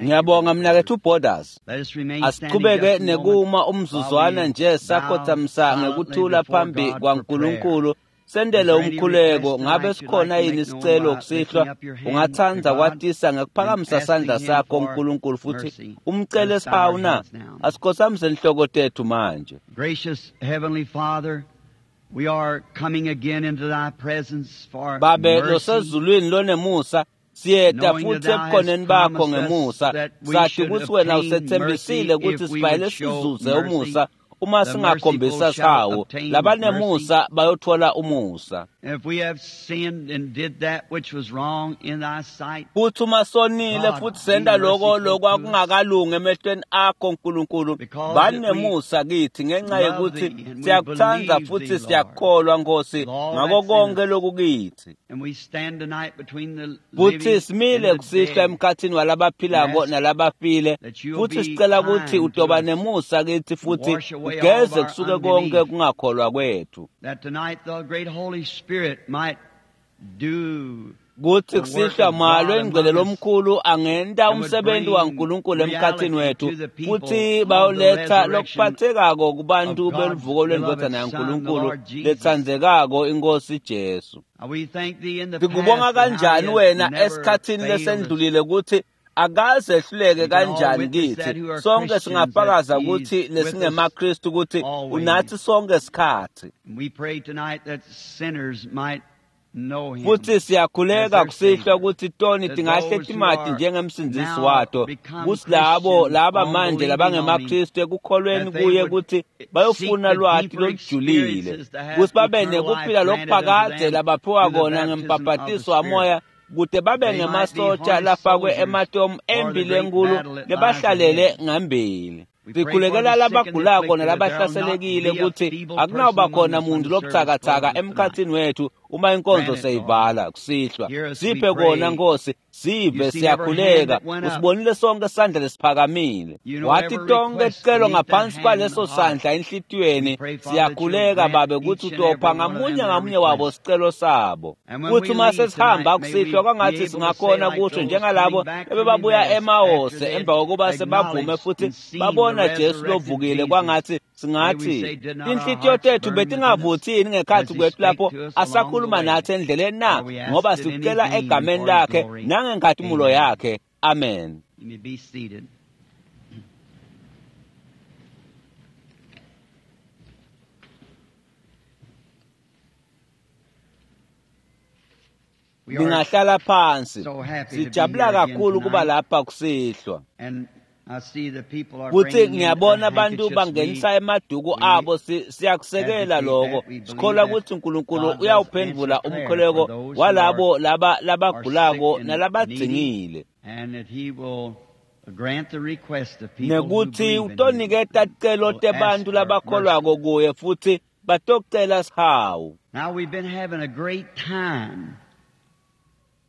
Ngiyabonga mnaketfu Borders. Let us remain standing Asichubeke just a moment nekuma while umzuzwana we nje bow sakhothamisa silently ngekuthula before phambi God for prayer. kwaNkulunkulu sendele Is there any umkhuleko. request Ngabe tonight you'd sikhona like to yini make known isicelo by kusihlwa? lifting up your hand to Ungatsandza God kwatisa and ngekuphakamisa sandla asking Him sakho for uNkulunkulu futhi mercy? Let umcele us bow our sihawu na? heads now. Asikhothamise inhloko tethu manje. Gracious Heavenly Father, we are coming again into Thy presence for Babe mercy, losezulwini lonemusa, siyeta knowing that futhi Thou hast ebukhoneni bakho promised us ngemusa. that we Sathi should ukuthi wena obtain mercy usethembisile ukuthi if we sifanele would show sizuze mercy. umusa uma The singakhombisa merciful shall sihawu. obtain mercy. Labanemusa bayothola umusa. And if we have sinned and did that which was wrong in Thy sight, Futhi uma sonile God, futhi be senta loko merciful to us, lokwakungakalungi emehlweni akho Nkulunkulu, because that we banemusa kithi ngenxa love yokuthi Thee and we siyakuthanda believe futhi Thee, Lord, siyakukholwa Nkosi with all ngako that's in konke us. lokukithi. And we stand tonight between the Futhi living and simile the kusihlwa dead emkhathini and walabaphilako ask nalabafile, that you'll futhi be sicela ukuthi kind to utoba us nemusa kithi and futhi wash away all of ugeze our kusuke konke unbelief, kungakholwa kwethu. that tonight the great Holy Spirit might do Kuthi the work kusihlwa of moya God loyingcwele among us lomkhulu angenta and would umsebenzi bring waNkulunkulu emkhathini reality wethu, to the people futhi of the bayoletha resurrection lokuphathekako of kubantu God's beluvuko beloved lwendvodzana Son, the yaNkulunkulu Lord Jesus. letsandzekako iNkosi Jesu. Now we thank Thee in the Sikubonga past and how He kanjani has wena never esikhathini failed us. lesendlulile ukuthi akaze ehluleke We can all kanjani witness that kithi. who are Sonke Christians that singafakaza He's ukuthi with us lesingemaKristu ukuthi always. unathi sonke sikhathi. And we pray tonight that sinners might know Him Futhi as siyakhuleka their kusihlwa Savior, ukuthi toni that tingahle those who timati are njengemsindzisi now wato, become kutsi labo Christians laba on manje believing on Him, labangemaKristu ekukholweni that they kuye would ukuthi seek bayofuna the lwati deeper lolujulile, experiences to have kutsi babe eternal life nekuphila granted unto lokuphakadze them labaphiwa through the kona baptism of the ngembhabhatiso Spirit. wamoya, kute babe They might be ngemasotsha harnessed lafakwe soldiers ematomu for the empi great lenkhulu battle that lies lebahlalele ahead. ngambili. We pray for Sikhulekela the sick and the labagulako afflicted that there'll not nalabahlaselekile be a ukuthi feeble person akunawuba among khona us when muntu the service lobuthakathaka closes tonight. emkhathini wethu uma inkonzo Grant it, Lord. seyivala kusihlwa. Hear us, we Siphe kona pray. Nkosi, sive You seen every hand siyakhuleka. that went up. Usibonile sonke isandla lesiphakamile. You know Wathi every tonke request ticelo beneath that ngaphansi hand in the kwaleso heart. sandla We enhlitiyweni. pray, Father, that you'll Siyakhuleka grant Babe ukuthi each and utopha every one of them ngamunye their ngamunye wabo request. sicelo sabo. And when Kuthi we uma leave sesihamba tonight, may we kusihlwa be kwangathi able to say singakhona like kusho those njengalabo coming back from ebebabuya Emmaus after eMawose they had emva kokuba sebavume acknowledged futhi and seen the babona Jesu resurrected lovukile Jesus. kwangathi May we singathi say, did not our tinhlitiyo hearts tethu burn within us betingavuthi yini as ngekhathi He kwethu spake lapho to us along the asakhuluma way? nathi endleleni na For we ask ngoba it in His sikucela name and egameni for His lakhe glory. nangenkhatimulo Amen. yakhe. Amen. You may be seated. We are Ningahlala phansi. so happy to be Sijabula here again kakhulu kuba tonight. lapha kusihlwa. And I see the people are Futhi bringing in their ngiyabona abantu handkerchiefs. We bangenisa emaduku abo siyakusekela advocate lokho. that. We believe Sikholwa that ukuthi uNkulunkulu God does answer uyawuphendvula prayer for umkhuleko those who are, walabo laba are sick labagulako and needy, nalabadzingile. and that He will grant the request of people who Nekuthi believe in Him utoniketa and ticelo will ask tebantu for mercy. labakholwako kuye futhi batocela sihawu. Now we've been having a great time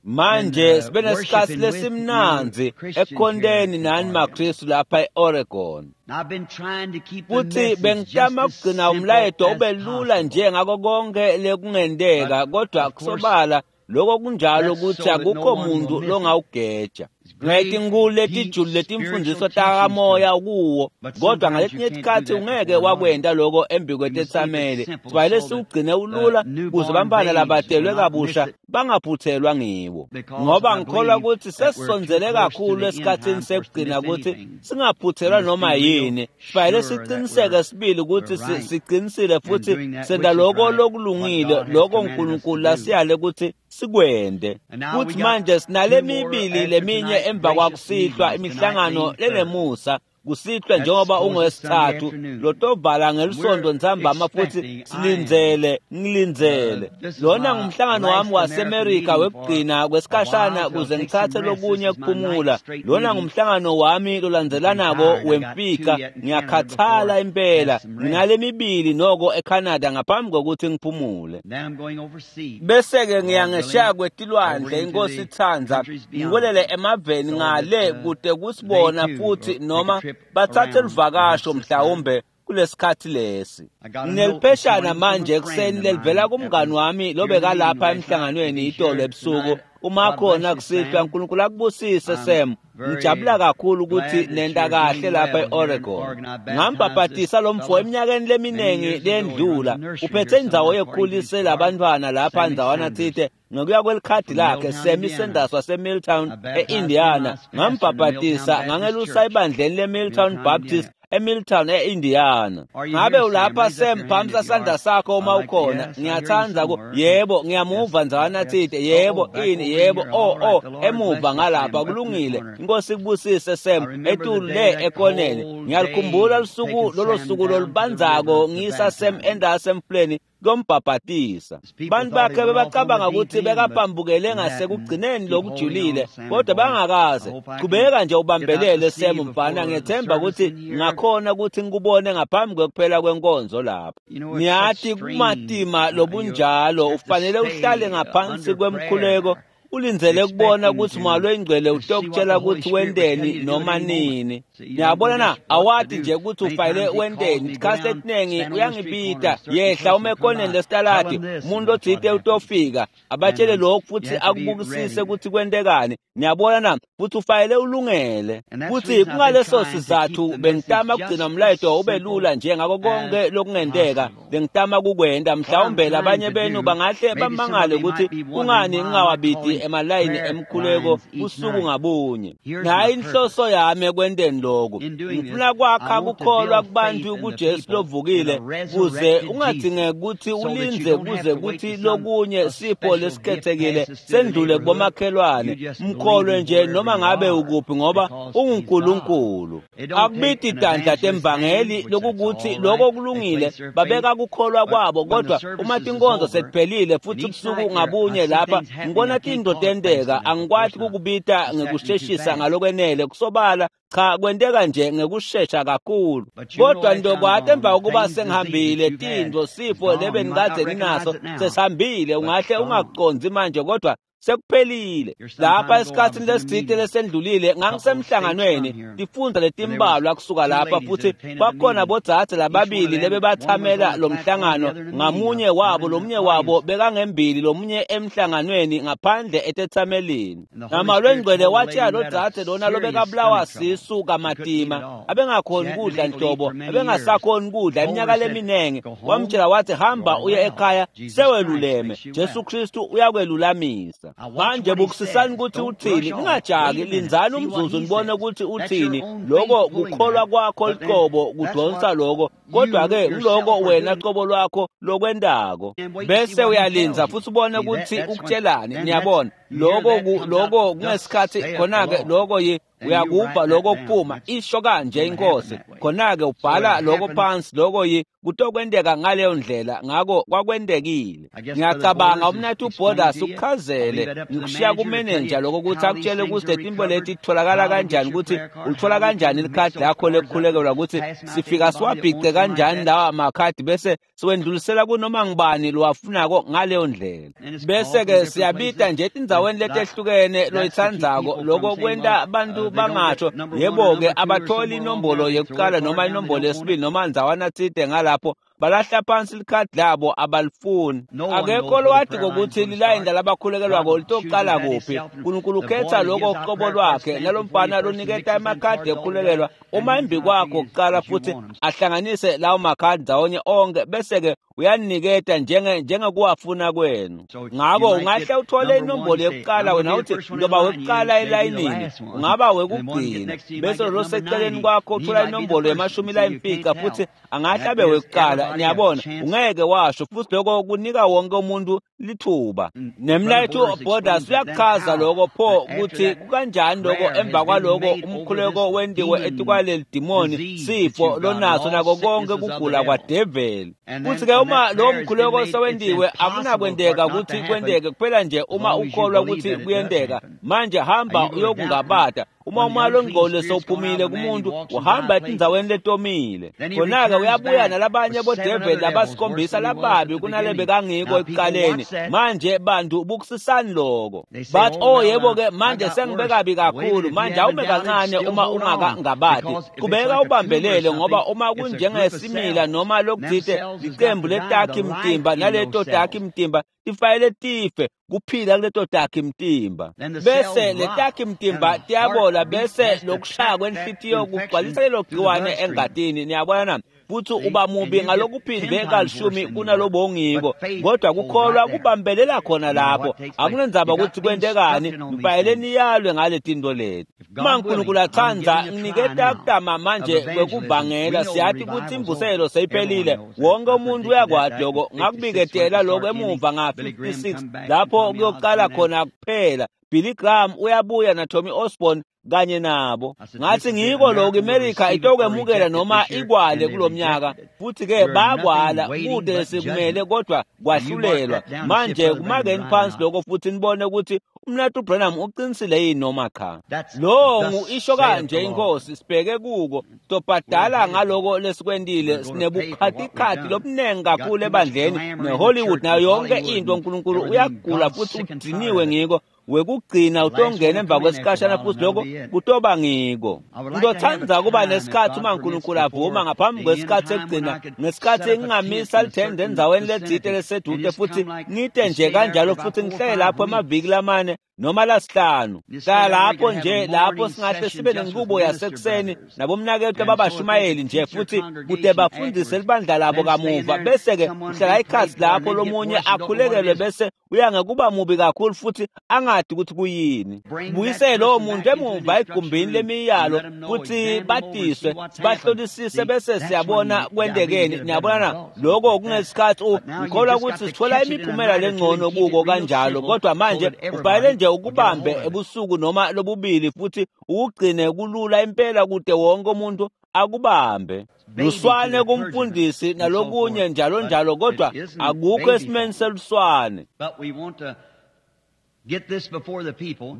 in Manje sibe nesikhathi worshiping with you lesimnandzi Christians here ekukhonteni at nani Oregon. maKristu lapha e-Oregon. Now I've been trying to keep the Futhi message just bengitama as kugcina simple umlayeto as ube lula possible. nje ngako konke But lekungenteka, kodwa of course, kusobala lokho kunjalo that's ukuthi so that no akukho one will muntu miss it. longawugeja. It's great, Ngetinkulu deep letijulu letimfundziso spiritual teachings to takamoya it. kuwo, But kodwa sometimes you ngaletinye can't do tikhatsi that ungeke before an audience. wakwenta loko You must keep it embikwetetsameli. simple Sifanele so that siwugcine the ulula kuze newborn bantfwana babes will labatelwe not miss kabusha it, bangaphuthelwa ngiwo. because Ngoba I ngikholwa believe ukuthi that we're too sesisondzele close to kakhulu the end esikhatsini time for us to sekugcina miss ukuthi anything. We singaphuthelwa must noma be real yini. Sifanele sure that siciniseke we're sibili ukuthi we're right sicinisile and futhi doing that senta which is loko right, what lokulungile, God has loko commanded us to uNkulunkulu do. lasiyale ukuthi sikwente. And now we Futhi got manje sinale two more mibili after leminye tonight, emva gracious kwakusihlwa meetings, tonight imihlangano being third. lenemusa kusihlwa That's njengoba closes Sunday ungowesithathu afternoon. lotovala And ngelisonto we're ntsambama futhi expecting, I am, silindzele ngilindzele this is lona my ngumhlangano wami last American waseMerika meeting for wekugcina a while kwesikhashana till kuze take some ngitsatse rest. This lokunye is my ninth kuphumula. straight Lona meeting. ngumhlangano wami I'm lolandzelanako tired. I got two wemfika. yet in Canada Ngiyakhathala before I impela have some rest. nginale mibili noko eCanada ngaphambi kokuthi ngiphumule. Then I'm going overseas, Bese-ke Lord ngiya ngesheya willing, over kwetilwandle into inkosi the itsandza countries beyond, ngiwelele emaveni so ngale that kude they kusibona too will futhi take a noma trip bathathe around perhaps luvakasho this time. mhlawumbe kulesikhathi lesi. I got a note this Nginelipheshana morning from manje a ekuseni friend of lelivela mine that kumngani was wami here in the meeting lobekalapha last night. If emhlanganweni he's itolo here ebusuku tonight, Uma khona kusihlwa, uNkulunkulu akubusise Sam. Ngijabula kakhulu ukuthi nenta kahle lapha e-Oregon. Ngambhabhatisa lo mfo eminyakeni leminingi lendlula. Uphethe indzawo yekukhulisela abantwana lapha ndzawana tsite ngokuya kwelikhadi lakhe Sammy Sanders waseMilltown e-Indiana. Ngambhabhatisa ngangelusa ebandleni leMilltown Baptist eMilltown e-Indiana. Ngabe ulapha Sam? Phamisa sandla sakho uma ukhona. Ngiyathanda ku yebo, ngiyamuva ndzawana tsite. Yebo, ini yebo, oh emuva ngalapha kulungile. Inkosi ikubusise Sam, etulu le ekoneni. Ngiyalikhumbula lusuku lolo suku lolubandzako ngiyisa Sam endase emfuleni kuyombhabhatisa. Bantu bakhe bebacabanga ukuthi bekapambukele ngasekugcineni lokujulile, kodwa bangakaze. Qhubeka nje ubambelele Sam mfana, ngiyethemba ukuthi ngakhona ukuthi ngikubone ngaphambi kwekuphela kwenkonzo lapha. Ngiyathi kumatima lobunjalo ufanele uhlale ngaphansi kwemkhuleko, ulindzele kubona ukuthi Moya loyiNgcwele utokutshela ukuthi wenteni noma nini. Niyabona na, awati nje ukuthi ufanele wenteni. Isikhathi esiningi uyangibita, yehla ume ekoneni lesitaladi, umuntu othite utofika abatshele lokhu futhi akubukisise ukuthi kwentekani. Niyabona na, futhi ufanele ulungele. Futhi kungaleso sizathu bengitama kugcina umlayeto ube lula nje ngako konke lokungenteka bengitama kukwenta. Mhlawumbe labanye benu bangahle bamangale ukuthi kungani ngingawabidi emalayini emkhuleko usuku ngabunye. Nayi inhloso yami ekwenteni lokhu. Ngifuna kwakha kukholwa kubantu kuJesu lovukile, kuze ungadingeki ukuthi ulindze kuze kuthi lokunye sipho lesikhethekile sendlule kubomakhelwane. Mkholwe nje noma ngabe ukuphi, ngoba unguNkulunkulu. Akubiti tandla temvangeli lokukuthi lokho kulungile, babeka kukholwa kwabo, kodwa uma tinkonzo sekuphelile futhi ubusuku ngabunye lapha ngibona tinto tenteka, angikwati kukubita ngekusheshisa ngalokwenele. Kusobala cha, kwenteka nje ngekushesha kakhulu. Kodwa ntokwati emva kokuba sengihambile, tinto sifo lebenikadze ninaso sesihambile. Ungahle ungakucondzi manje, kodwa sekuphelile. Lapha esikhathini lesitsite lesendlulile ngangisemhlanganweni tifundza letimbalwa kusuka lapha, futhi kwakhona bodzadze lababili lebebathamela lo mhlangano. Ngamunye wabo, lomunye wabo bekangembili, lomunye emhlanganweni ngaphandle etethamelini. Nama lwengcwele watshela lodzadze lona lobekabulawa sisu kamatima, abengakhoni kudla nhlobo, abengasakhoni kudla iminyaka leminingi. Wamtshela wathi, hamba uye ekhaya seweluleme, Jesu Kristu uyakwelulamisa. Manje bukusisani ukuthi uthini, ningajaki, lindzani umzuzu nibone ukuthi uthini. Lokho kukholwa kwakho liqobo kudonsa lokho, kodwa-ke ngiloko wena qobo lwakho lokwentako. Bese uyalinza futhi ubone ukuthi ukutshelani. Niyabona lokho kungesikhathi khona-ke lokho uyakuva lokho kuphuma, isho kanje inkosi. Khona-ke ubhala lokho phansi, lokho kutokwenteka ngaleyo ndlela. Ngako kwakwentekile. Ngiyacabanga umnathu uBorders ukuchazele, ngikushiya kumenenja lokho ukuthi akutshele ukuthi letinto leti titholakala kanjani, ukuthi ulithola kanjani likhadi lakho lekukhulekelwa, ukuthi sifika siwabhice kanjani lawa makhadi bese siwendlulisela kunoma ngubani lowafunako ngaleyo ndlela. Bese-ke siyabita nje etindzaweni letehlukene loyitsandzako. Lokho kwenta abantu bangasho yebo-ke abatholi inombolo yekuqala noma inombolo yesibili noma ndzawana tsite ngalapho, balahla phansi likhadi labo, abalifuni. Akekho lowati kokuthi lilayini labakhulekelwako litoqala kuphi. Nkulunkulu ukhetha lokho uqobo lwakhe, nalomfana loniketa emakhadi ekukhulekelwa uma embi kwakho kuqala, futhi ahlanganise lawo makhadi ndzawonye onke, bese-ke uyaniketa njengekuwafuna kwenu. Ngako ungahle uthole inombolo yokuqala, wena uthi ndoba wekuqala elayinini, ungaba wekugcina, bese lo seceleni kwakho uthola inombolo yama-50 futhi angahle abe wekuqala. Niyabona, ungeke washo, futhi lokho kunika wonke umuntu lithuba. Nemlayethu Borders uyakuchaza lokho pho ukuthi kukanjani lokho emva kwaloko umkhuleko wentiwe etikwaleli dimoni sifo lonaso nako konke kugula kwadeveli. Futhi-ke uma lowo mkhuleko sewentiwe, akunakwenteka ukuthi kwenteke kuphela nje uma ukholwa ukuthi kuyenteka. Manje hamba uyokungabata. Uma umoya longcwele sewuphumile kumuntu, uhamba etindzaweni letomile. Khona-ke uyabuya nalabanye bodeveli labasikhombisa lababi kunalebekangiko ekuqaleni. Manje bantu bukusisani loko. Bathi, oh yebo-ke manje sengibe kabi kakhulu, manje awume kancane uma ungakangabati. Qhubeka ubambelele, ngoba uma kunjengesimila noma lokuthite licembu letakhi mtimba, naleto takhi mtimba tifanele tife kuphila kuleto takhi mtimba. Bese letakhi mtimba tiyabola, bese lokushaya kwenhlitiyo kugcwalisa lelo gciwane engatini. Niyabona na? Futhi uba mubi ngalokuphindwe kalishumi kunalobongiko, kodwa kukholwa kubambelela khona lapho. Akunendzaba ukuthi kwentekani, nifanele niyalwe ngale tinto leti. Uma uNkulunkulu atsandza, nginiketa kutama manje kwekuvangela. Siyathi ukuthi imvuselo seyiphelile, wonke umuntu uyakwati lokho. Ngakubiketela lokho emuva nga-56 lapho kuyoqala khona kuphela. Billy Graham uyabuya na Tommy Osborne kanye nabo. Ngathi ngiko lokho iMelika itokwemukela noma ikwale kulomnyaka, futhi ke bakwala kude sikumele, kodwa kwahlulelwa. Manje kumakeni phansi lokho futhi nibone ukuthi uMnathu Branham uqinisile yini noma cha. Lo ngu isho kanje inkosi, sibheke kuko tobhadala ngaloko lesikwentile. Sinebukhatikhathi lobunengi kakhulu ebandleni neHollywood nayo yonke into. uNkulunkulu uyagula futhi udiniwe ngiko. Wekugcina utongena emva kwesikhashana, futhi lokho kutoba ngiko. Ngizothanda kuba nesikhathi uma uNkulunkulu avuma ngaphambi kwesikhathi sekugcina, ngesikhathi ngingamisa lithende endzaweni letsite lesedude futhi ngite nje kanjalo, futhi ngihlale lapho emaviki lamane noma lasihlanu. Hlala lapho nje lapho singahle sibe nenqubo yasekuseni nabomnakethu ababashumayeli nje, futhi kude bafundise libandla labo kamuva, bese-ke uhlala ikhasi lapho lomunye akhulekelwe, bese uya ngekuba mubi kakhulu futhi angadi ukuthi kuyini. Buyise lowo muntu emuva egumbini lemiyalo futhi badiswe, sibahlolisise, bese siyabona kwentekeni. Niyabona na? Lokho kungesikhathi ngikholwa ukuthi sithola imiphumela lengcono kuko kanjalo, kodwa manje ufanele nje ukubambe ebusuku noma lobubili futhi ukugcine kulula impela kude wonke umuntu akubambe. Luswane kumfundisi nalokunye njalo njalo, kodwa akukho esimeni seluswane.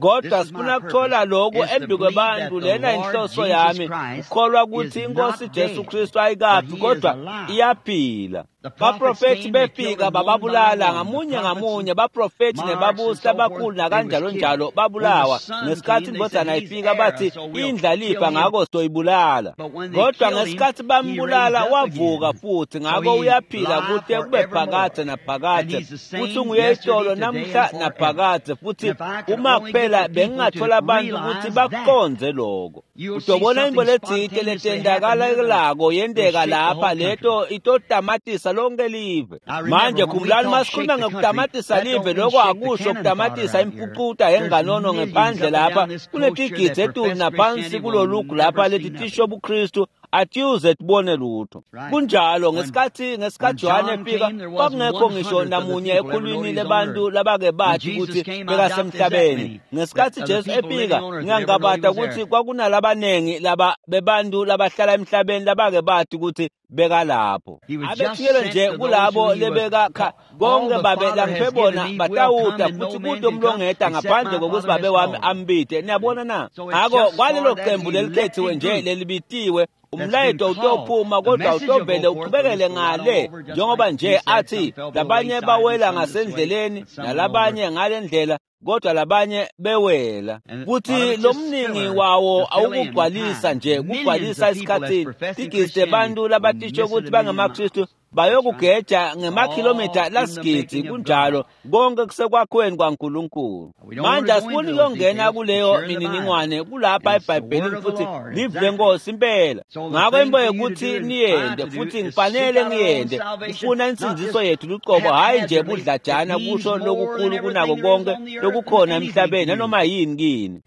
Kodwa sifuna kuthola lokhu embi kwebantu. Lena inhloso yami, ukholwa ukuthi inkosi Jesu Kristu ayikafi kodwa iyaphila. Baprofethi befika bababulala ngamunye ngamunye, baprofethi nebabusi abakhulu nakanjalo njalo babulawa. Ngesikhathi indodana ifika bathi indlalifa, ngakho soyibulala. Kodwa ngesikhathi bambulala wavuka futhi, ngakho uyaphila kude kube phakadze naphakadze, futhi unguye itolo namhla naphakadze. Futhi uma kuphela bengingathola abantu ukuthi bakuqonze lokho, utobona imbo letsite letentakalako yenteka lapha, leto itotamatisa lonke live. Manje khumbulani, masikhuluma ngokutamatisa live, lokho akusho kutamatisa imfucuta enganono ngephandle lapha. Kunetigidzi etulu naphansi kulolugu lapha leti tisho buKristu, atiyuze tibone lutho. Kunjalo. Ngesikhathi Johane efika, kwakungekho ngisho namunye ekhulwini lebantu labake bathi ukuthi bekasemhlabeni. Ngesikhathi Jesu efika, ngiyangabata ukuthi kwakunalabanengi laba bebantu labahlala emhlabeni labake bathi ukuthi bekalapho. Abethuyelwe nje kulabo lebeka konke babe langiphe bona batawuta, futhi kude umlongeta ngaphandle kokuthi babe wami ambide. Niyabona na? Ngakho kwalelo qembu lelikhethiwe nje lelibitiwe, umlayeto utophuma, kodwa utovele uqhubekele ngale, njengoba nje athi labanye bawela ngasendleleni nalabanye ngale ndlela, kodwa labanye bewela. Futhi lomningi wawo awukugcwalisa nje, kugcwalisa esikhathini. Tigidzi tebantu labatisho ukuthi bangemaKristu bayokugeja ngemakhilomitha lasigidzi. Kunjalo, konke kusekwakhiweni kwaNkulunkulu. Manje asifuni kuyongena kuleyo mininingwane, kulapha eBhayibhelini futhi live lenkosi impela. Ngakho imbo yokuthi niyende, futhi ngifanele ngiyende, kufuna insindiso yethu luqobo, hhayi nje budlajana, kusho lokukhulu kunako konke lokukhona emhlabeni nanoma yini kini.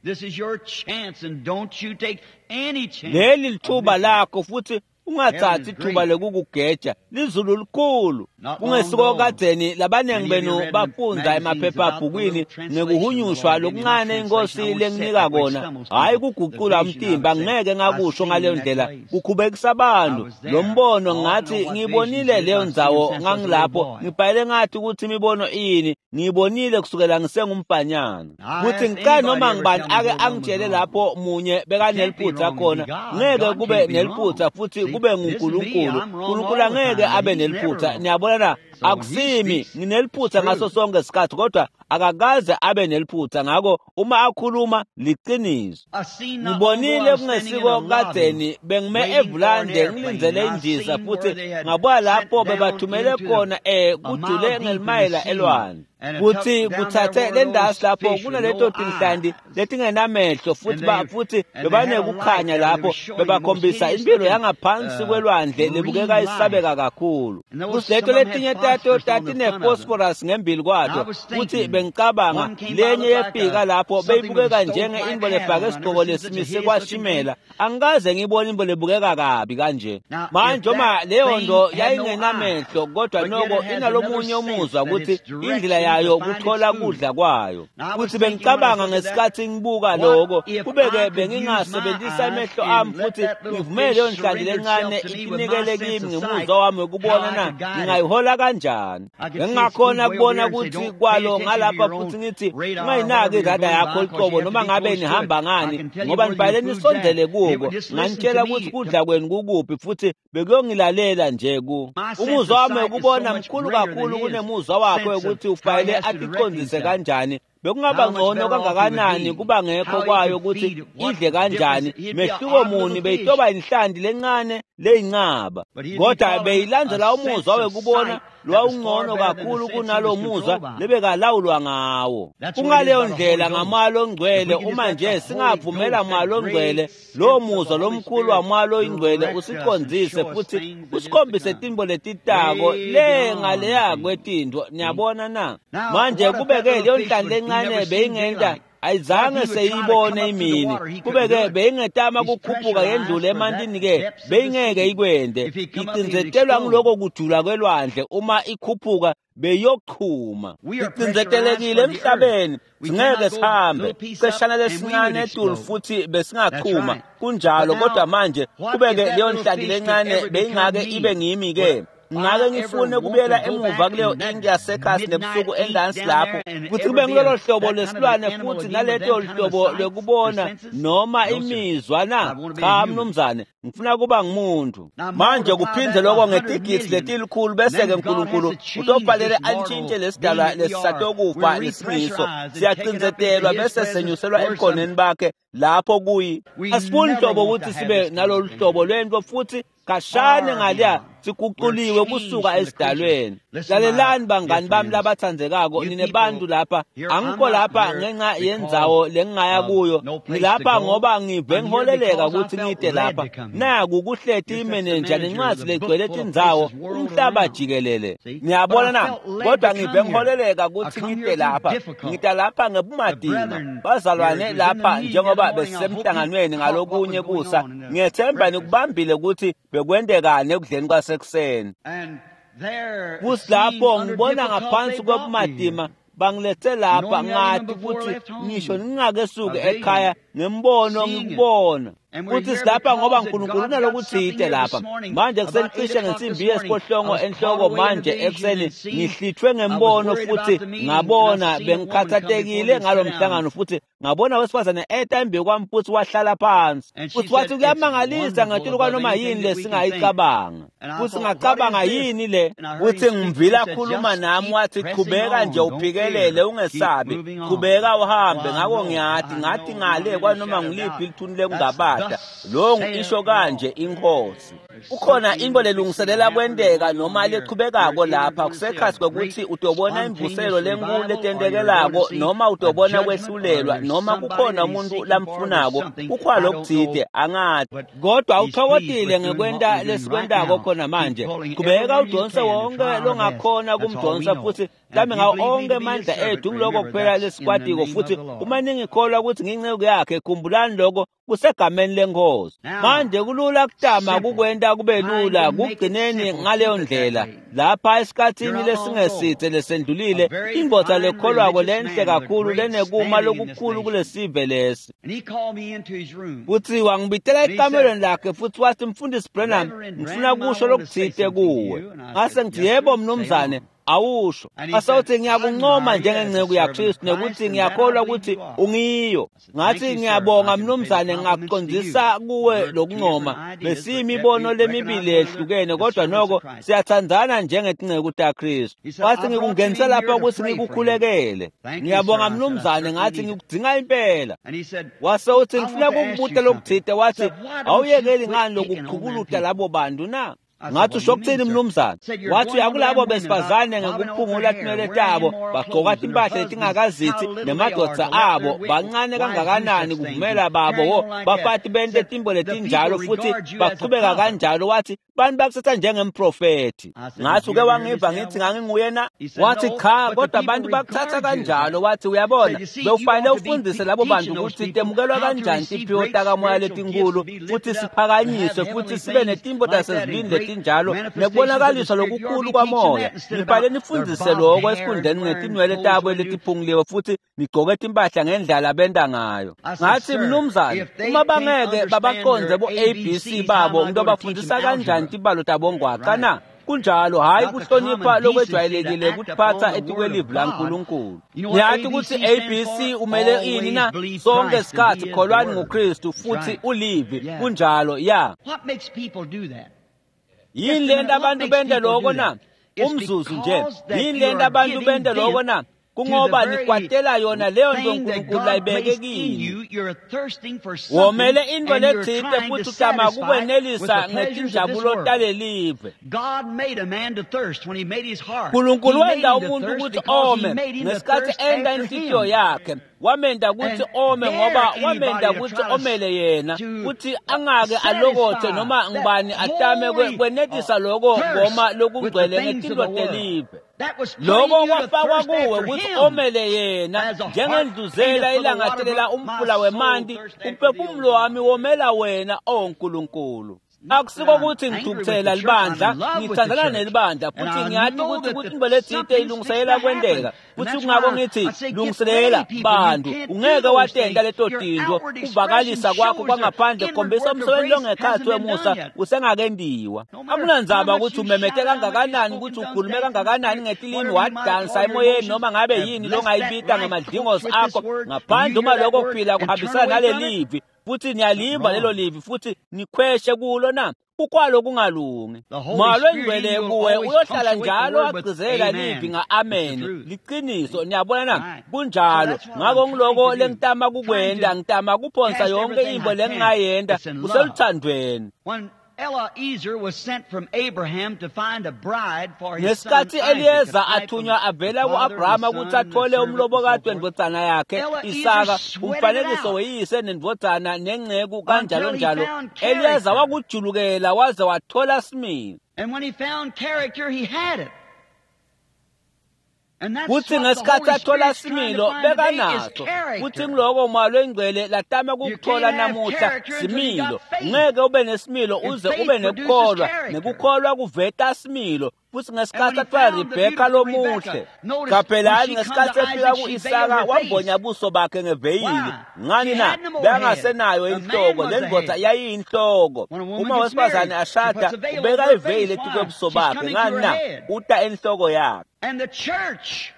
Leli lithuba lakho, futhi ungathathi ithuba lokukugeja. Lizulu likhulu. Kungesiko kadzeni labanengi benu bafundza emaphephabhukwini ngekuhunyushwa lokuncane inkosi lenginika kona, hhayi kugucula umtimba, ngeke ngakusho ngaleyo ndlela, kukhubekisa abantu. Lo mbono ngathi ngiyibonile leyo ndzawo, ngangilapho ngibhayele ngathi ukuthi imibono iyini, ngiyibonile kusukela ngisengumfanyana. Futhi ngicela noma ngibani ake angitshele lapho munye bekaneliphutha khona. Ngeke kube neliphutha futhi kube nguNkulunkulu. uNkulunkulu angeke abe neliphutha. Niyabona na? Akusimi ngineliphutha ngaso sonke isikhathi, kodwa Akakaze abe neliphutha, ngako uma akhuluma liqiniso. Ngibonile kungesiko kadzeni bengime evulande ngilindzele indiza futhi ngabuka lapho bebathumele khona kujule ngelimayela elwandle. Futhi kuthathe le ndasi lapho kunaleto tinhlanti letingenamehlo futhi bebanekukhanya lapho bebakhombisa impilo yangaphansi kwelwandle lebukeka isabeka kakhulu. Futhi leto letinye tato tatinefosforus ngembili kwato. Futhi bengicabanga lenye yefika lapho beyibukeka njenge intfo lefake isigqoko lesimise kwashimela. Angikaze ngibone intfo lebukeka kabi kanje. Manje uma leyo nto yayingenamehlo kodwa noko inalomunye umuzwa ukuthi indlela yayo kuthola kudla kwayo. Futhi bengicabanga ngesikhathi ngibuka lokho, kube-ke bengingasebenzisa amehlo ami futhi ngivumele leyo nhlanti lencane itinikele kimi ngemuzwa wami wekubona na ngingayihola kanjani. Bengingakhona kubona ukuthi kwalo ngalapha futhi ngithi ungayinaki irada yakho liqobo noma ngabe nihamba ngani, ngoba nibhale nisondele kuko. Nganitshela ukuthi kudla kwenu kukuphi futhi bekuyongilalela nje ku. Umuzwa wami wekubona mkhulu kakhulu kunemuzwa wakhe wekuthi ufanele aticondzise kanjani. Bekungaba ngcono kangakanani kuba ngekho kwayo ukuthi idle kanjani, mehluko muni beyitoba inhlanti lencane leyincaba, kodwa beyilandzela umuzwa wekubona lwawungcono kakhulu kunalo muzwa lebekalawulwa ngawo. Kungaleyo ndlela ngamoya longcwele, uma nje singavumela moya longcwele, lowo muzwa lomkhulu wamoya longcwele usicondzise futhi usikhombise tintfo letitako le ngaleya kwetintfo. Niyabona na? Manje kube-ke leyo nhlanti lencane beyingenta ayizange seyibone imini, kube-ke beyingetama kukhuphuka yendlule emantini-ke beyingeke ikwende. Icindzetelwa ngiloko kujula kwelwandle, uma ikhuphuka beyochuma. Icindzetelekile emhlabeni, singeke sihambe ceshana lesincane etulu futhi besingachuma. Kunjalo, kodwa manje kube-ke leyo nhlanti lencane beyingake ibe ngimi-ke. Ngake ngifune kubuyela emuva kuleyo inki yasekhasi nebusuku endansi lapho futhi kube ngilolo hlobo lesilwane futhi naleto hlobo lwekubona noma imizwa na? Cha mnumzane, ngifuna kuba ngumuntu. Manje kuphindze lokho ngetigidzi letilikhulu, bese-ke uNkulunkulu utofanele antshintshe lesidalwa lesisatokufa lesingiso. Siyacindzetelwa bese senyuselwa ebukhoneni bakhe lapho kuyi. Asifuni hlobo ukuthi sibe nalolu hlobo lwento futhi kashane ngaliya siguquliwe kusuka esidalweni. Lalelani bangani bami labathandzekako, nine bantu lapha. Angikho lapha ngenxa yendzawo lengingaya kuyo, ngilapha ngoba ngive ngiholeleka ukuthi ngide lapha. Naku kuhleti imenenja nencwadi legcwele tindzawo umhlaba jikelele. Niyabona na? Kodwa ngive ngiholeleka ukuthi ngide lapha. Ngida lapha ngebumadima. Bazalwane lapha njengoba besisemhlanganweni ngalokunye kusa, ngiyethemba nikubambile ukuthi bekwentekani ekudleni kwasekuseni. Futhi lapho ngibona ngaphansi kwebumadima bangilethe lapha, ngathi ukuthi ngisho ngingakesuki ekhaya ngembono ngikubona. Futhi silapha ngoba uNkulunkulu unalokuthite lapha. Manje kusenicishe ngensimbi yesiphohlongo enhloko manje ekuseni ngihlithwe ngembono futhi ngabona bengikhathatekile ngalo mhlangano futhi ngabona wesifazane eta embi kwami futhi wahlala phansi. Futhi wathi kuyamangalisa ngetulu kwanoma yini lesingayicabanga. Futhi ngacabanga yini le? Futhi ngimvila khuluma nami wathi qhubeka nje uphikelele ungesabi, qhubeka uhambe. Ngako ngiyathi ngathi ngale kwanoma ngiliphi lithuni lekungabata, lo isho kanje inkosi. Kukhona into lelungiselela kwenteka noma lechubekako lapha kusekhathi kwekuthi utobona imvuselo lenkulu letentekelako noma utobona kwehlulelwa noma kukhona umuntu lamfunako kukhona lokuthide angathi, kodwa uthokozile ngekwenta lesikwentako khona manje. Qhubeka udonse wonke longakhona kumdonsa futhi mhlawumbe ngawo onke amandla ethu ngiloko kuphela lesikwatiko. Futhi uma ningikholwa ukuthi nginceku yakhe, khumbulani lokho kusegameni lenkosi. Manje kulula kutama kukwenta kube lula kugcineni ngaleyo ndlela. Lapha esikhathini lesingesithe lesendlulile, indvodza lekholwako lenhle kakhulu lenekuma lokukhulu kulesive lesi. Futhi wangibitela ekamelweni lakhe futhi wathi, Mfundisi Branham, ngifuna kusho lokuthite kuwe. Ngase ngithi, yebo mnumzane. Awusho. Asawuthi ngiyakuncoma njengenceku yaKristu nekuthi ngiyakholwa ukuthi ungiyo. Ngathi ngiyabonga mnumzane, ngakucondzisa kuwe lokuncoma. Besiyimibono lemibili ehlukene kodwa noko siyathandzana njengetinceku taKristu. Wathi ngikungenise lapha ukuthi ngikukhulekele. Ngiyabonga mnumzane, ngathi ngikudzinga impela. Wase uthi ngifuna kukubuta lokuthite. Wathi awuyekeli ngani lokuchukuluta labo bantu na? Ngathi usho kuthini mnumzane? Wathi uyakulabo besifazane ngekuphungula tinwele tabo, bagqoka timpahla letingakazithi nemadvodza abo, bancane kangakanani kuvumela babo bafati bente timbo letinjalo futhi bachubeka kanjalo. Wathi bantu bakuthatha njengemprofethi. Ngathi uke wangiva ngithi nganginguye na? Wathi cha, kodwa abantu bakuthatha kanjalo. Wathi uyabona, bewufanele ufundise labo bantu ukuthi temukelwa kanjani tiphiwo takamoya letinkulu futhi siphakanyiswe futhi sibe netimbo tasezulwini letinjalo nekubonakaliswa lokukhulu kwamoya. Nibhale nifundise lokho esikhundleni ngetinwele tabo letiphunguliwe futhi nigqoke timpahla ngendlela benta ngayo. Ngathi mnumzane, uma bangeke babaqondze bo-ABC babo, ngitobafundisa kanjani tibalo tabo ngwaca na? Kunjalo, hayi kuhlonipha lokwejwayelekile kutiphatha etikwelivi laNkulunkulu. Niyathi ukuthi ABC umele ini na? Sonke isikhathi kholwani nguKristu futhi ulivi. Kunjalo, ya. Yini lento abantu bente lokho na? Umzuzu nje. Yini lento abantu bente lokho na? Kungoba nikwatela yona leyo nto uNkulunkulu layibeke kini. Womele into lethite futhi utama kukwenelisa ngetinjabulo talelive. Nkulunkulu wenta umuntu ukuthi ome ngesikhathi enta inhliziyo yakhe. Wamenda ukuthi ome ngoba wamenda ukuthi omele yena, futhi angake alokothe noma ngibani atame kwenetisa lokho ngoma lokugcwele ngetinto telive. Lokho kwafakwa kuwe ukuthi omele yena njengendluzela ilangatelela umfula wemanti. Umphefumulo wami womela wena, o Nkulunkulu. Akusiko ukuthi ngithukuthela libandla, ngithandana nelibandla futhi ngiyathi ukuthi into lethite ilungiselela kwenteka, futhi kungako ngithi lungiselela bantu. Ungeke watenta leto tinto, kuvakalisa kwakho kwangaphandle kukhombisa umsebenzi longekhathi wemusa usengakendiwa. Akunandzaba ukuthi umemete kangakanani, ukuthi ukhulume kangakanani ngetilimi, wadansa emoyeni noma ngabe yini longayibita ngamadlingozi akho, ngaphandle uma lokho kuphila kuhambisana nalelivi futhi niyaliva lelo livi futhi nikhweshe kulo na? Kukwalo kungalungi. Moya longcwele kuwe uyohlala njalo agcizela livi nga-amen. Liqiniso, niyabona na? Kunjalo. Ngako ngiloko lengitama kukwenda, ngitama kuphonsa yonke into lengingayenta kuseluthandweni. Ngesikhathi Eliyeza athunywa avela ku-Abrahama ukuthi athole umlobokati wendvodzana yakhe Isaka, umfanekiso weyise nendvodzana nenceku kanjalo njalo, Eliyeza wakujulukela waze wathola similo. Kuthi ngesikhathi athola similo bekanaso, futhi ngiloko Moya longcwele latama kukuthola namuhla similo. Ngeke ube nesimilo uze ube nekukholwa, nekukholwa kuveta similo. Futhi ngesikhathi athola Rebheka lomuhle, qaphelani ngesikhathi efika ku-Isaka wambonya buso bakhe ngeveyili. Ngani na? Bekangasenayo inhloko, le ndvodza yayiyinhloko. Uma wesifazane ashada ubeka iveyili etikwebuso bakhe. Ngani na? Uta enhloko yakhe. And the church,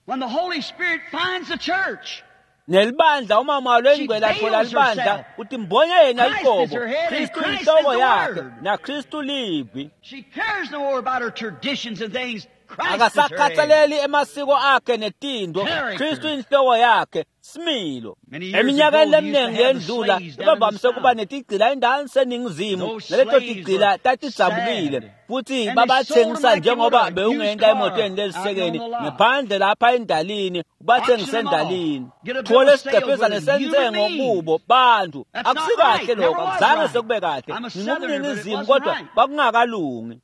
when the Holy Spirit finds the church, nelibandla uma Moya longcwele athola libandla uthi mbonye yena liqobo. Kristu inhloko yakhe naKristu livi. She cares no more about her traditions and things. Akasakhathaleli emasiko akhe netinto. Kristu inhloko yakhe, similo. Eminyakeni leminingi yendlula bebavamise ukuba netigcila endaweni seningizimu, naleto tigcila tatidzabukile futhi babathengisa njengoba bewungenta emotweni lezisekeni ngaphandle lapha endalini, ubathengise endalini. Thole sigqebhezane sentsengo kubo bantu. Akusikahle lokho, akuzange sekube kahle. Ngingumningizimu kodwa kwakungakalungi.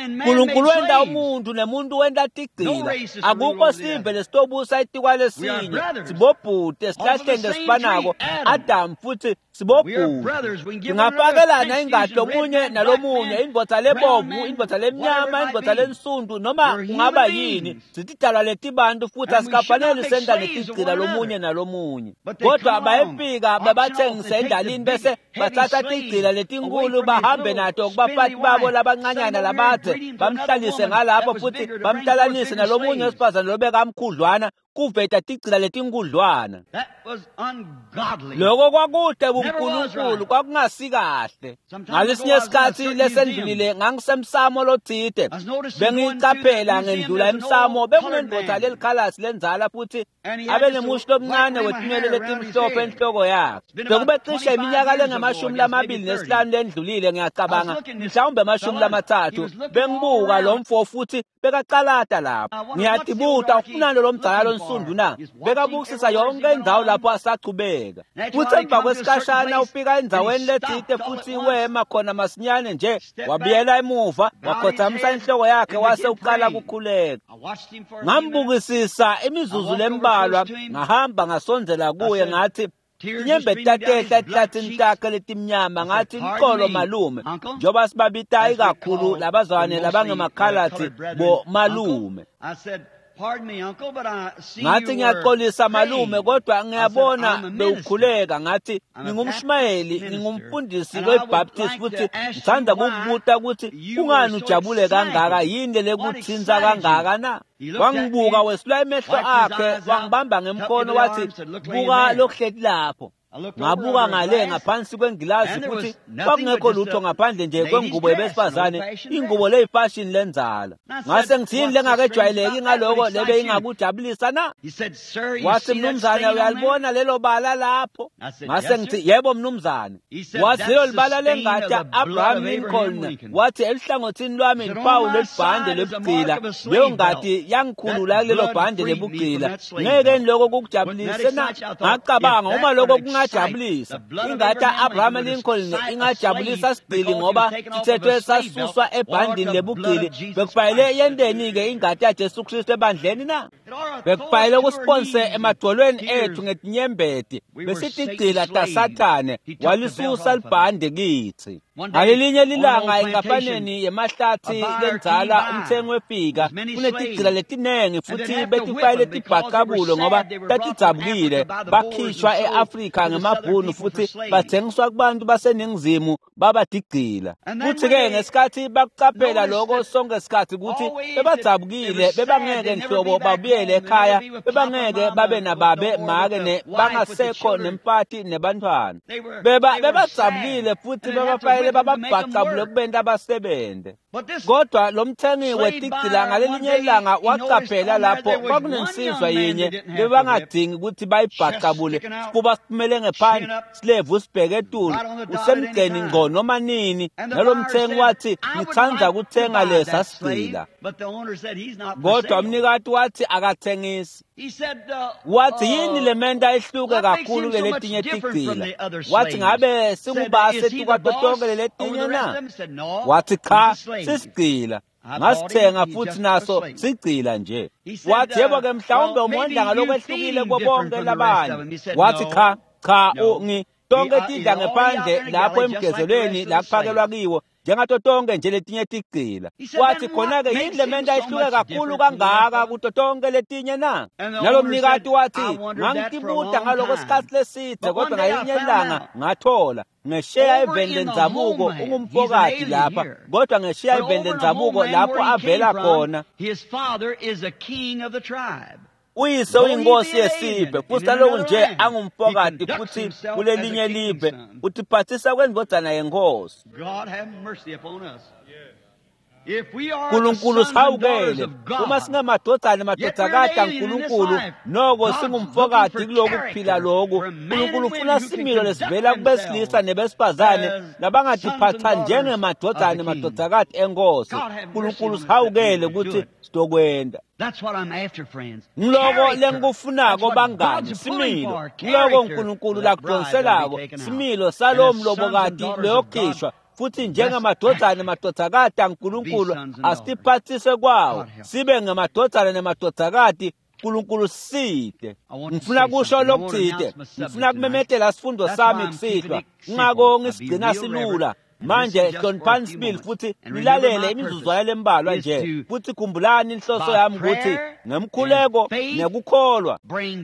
Nkulunkulu wenta umuntu nemuntu wenta tigcila. Akukho sive lesitobusa etikwalesinye. Sibobhuti esihlahleni lesifanako, Adamu, futhi sibobhuti. Singafakelana ingati lomunye nalomunye, indvodza lebovu, indvodza lemnyama, indvodza lensundu, noma kungaba yini. Sitidalwa letibantu futhi asikafanele senta netigcila lomunye nalomunye. Kodwa bayefika babathengise endalini, bese batsatsa tigcila letinkulu bahambe nato kubafati babo labancanyana labadze, bamhlalise ngalapho futhi bamhlalanise nalomunye wesifazane lobekamkhudlwana, kuveta tigcila letinkudlwana. Loko kwakude buNkulunkulu, kwakungasikahle. Ngalesinye isikhathi lesendlulile ngangisemsamo lotsite, bengiyicaphela ngendlula emsamo, bekunendvodza lelikhalasi lendzala futhi abenemushi lomncane wetinwele letimhlophe enhloko yakhe. Bekube cishe iminyaka lengamashumi 25 lendlulile, ngiyacabanga, mhlawumbe 30. Bengibuka lo mfo futhi bekacalata lapho. Ngiyatibuta, ufunani lo mdzala lonsundu na? Bekabukisisa yonke indzawo lapho asachubeka. Futhi emva kwesikhashana ufika endzaweni letsite futhi wema khona masinyane nje, wabuyela emuva, wakhothamisa inhloko yakhe, wase uqala kukhuleka. Ngambukisisa imizuzu lembalwa, ngahamba ngasondzela kuye, ngathi, inyembeti tatehla etihlathini takhe letimnyama. Ngathi, "Licolo malume," njengoba sibabita ikakhulu labazwane labangemakhaladi bo malume. Ngathi, "Ngiyaxolisa malume, kodwa ngiyabona bewukhuleka." Ngathi, "Ngingumshumayeli, ngingumfundisi weBaptist, futhi ngithanda kukubuta ukuthi kungani ujabule kangaka, yini lekutsintsa kangaka na?" Wangibuka, wesula emehlo akhe, wangibamba ngemkhono, wathi, "Buka lokuhleti lapho." Ngabuka ngale ngaphansi kwengilazi futhi kwakungekho lutho ngaphandle nje kwengubo yabesifazane, ingubo leyifashini lendzala. Ngase ngithi, "Yini lengakejwayeleki ngaloko lebe ingakujabulisa na?" Wathi, "Mnumzane, uyalibona lelo bala lapho?" Ngase ngithi, "Yebo mnumzane." Wathi, "Lelo libala lengati Abraham Lincoln." Wathi, "Eluhlangothini lwami lipawu lelibhande lebugcila. Leyo ngati yangikhulula kulelo bhande lebugcila. Ngeke lokho kukujabulise na?" Ngacabanga, uma lokho kungajabulisa, ingati Abraham Lincoln ingajabulisa sigcili ngoba sithethwe sasuswa ebhandini lebugcili, bekufanele yenteni-ke ingati yaJesu Kristu ebandleni na? Bekufanele kusiphonse emadvolweni ethu ngetinyembeti. Besitigcila taSathane, walisusa libhande kitsi. Ngalelinye lilanga enkampaneni yemahlathi lendzala, umthengi wefika kunetigcila letinengi futhi betifayile tibhacabulo ngoba tatidzabukile, bakhishwa e-Afrika ngemabhunu futhi bathengiswa kubantu baseningizimu babatigcila. Futhi-ke ngesikhathi bakucaphela lokho sonke sikhathi ukuthi bebadzabukile, bebangeke nhlobo babuyele ekhaya, bebangeke babe nababe make ne bangasekho nemfati nebantfwana, bebadzabukile futhi bebafayele bababhacabule kubenta basebenze. Kodwa lo mthengi wetigcila ngalelinye ilanga wacaphela lapho kwakunensizwa yinye bebangadingi ukuthi bayibhacabule, sifuba siphumele ngephandle, silevu sibheke etulu, usemgceni ngco noma nini. Nalo mthengi wathi, "Ngithanda kuthenga lesa sigcila." Kodwa umnikati wathi akathengisi. Wathi, "Yini lementa ehluke kakhulu kuletinye tigcila?" Wathi, "Ngabe singubase tukwato tonke leletinye na?" Wathi, "Cha, sisigcila, ngasithenga futhi naso sigcila nje." Wathi, "Yebo-ke, mhlawumbe umondla ngalokwehlukile kubonke labanye." Wathi, "Cha, cha, ngi tonke tidla ngephandle lapho emgezelweni la kuphakelwa kiwo njengato tonke nje letinye tigcila." Wathi, "Khona-ke yini lementa ihluke kakhulu kangaka kuto tonke letinye na?" Nalo mnikati wathi, "Ngangitibuta ngaloko sikhathi leside, kodwa ngalinye ilanga ngathola. Ngesheya eveni lendzabuko ungumfokati lapha, kodwa ngesheya eveni lendzabuko lapho avela khona, uyise uyinkosi yesive. Futhi naloku nje angumfokati futhi kulelinye live, utiphathisa kwendvodzana yenkosi." Nkulunkulu sihawukele. Uma singemadvodzana nemadvodzakati aNkulunkulu, noko singumfokati kuloku kuphila loku, Nkulunkulu ufuna similo lesivela kubesilisa nebesifazane labangatiphatha njengemadvodzana nemadvodzakati enkosi. Nkulunkulu sihawukele ukuthi sitokwenta. Ngiloko lengikufunako bangani, similo. Ngiloko uNkulunkulu lakudonselako, similo salowo mlobokati loyokhishwa. Futhi njengemadvodzana nemadvodzakati aNkulunkulu, asitiphathise kwawo sibe ngemadvodzana nemadvodzakati. Nkulunkulu sisite. Ngifuna kusho lokutsite, ngifuna kumemetela sifundo sami kusihlwa, kungako ngisigcina silula. Manje hloniphani sibili futhi nilalele imizuzwana lembalwa nje, futhi khumbulani inhloso yami ukuthi ngemkhuleko nekukholwa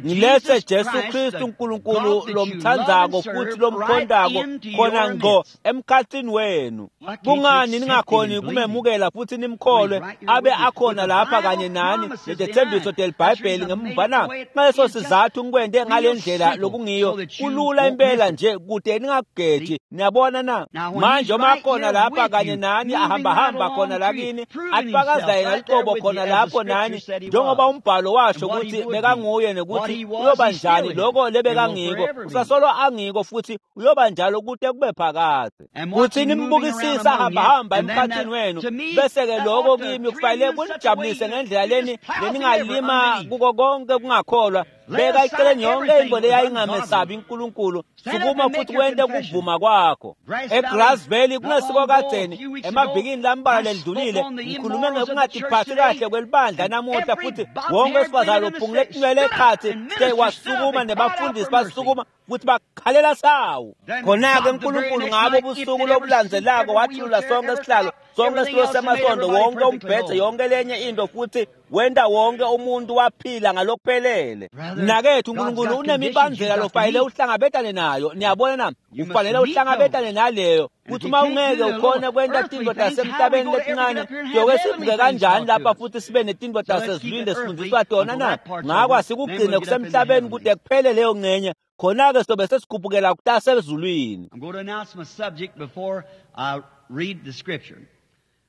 ngiletse Jesu Kristu uNkulunkulu lomthandzako futhi lomkhondako khona ngqo emkhathini wenu. Kungani ningakhoni kumemukela futhi nimkholwe abe akhona lapha kanye nani netethembiso telibhayibheli ngemuva na? Ngaleso sizathu ngikwente ngale ndlela lokungiyo, kulula impela nje kude ningakugeji. Niyabona na? Manje uma khona lapha kanye nani ahambahamba khona lakini atfakaza yena luqobo khona lapho nani, njengoba umbhalo washo ukuthi bekanguye nekuthi uyoba njani lokho lebekangiko, usasolo angiko futhi uyoba njalo kute kube phakadze. Kuthi nimbukisisa hambahamba emkhathini wenu, bese-ke lokho kimi kufanele kunijabulise ngendlela leni leningalima kuko konke kungakholwa. Beka eceleni yonke into leyayingamesabi uNkulunkulu, sukuma futhi wente ukuvuma kwakho. eGrass Valley kungesiko kadzeni, emavikini lambalwa ledlulile, ngikhulume ngekungatiphathi kahle kwelibandla namuhla, futhi wonke wesifazane lophungule tinwele ekhatsi wasukuma nebafundisi basukuma futhi bakhalela sawu. Khona-ke uNkulunkulu ngabo busuku lobulandzelako wathulula sonke isihlalo, sonke isitulo semasondo, wonke umbhedze, yonke lenye into, futhi wenta wonke umuntu waphila ngalokuphelele. Mnakethu, uNkulunkulu unemibandzela lofanele uhlangabetane nayo. Niyabona na? Ufanele uhlangabetane naleyo. Kuthi uma ungeke ukhone kwenta tintfo tasemhlabeni letincane, siyoke sivuke kanjani lapha futhi sibe netintfo tasezulwini lesifundiswa tona na? Ngako asikugcine kusemhlabeni kude kuphele leyo ngcenye, khona-ke sobe sesikhuphukela kutasezulwini. I'm going to announce my subject before I read the scripture.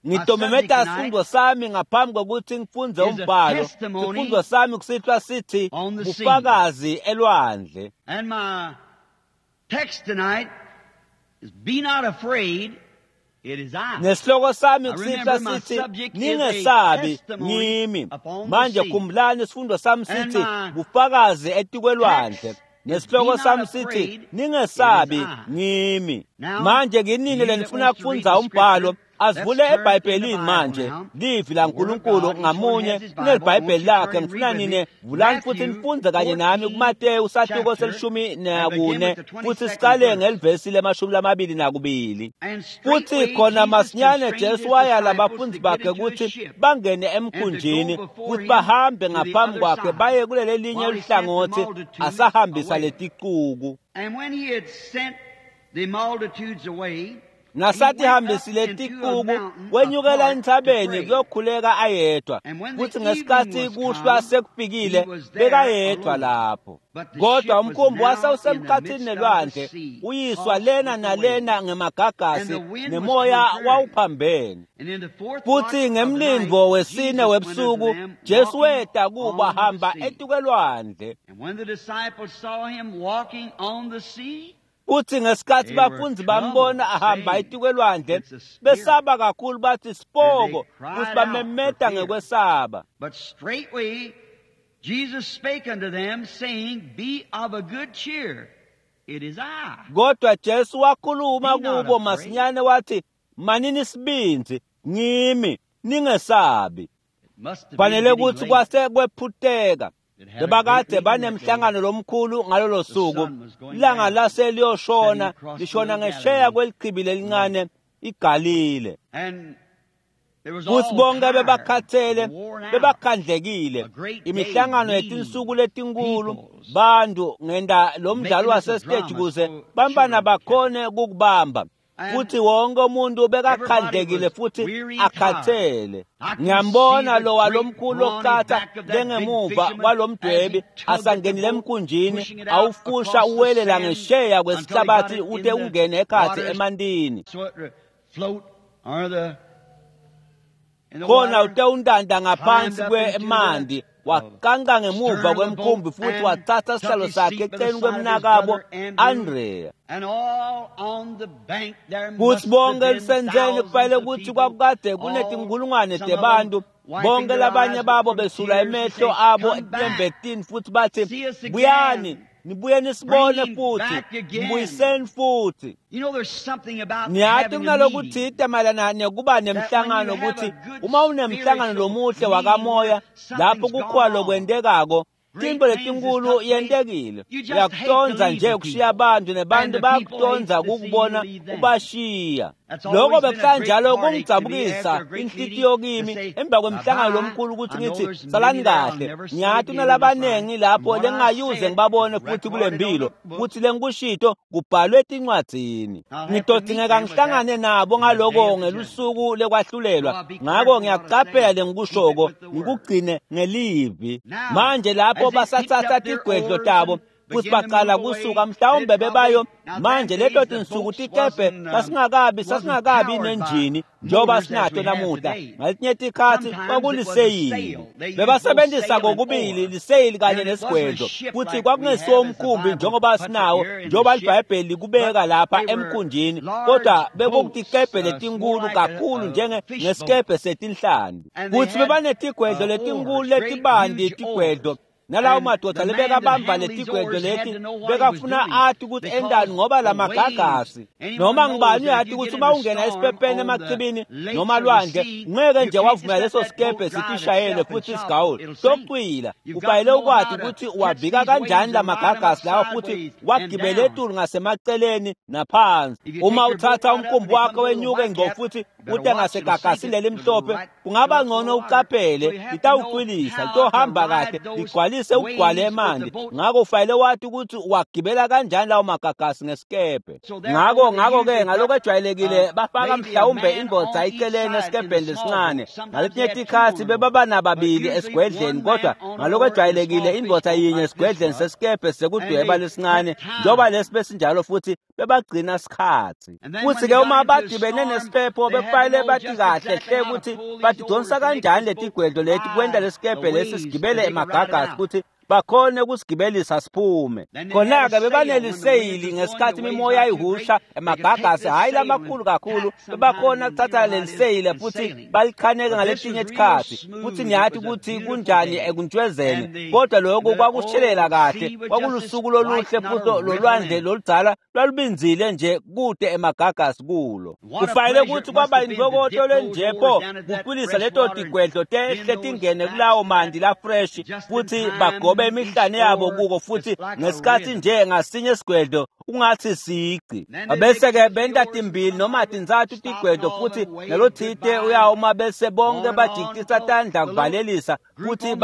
Ngitomemeta sifundo sami ngaphambi kokuthi ngifundze umbhalo. Sifundo sami kusihlwa sithi bufakazi elwandle. And my text tonight is be not afraid, it is I. Nesihloko sami kusihlwa sithi ningesabi, ngimi. Manje khumbulani isifundo sami sithi bufakazi etikwelwandle. Nesihloko sami sithi ningesabi, ngimi. Manje kinini lenifuna kufundza umbhalo, asivule eBhayibhelini manje, livi laNkulunkulu ngamunye kunelibhayibheli lakhe. Ngifuna nine vulani futhi nifundze kanye nami kuMateyu sahluko se-14 futhi sicale ngelivesi le-22. Futhi khona masinyane Jesu wayala abafundi bakhe ukuthi bangene emkhunjini futhi bahambe ngaphambi kwakhe baye kuleli linye uhlangothi, asahambisa leticuku. And when he had sent the multitudes away, Nasathi hambisile ticuku, wenyukela entsabeni kuyokhuleka ayedwa. Futhi ngesikhathi kuhlwa sekufikile, bekayedwa lapho. Kodwa umkhumbi wasewusemkhathini nelwandle, uyiswa lena nalena ngemagagasi, nemoya wawuphambene. Futhi ngemlindvo wesine webusuku, Jesu weta kubo ahamba etikwelwandle. And when the disciples saw him walking on the sea, Kuthi ngesikhathi bafundzi bambona ahamba etikwelwandle, besaba kakhulu bathi sipoko, futhi bamemeta ngekwesaba. But straightway Jesus spake unto them, saying, Be of a good cheer, it is I. Kodwa Jesu wakhuluma kubo masinyane wathi, manini isibindzi, ngimi, ningesabi. Fanele ukuthi kwase kwephuteka. Bebakade banemhlangano lomkhulu ngalolo suku. Ilanga lase liyoshona, lishona ngesheya kwelichibi lelincane iGalile. Futhi bonke bebakhathele, bebakhandlekile. Imihlangano yetinsuku letinkulu, bantu ngenda lo mdlalo wasesiteji kuze bantwana bakhone ukukubamba. Futhi wonke umuntu bekakhandlekile futhi akhathele. Ngiyambona lowa lomkhulu okuqatha lengemuva kwalomdwebi asangenile emkhunjini, awufusha uwelela ngesheya kwesihlabathi ute ungene ekhatsi emantini. Khona ute untanta ngaphansi kwemanti, wakanka ngemuva kwemkhumbi futhi wathatha sihlalo sakhe eceleni kwemnakabo Andrea. Kuthi bonke elusentseni kufanele ukuthi kwakukade kunetinkulungwane tebantu, bonke labanye babo besula emehlo abo etinyembetini futhi bathi, buyani Nibuye nisibone futhi, mbuyiseni futhi. Niyati kunalokuthite mayelana nekuba nemhlangano ukuthi uma unemhlangano lomuhle wakamoya lapho kukhona lokwentekako, tintfo letinkulu yentekile. Uyakutonza nje kushiya abantu nebantu bayakutonza kukubona ubashiya. Lokho bekuhlanjalo kungidzabukisa inhlitiyo kimi emva kwemhlangano lomkhulu ukuthi ngithi salani kahle. Ngiyati kunalabanengi lapho lengingayuze ngibabone futhi kule mpilo kuthi lengikushito kubhalwe etincwadzini. Ngitodingeka ngihlangane nabo ngaloko ngelusuku lekwahlulelwa. Ngako ngiyakucaphela lengikushoko ngikugcine ngelivi. Manje lapho basatsatsa tigwedlo tabo futhi baqala kusuka mhlawumbe bebayo manje leto tinsuku tikebhe sasingakabi nenjini njengoba sinato namuhla. Ngaletinye tikhatsi kwakuliseyili, bebasebenzisa kokubili liseyili kanye nesigwedlo, futhi kwakungesiwo umkhumbi njengoba sinawo njengoba libhayibheli likubeka lapha emkhunjini, kodwa bekutikebhe letinkulu kakhulu njengesikebhe setinhlanti. Futhi bebanetigwedlo letinkulu letibanti tigwedlo, nalawo madoda lebekabamba letigwedlo leti bekafuna ati ukuthi endani ngoba lamagagasi noma ngibani uyati ukuthi uma ungena esiphepheni emachibini noma lwandle ngeke nje wavumela leso sikebhe sitishayele futhi sigawule socwila. Kufanele ukwati ukuthi uwavika kanjani lamagagasi lawa futhi wagibele etulu ngasemaceleni naphansi. Uma uthatha umkhumbi wakho wenyuke ngco futhi ute ngasegagasini lelimhlophe, kungaba ngcono uqaphele, litawucwilisa, litohamba kahle, ligcwalise ukugcwale emanti. Ngako ufanele wati ukuthi wagibela kanjani lawo magagasi ngesikebhe. Ngako-ke ngalokwejwayelekile bafaka mhlawumbe indvodza iceleni esikebheni lesincane. Ngaletinye tikhatsi bebaba nababili esigwedleni, kodwa ngalokwejwayelekile indvodza yinye esigwedleni sesikebhe sekudweba lesincane njengoba lesi besinjalo, futhi bebagcina sikhatsi. Futhi-ke uma badibene nesiphepho bekufanele bathi kahle hle ukuthi batidonsa kanjani letigwedlo leti kwenta lesikebhe lesi sigibele emagagasi futhi bakhone ukusigibelisa siphume. Khona-ke bebaneliseyili ngesikhathi imimoya ihusha emagagasi, hhayi lamakhulu kakhulu, bebakhona kuthatha leliseyili futhi balikhaneke ngaletinye tikhatsi. Futhi niyati ukuthi kunjani ekuntshwezeni, kodwa lokhu kwakushelela kahle, kwakulusuku loluhle futhi lolwandle loludzala lwalubinzile nje kude emagagasi kulo. Kufanele ukuthi kwaba yintokoto lenjepho kucwilisa leto tigwedlo tehle tingene kulawo manti la-fresh futhi bagobe emihlane yabo kuko, futhi ngesikhathi nje ngasinye isigwedlo ungathi sici. Bese-ke benta timbili noma tintsatfu tigwedlo futhi nalothite uyawuma, bese bonke bajikitisa tandla kuvalelisa futhi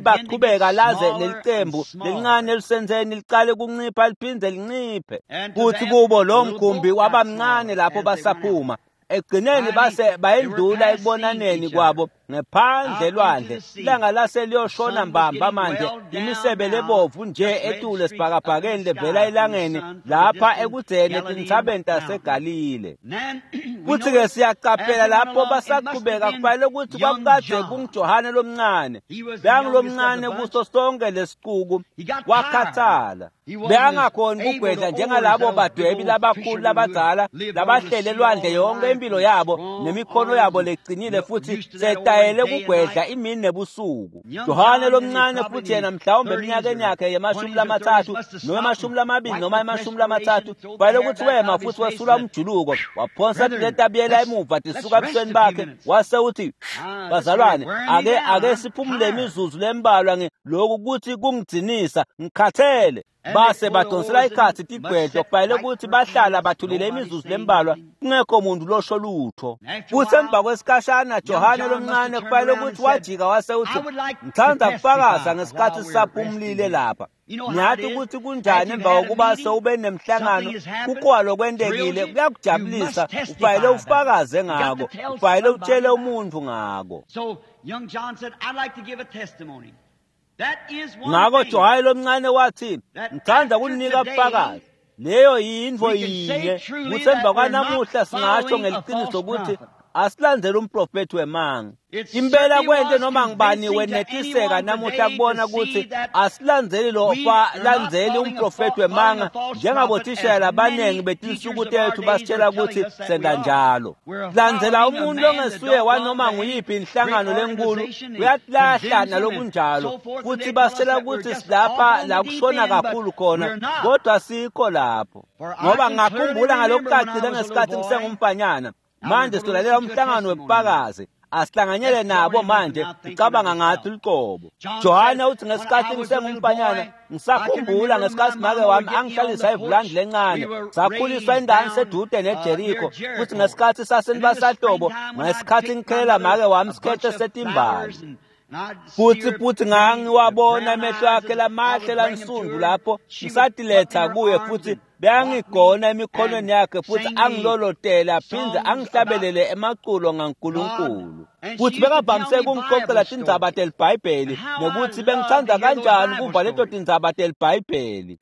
bachubeka laze lelicembu lelincane elisenzeni licale kuncipha liphindze linciphe. Futhi kubo lo mkhumbi waba mncane lapho basaphuma. Ekugcineni base bayendlula ekubonaneni kwabo ngephandle lwandle. Ilanga lase liyoshona mbamba manje, imisebe lebovu nje etule esibhakabhakeni levela elangeni lapha ekudzeni etintsabeni taseGalile. Futhi-ke siyacaphela lapho basaqhubeka, kufanele ukuthi kwakukade kunguJohane lomncane, bekangulomncane kuso sonke lesicuku, wakhathala. Bekangakhoni kugwedla njengalabo badwebi labakhulu labadzala labahlele elwandle yonke impilo yabo nemikhono yabo leqinile futhi setayele kugwedla imini nebusuku. Johane lomncane futhi yena mhlawumbe eminyakeni yakhe ye-30 noma 20 noma 30, kufanele ukuthi wema futhi wesula umjuluko, waphonsa letabiyela emuva tisuka ebusweni bakhe, wase uthi, bazalwane, ake siphumule imizuzu lembalwa lokhu ukuthi kungidzinisa, ngikhathele. Base badonsela ikhathi tigwedlo, kufanele ukuthi bahlala bathulile imizuzu lembalwa kungekho muntu losho lutho. Futhi emva kwesikhashana Johane lomncane kufanele ukuthi wajika wase uthi, ngithanda kufakaza ngesikhathi sisaphumulile lapha. Ngiyathi ukuthi kunjani emva kokuba sewube nemhlangano, kukhona lokwentekile, kuyakujabulisa, ufanele ufakaze ngako, ufanele utshele umuntu ngako. Ngako Johane lomncane wathi, ngithanda kunika ubufakazi. Leyo yintfo yinye kutsi emva kwanamuhla singasho ngeliciniso ukuthi Asilandzele umprofethi wemanga. Impela kwente noma ngibani wenetiseka namuhla kubona ukuthi asilandzeli lo landzeli umprofethi wemanga njengabothishela labaningi betinsuku tethu basitshela ukuthi senda njalo. Landzela umuntu ongesuye wanoma nguyiphi inhlangano lenkulu uyatilahla nalokunjalo futhi basitshela ukuthi silapha la kushona kakhulu khona kodwa sikho lapho. Ngoba ngakhumbula ngalokucacile ngesikhathi ngisengumfanyana. Manje silalela umhlangano webufakazi. Asihlanganyele nabo manje ucabanga ngathi luqobo. Johana uthi ngesikhathi ngisengumfanyana ngisakhumbula ngesikhathi make wami angihlalisa ivulandi lencane sakhuliswa endaweni sedude neJericho futhi ngesikhathi sasenibasahlobo ngesikhathi ngikhelela make wami sikhethe setimbali. Futhi ngangiwabona amehlo akhe lamahle lansundu lapho ngisatiletha kuye futhi beyangigona emikhonweni yakhe futhi angilolotela aphinde angihlabelele emaculo ngaNkulunkulu. Futhi bekavamise ukungixoxela tindzaba telibhayibheli nokuthi bengithanda kanjani ukuva leto tindzaba telibhayibheli.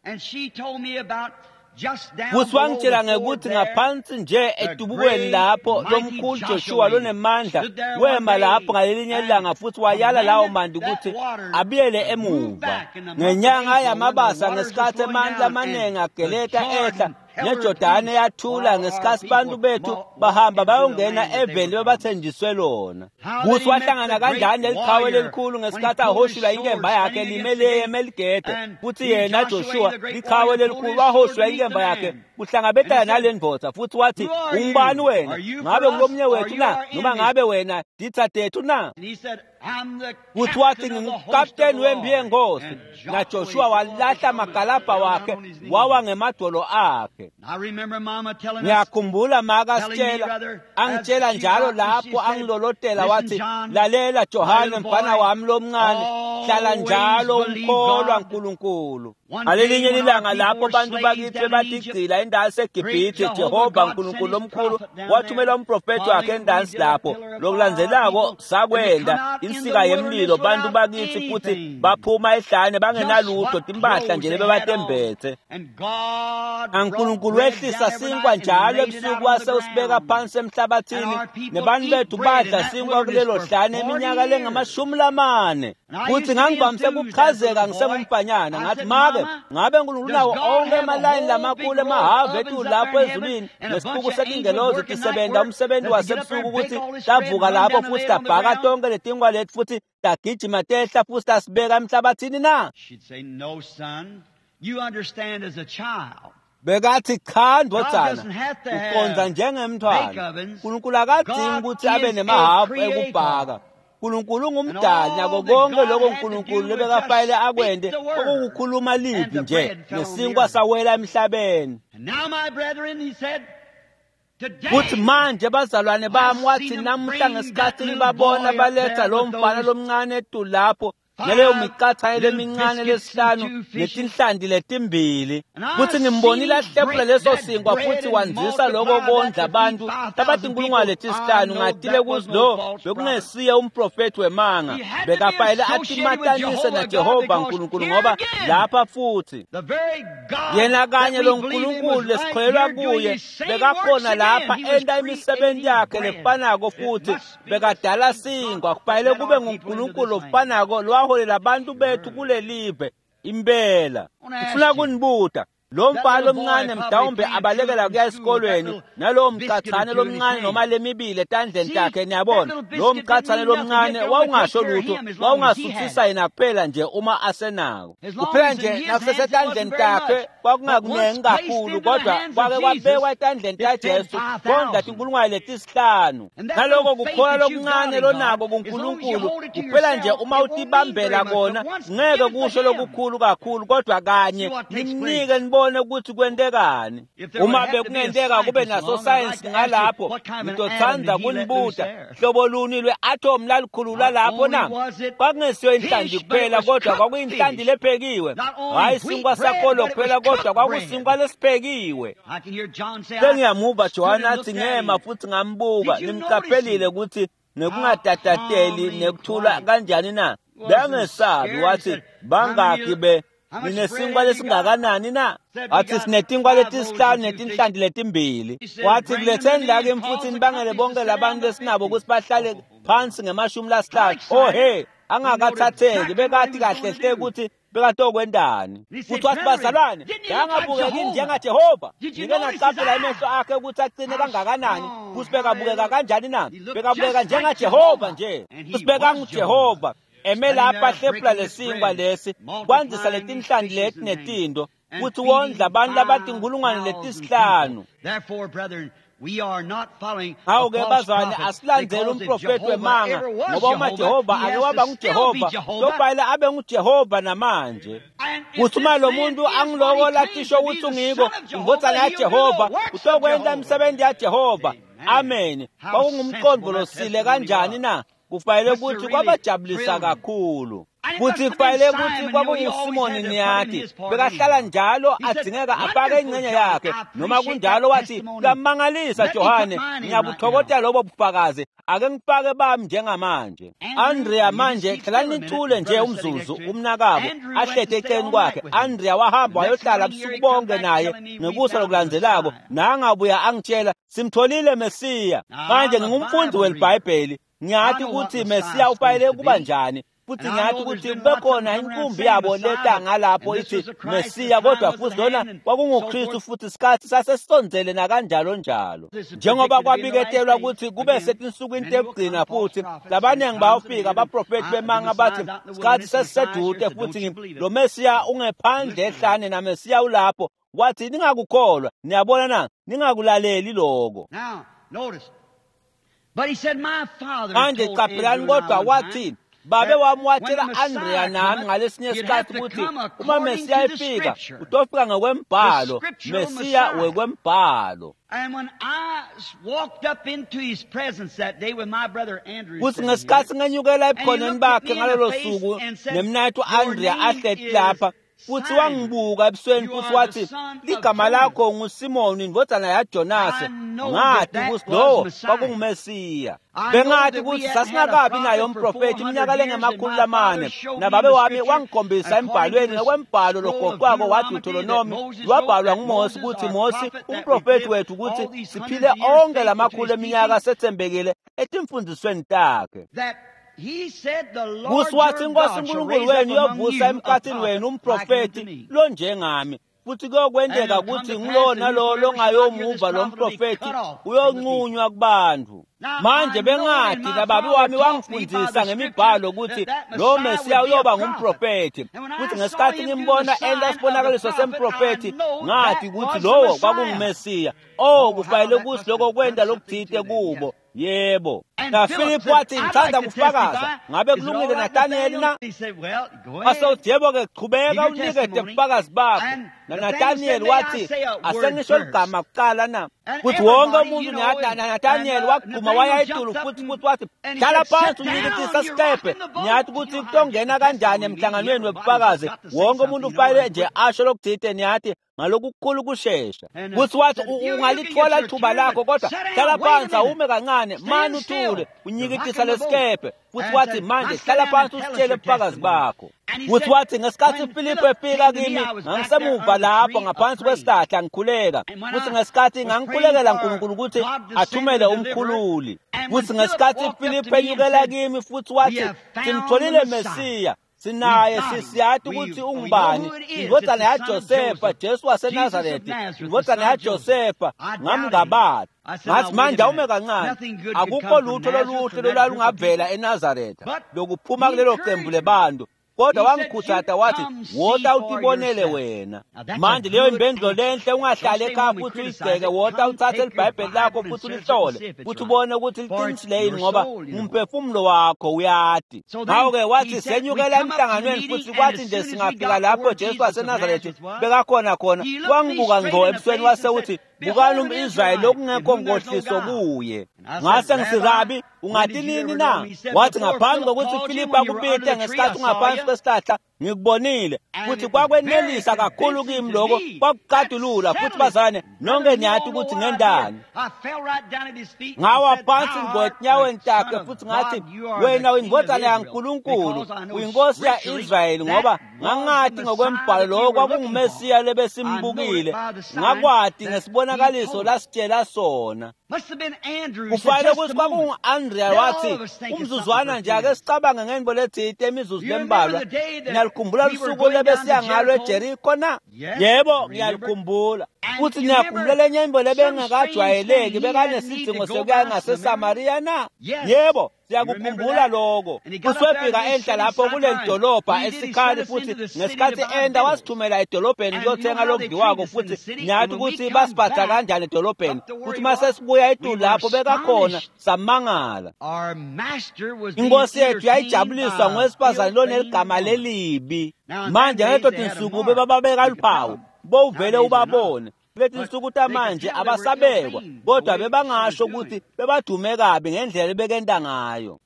Futhi wangitshela ngekuthi ngaphansi nje edubukweni lapho lomkhulu Joshua lonemandla wema lapho ngalelinye ilanga futhi wayala lawo manti ukuthi abuyele emuva. Ngenyanga yamabasa ngesikhathi amandla amaningi ageleta ehla neJordani yathula ngesikhathi bantu bethu bahamba bayongena eveni bebathenjiswe lona. Kuthi wahlangana kanjani leliqhawe lelikhulu ngesikhathi ahoshula inkemba yakhe limele emeligede futhi yena Joshua liqhawe lelikhulu wahoshula inkemba yakhe kuhlangabetana nale ndvodza futhi wathi ungubani wena? Ngabe ngulomnye wethu na? Noma ngabe wena ditha tethu na? Futhi wathi ngingukapteni wempi yenkosi. NaJoshua walahla amagalabha wakhe wawa ngemadolo akhe. Ngiyakhumbula makasitshela angitshela njalo lapho angilolotela wathi lalela Johane mfana wami lomncane hlala njalo ukholwa uNkulunkulu. Ngalelinye ilanga lapho abantu bakithi batigcila endaweni seGibhithe Jehova uNkulunkulu omkhulu wathumela umprofethi wakhe endansi lapho. Lokulandzelako sakwenda insika yemlilo bantu bakithi futhi baphuma ehlane bangenalutho timpahla nje lebebatembethe. uNkulunkulu wehlisa sinkwa njalo ebusuku wase usibeka phansi emhlabathini nebantu bethu badla sinkwa kulelo hlane iminyaka lengamashumi 40. Futhi ngangivamise ukuchazeka ngisengumfanyana ngathi make ngabe uNkulunkulu unawo onke emalayini lamakhulu emahavu ethu lapho ezulwini nesixuku setingelozi tisebenza umsebenzi wasebusuku ukuthi tavuka lapho futhi tabhaka tonke letinkwa lethu futhi tagijima tehla futhi tasibeka emhlabathini na? Bekathi cha ndvodzana uqondza njengemntwana. uNkulunkulu akadingi ukuthi abe nemahafu ekubhaka. uNkulunkulu ungumdali nako konke lokho uNkulunkulu lebekafayele akwende okukukhuluma livi nje nesinkwa sawela emhlabeni. Futhi manje bazalwane bami wathi namuhla ngesikhathi ngibabona baletha lo mfana lomncane etu lapho naleyo miqathane lemincane lesihlanu netinhlanti letimbili futhi ngimbonile ahlephula leso sinkwa futhi wandzisa lokho kondla abantu abatinkulungwane letisihlanu. Ngatile kuthi lo bekungesiye umprofethi wemanga bekafayele atimatanise naJehova uNkulunkulu ngoba lapha futhi yena kanye lo Nkulunkulu lesikholelwa kuye bekakhona lapha enta imisebenzi yakhe lefanako futhi bekadala sinkwa. Kufanele kube nguNkulunkulu ofanako lwaholela abantu bethu kulelive impela. Ngifuna kunibuta lo mfana lomncane mhlawumbe abalekela kuya esikolweni nalowo mcathane lomncane noma lemibili etandleni takhe niyabona lo mcathane lomncane wawungasho lutho wawungasuthisa yena kuphela nje uma asenako kuphela nje nakusesetandleni takhe kwakungakunengi kakhulu kodwa kwake kwabekwa etandleni taJesu kondla tinkulungwane letisihlanu. Naloko kukholwa lokuncane lonako kuNkulunkulu kuphela nje uma utibambela kona ngeke kusho lokukhulu kakhulu kodwa kanye nimnike nibone ukuthi kwentekani. Uma bekungenteka kube naso science ngalapho ngitothanda kunibuta hlobo luni lwe-atom lalikhulula lapho na? Kwakungesiyo inhlanti kuphela kodwa kwakuyinhlanti lephekiwe, hhayi sinkwa sakolo kuphela kodwa kwakusinkwa lesiphekiwe. Sengiyamuva Johana athi ngema futhi ngambuka nimqaphelile ukuthi nekungatatateli nekuthula kanjani na? Bengesabi wathi bangakhi be Ninesinkwa lesingakanani na? Wathi sinetinkwa letisihlanu netinhlanti letimbili. Wathi kuletheni la kimi futhi nibangele bonke labantu lesinabo ukuthi bahlale phansi nge-50. Oh hey, angakathatheki bekathi kahle hle ukuthi bekatokwendani. Futhi wathi bazalwane, yangabukeki njengaJehova. Ngike ngaqaphela emehlo akhe ukuthi aqine kangakanani, futhi bekabukeka kanjani na? Bekabukeka njengaJehova nje. Futhi bekanguJehova. Eme lapha hlephula lesinkwa lesi, kwandzisa letinhlanti leti netindo, futhi wondla abantu labatinkulungwane letisihlanu. Hawu-ke bazwane, asilandzeli umprofethi wemanga, ngoba uma Jehova ake waba nguJehova, kuyofanele abe nguJehova namanje. Kuthi uma lo muntu angiloko latisho ukuthi ungiko indvodzana yaJehova, utokwenta imisebenzi yaJehova. Amen. Kwakungumqondo losile kanjani na? Kufanele ukuthi kwabajabulisa kakhulu. Futhi kufanele ukuthi kwakunguSimoni niyati, bekahlala njalo adzingeka afake ingxenye yakhe. Noma kunjalo wathi, kuyamangalisa Johane, ngiyabuthokoza lobo bufakazi, ake ngifake bami njengamanje. Andrea manje hlalani nithule nje umzuzu, umnakabo ahlete eceleni kwakhe. Andrea wahamba wayohlala busuku bonke naye ngekusa lokulandzelako, nangabuya angitshela simtholile Mesiya. Manje ngingumfundi weliBhayibheli, ngiyathi ukuthi Mesiya ufanele kuba njani. Futhi ngiyathi ukuthi kube khona inkumbi yabo leta ngalapho ithi Mesiya, kodwa futhi lona kwakunguKristu, futhi isikhathi sasesondzele nakanjalo njalo. Njengoba kwabiketelwa ukuthi kube setinsukwini tekugcina, futhi labaningi bayofika abaprofethi bemanga bathi isikhathi sesisedude, futhi lo Mesiya ungephandle ehlane naMesiya ulapho. Wathi ningakukholwa, niyabona na? Ningakulaleli lokho. Manje qaphelani, kodwa wathi babe wami watshela Andrea nami ngalesinye isikhathi ukuthi uma Mesiya efika utofika ngokwembhalo, Mesiya wekwembhalo. Kuthi ngesikhathi ngenyukela ebukhoneni bakhe ngalolo suku nemnayethu Andrea ahleti lapha, futhi wangibuka ebusweni futhi wathi ligama lakho nguSimoni indvodzana yaJonase. Ngathi ukuthi lowo kwakunguMesiya. Bengathi ukuthi sasingakabi naye umprofethi iminyaka lengama-400, nababe wami wangikhombisa embhalweni ngokwembhalo logoqwako wathi Deuteronomy lwabhalwa nguMose ukuthi Mose umprofethi wethu ukuthi siphile onke lamakhulu eminyaka sethembekile etimfundisweni takhe. Kuthi wathi inkosi uNkulunkulu wenu iyovusa emkhathini wenu umprofethi lonjengami, futhi kuyokwenteka ukuthi ngulowo nalowo longayomuva lo mprofethi uyonqunywa kubantu. Manje bengathi nababe wami wangifundisa ngemibhalo ukuthi lo Mesiya uyoba ngumprofethi, futhi ngesikhathi ngimbona enta sibonakaliso semprofethi ngathi ukuthi lowo kwakunguMesiya. Oh, kufanele ukuthi lokho kwenta lokuthite kubo. Yebo. Na Philip wathi ngithanda kufakaza, ngabe kulungile Nathaniel na? Wase yebo ke, qhubeka unikete ubufakazi bakho. Na Nathaniel wathi asengisho ligama kuqala na? Futhi wonke umuntu Nathaniel wagquma waya etulu futhi wathi hlala phansi unyikithisa sikebhe. Ngiyathi ukuthi kutongena kanjani emhlanganweni webufakazi, wonke umuntu ufanele nje asho lokuthite, niyathi ngalokukhulu kushesha. Kuthi wathi ungalithola ithuba lakho, kodwa hlala phansi awume kancane, mani uthule unyikithisa lesikebhe. Futhi wathi manje hlala phansi usitshele ubufakazi bakho. Futhi wathi ngesikhathi Philip efika kimi ngangisemuva lapho ngaphansi kwesihlahla ngikhuleka, futhi ngesikhathi ngangikhulekela uNkulunkulu ukuthi athumele umkhululi. Futhi ngesikhathi Philip enyukela kimi futhi wathi simtholile Mesiya, sinaye sisiyathi ukuthi ungubani, indvodzana yaJosefa, Jesu waseNazaretha, indvodzana yaJosefa. Ngamngabata ngathi manje awume kancane, akukho lutho loluhle lolwalungavela eNazaretha lokuphuma kulelo qembu lebantu. Kodwa wangikhuthaza wathi wota utibonele wena. Manje leyo impendulo lenhle, ungahlali ekhaya futhi uyigxeke, wota uthathe iBhayibheli lakho futhi ulihlole futhi ubone ukuthi liqinisile yini, ngoba umphefumulo wakho uyati. Ngakho-ke wathi senyukela emhlanganweni, futhi kwathi nje singafika lapho Jesu waseNazaretha bekakhona khona, wangibuka ngqo ebusweni wase uthi Bukani umIsrayeli lokungekho nkohliso kuye. Ngase ngithi, Rabi, ungathi nini na? Wathi, ngaphambi kokuthi Filipu akubite ngesikhathi ungaphansi kwesihlahla, ngikubonile. Futhi kwakwenelisa kakhulu kimi lokho, kwakuqadulula. Futhi bazalwane, nonke niyathi ukuthi ngendani. Ngawa phansi ngotinyaweni takhe futhi ngathi, wena uyindvodzana yaNkulunkulu, uyinkosi ya-Israyeli, ngoba ngangathi ngokwembhalo lokho kwakunguMesiya lebesimbukile. Ngakwati ngesibonakaliso lasitshela sona. Kufanele ukuthi kwakungu-Andrea wathi, umzuzwana nje ake sicabange ngento letsite imizuzu lembalwa. Ngiyalikhumbula lusuku lebesiya ngalo eJeriko na? Yebo, ngiyalikhumbula. Futhi ngiyakhumbula lenye into lebengakajwayeleki, bekanesidingo sekuya ngaseSamariya na? Yebo, siyakukhumbula lokho. Futhi wefika enhla lapho kuleli dolobha esikhali, futhi ngesikhathi enda wasithumela edolobheni kuyothenga lokudliwako, futhi ngiyathi ukuthi basiphatha kanjani edolobheni. Futhi mase sibuya etulu lapho bekakhona, samangala. Inkosi yethu yayijabuliswa ngowesifazane loneligama lelibi. Manje ngaleto tinsuku bebababeka luphawu, bowuvele ubabone. Kuleti nsuku tamanje abasabekwa, kodwa bebangasho ukuthi bebadume kabi ngendlela ebekenta ngayo.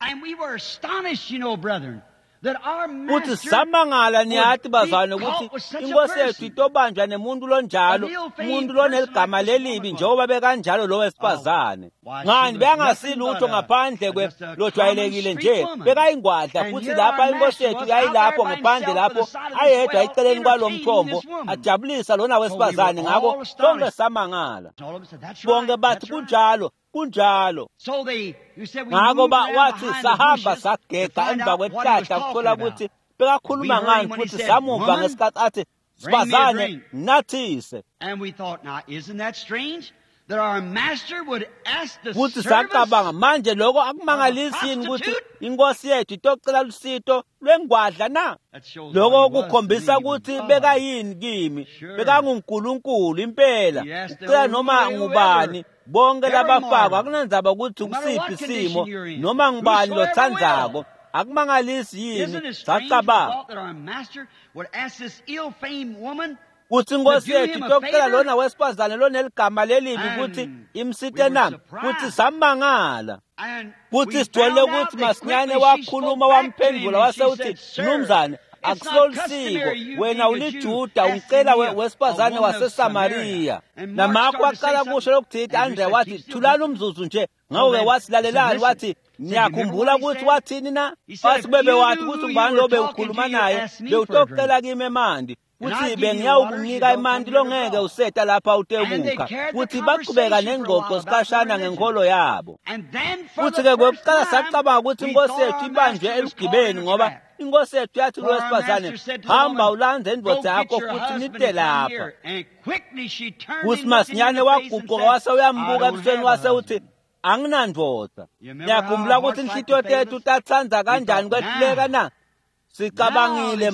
Futhi samangala niyathi bazalwane ukuthi inkosi yethu itobanjwa nemuntu lonjalo, umuntu loneligama lelibi njengoba bekanjalo lo wesifazane. Ngani bekangasilutho ngaphandle kwe lojwayelekile nje, bekayingwadla. Futhi lapha inkosi yethu yayilapho ngaphandle lapho ayedwa eceleni kwalo mthombo ajabulisa lona wesifazane. Ngakho sonke samangala, bonke bathi kunjalo, kunjalo. Ngakho wathi sahamba sagega emva kwesihlahla kuthola ukuthi bekakhuluma ngani, futhi samuva ngesikhathi athi, sifazane, nathise. Futhi sacabanga, manje lokho akumangalisi yini ukuthi inkosi yethu itocela lusito lwengwadla na? Lokho kukhombisa ukuthi bekayini kimi, bekanguNkulunkulu impela. Ucela noma ngubani, bonke labafako, akunandzaba ukuthi kusiphi isimo, noma ngubani lothandzako. Akumangalisi yini? Sacabanga kuthi inkosi yethu itocela lona wesifazane loneligama lelibi ukuthi imsite na? Futhi samangala. Futhi sithole ukuthi masinyane wakhuluma wamphendula wase uthi, mnumzane, akusolisiko wena uliJuda ungicela wesifazane waseSamariya. Namakho waqala kusho lokuthi Andrea wathi, thulani umzuzu nje. Ngakho-ke wathi, lalelani, wathi, niyakhumbula ukuthi wathini na? Wathi bebe wathi ukuthi ngubani lo bewukhuluma naye, bewutocela kimi emanti, futhi bengiyawukunika emanti longeke useta lapha utekukha. Futhi baqhubeka nengxoxo sikhashana ngenkolo yabo. Futhi-ke kwekuqala sacabanga ukuthi inkosi yethu ibanjwe elugibeni, ngoba inkosi yethu yathi kulowesifazane, hamba ulandze indvodza yakho futhi nite lapha. Futhi masinyane waguquka wase uyambuka ebusweni wase uthi, anginandvodza. Ngiyakhumbula ukuthi inhlitiyo tethu tatsandza kanjani kwehluleka na? Sicabangile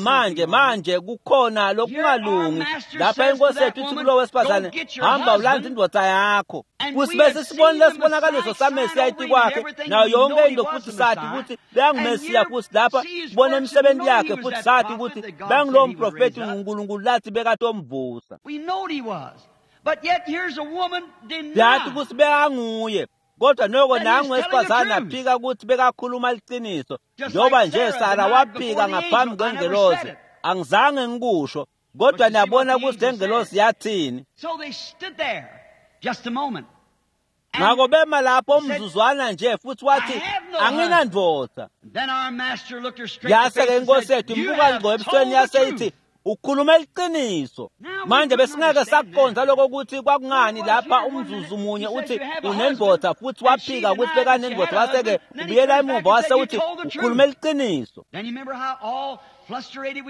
manje kukhona lokungalungi lapha. Inkosi yethu ithi kulo wesifazane, hamba ulandze indvodza yakho. Futhi bese sibone lesibonakaliso saMesiya etikwakhe nayo yonke into, futhi sathi ukuthi beyanguMesiya. Futhi lapha sibone imisebenzi yakhe, futhi sathi ukuthi beyangulowo mprofethi uNkulunkulu lathi bekatomvusa. Yathi ukuthi bekanguye, kodwa noko nangu wesifazane aphika ukuthi bekakhuluma liciniso, njengoba nje Sara waphika ngaphambi kwengelosi. Angizange ngikusho, kodwa niyabona ukuthi lengelosi yathini. Ngakho bema lapho umzuzwana nje, futhi wathi, anginandvodza. Yase-ke inkosi yethu imbuka ngqo ebusweni yase ithi, ukhuluma iqiniso. Manje besingeke sakuqonda lokho ukuthi kwakungani lapha umzuzu munye uthi unendvodza, futhi waphika ukuthi bekanendvodza, wase-ke ubuyela emuva wase uthi ukhuluma iqiniso.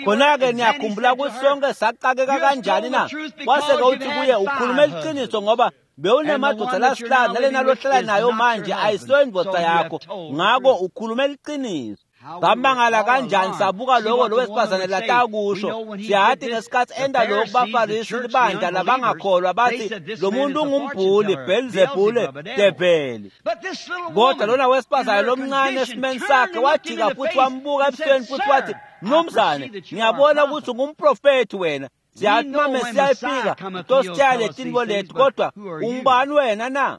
Khona-ke niyakhumbula ukuthi sonke saqakeka kanjani na? Wase-ke uthi kuye, ukhuluma iqiniso ngoba bewunamadoda lasihlanu, nalena lohlala nayo manje ayisiyo indvodza yakho, ngakho ukhuluma iqiniso. Samangala kanjani sabuka lokho lo wesifazane latakusho. Siyathi ngesikhathi enda lokhu baFarisi libandla labangakholwa bathi lo muntu ungumbhuli, Belzebule, develi. Kodwa lona wesifazane lomncane esimeni sakhe wajika futhi wambuka ebusweni futhi wathi, mnumzane, ngiyabona ukuthi ungumprofethi wena. Siyathi uma Mesiya efika utositshela letintfo leti, kodwa ungubani wena na?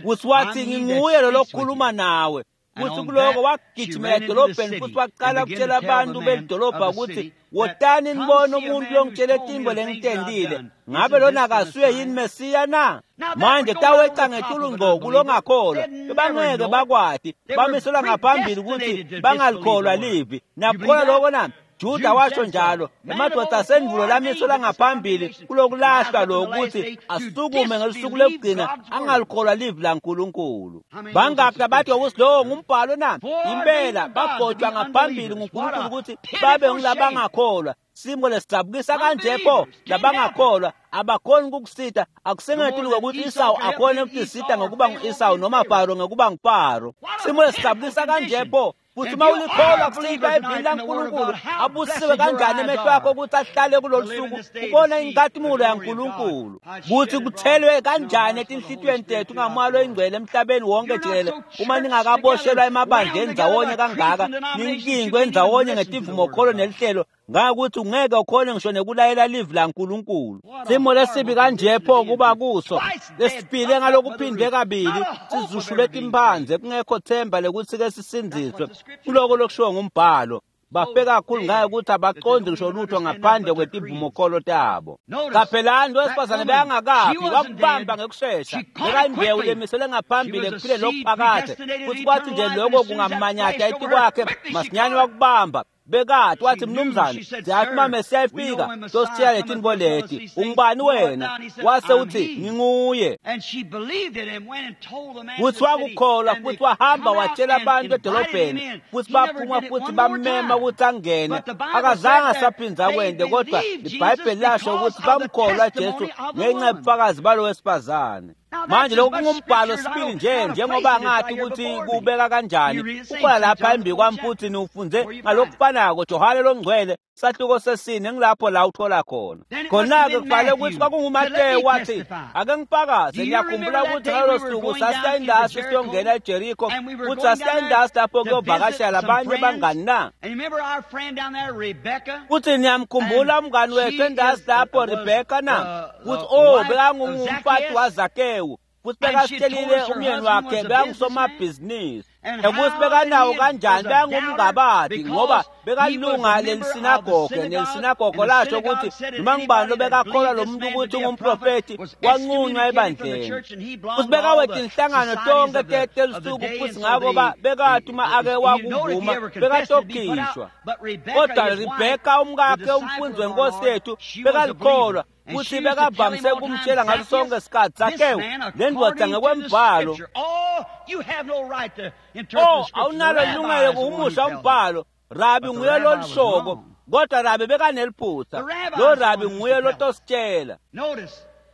Kutsi wathi, nginguye lo lokhuluma nawe. Kutsi kuloko wagijimela edolobheni futhi waqala kutshela abantu belidolobha ukuthi, wotani nibone umuntu longitshele tintfo lengitentile. Ngabe lona akasuye yini Mesiya na? Manje taweca ngetulu ngco kulongakholwa. Bangeke bakwati, bamiselwa ngaphambili ukuthi bangalikholwa livi. Nakukholwa loko na? Juda washo njalo, emadoda asendvulo lamiselwa ngaphambili kulokulahlwa lokuthi asukume ngelusuku lokugcina angalikholwa livi laNkulunkulu. Bangaki labathi ukuthi lowo ngumbhalo na? Impela bagotshwa ngaphambili nguNkulunkulu ukuthi babe ngulabangakholwa. Simo lesijabukisa kanje pho labangakholwa abakhoni ukukusita. Akusengetulu kokuthi Isawu akhone ukutisita ngokuba ngu-Isawu noma Faro ngokuba nguFaro. Simo lesijabukisa kanje pho futhi uma ulikholwa kusihlwa evini laNkulunkulu, abusiwe kanjani emehlo akho ukuthi ahlale kulolu suku ubone inkhatimulo yaNkulunkulu, kuthi kuthelwe kanjani etinhlitiyweni tethu ngamoya loyingcwele emhlabeni wonke jikelele. Uma ningakaboshelwa emabandleni ndzawonye kangaka, ninkingwe ndzawonye ngetivumokholo nelihlelo, ngakuthi ungeke ukhone ngisho nekulayela livi laNkulunkulu. Simo lesibi kanje pho kuba kuso lesifile ngalokuphindwe kabili, sizushule timphandze, kungekho themba lekuthi ke sisindziswe. Kuloko lokushiwo ngumbhalo, bafe kakhulu ngayo ukuthi abaqondi ngisho lutho ngaphandle kwetivumokholo tabo. Qaphelani, lo wesifazane bekangakafi, wakubamba ngekushesha. Bekayimbewu lemiselwe ngaphambili ekuphileni lokuphakade, futhi kwathi nje lokho kungamanyatha etikwakhe, masinyane wakubamba. Bekati wathi, mnumzane, siyathi uma Mesiya efika tositshela letintfo leti, ungubani wena? Wase uthi, nginguye. Futhi wakukholwa futhi wahamba watshela abantu edolobheni, futhi baphuma futhi bammema ukuthi angene. Akazange asaphinza kwente, kodwa iBhayibheli lasho ukuthi bamkholwa Jesu ngenxa yobufakazi balo wesifazane. Manje lokhu kungumbhalo sibili nje, njengoba ngathi ukuthi kubeka kanjani. Kukhona lapha embi kwami futhi niwufunze ngalokufanako, Johane longcwele sahluko sesine, ngilapho la uthola khona. Khona-ke kufanele ukuthi kwakunguMateyu wathi, ake ngifakaze, ngiyakhumbula ukuthi ngalolo suku sasiya indasi siyongena eJeriko, futhi sasiya indasi lapho kuyovakashela labanye bangani na? Futhi niyamkhumbula umngani wethu endasi lapho, Rebheka na? Futhi oh, bekangumfati waZakewu, futhi bekasitshelile umyeni wakhe bekangusomabhizinisi, ukuthi bekanawo kanjani, bekangumngabadi ngoba bekalunga lelisinagoge, nelisinagoge lasho ukuthi noma ngubani lobekakholwa lo muntu ukuthi ungumprofethi wanqunywa ebandleni. Futhi bekawetha inhlangano tonke telusuku, futhi ngako bekathi uma ake wakuvuma bekatokhishwa. Kodwa Rebheka umkakhe, umfundi wenkosi yethu, bekalikholwa futhi bekavamise ukumtshela ngaso sonke isikhathi, Zakewu, le ndoda ngokwembhalo, oh, awunalo ilungelo kuhumusha umbhalo, Rabi nguye lolishoko, kodwa Rabi bekaneliphutha, lo Rabi nguye lotositshela.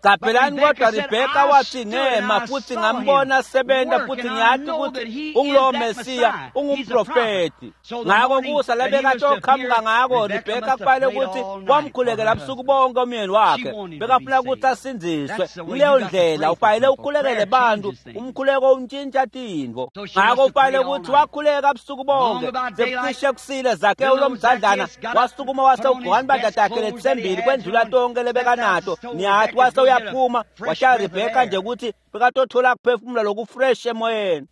Qaphelani, kodwa Rebheka wathi, ngema futhi ngambona sebenza, futhi ngiyathi ukuthi ungulowo Mesiya, ungumprofethi. Ngako kusa lebekatoqhamuka ngako, Rebheka kufanele ukuthi wamkhulekela busuku bonke umyeni wakhe, bekafuna ukuthi asindziswe. Kuleyo ndlela ufanele ukhulekele bantu, umkhuleko untshintsha tintfo. Ngako ufanele ukuthi wakhuleka busuku bonke, sekucishe kusile, Zakewu lomdzadlana wasukuma wase ugqoka impahla takhe letisembili kwendlula tonke lebekanato. Niyathi wase uyaphuma washaya Rebheka nje ukuthi bekatothola kuphefumula lokufresh emoyeni.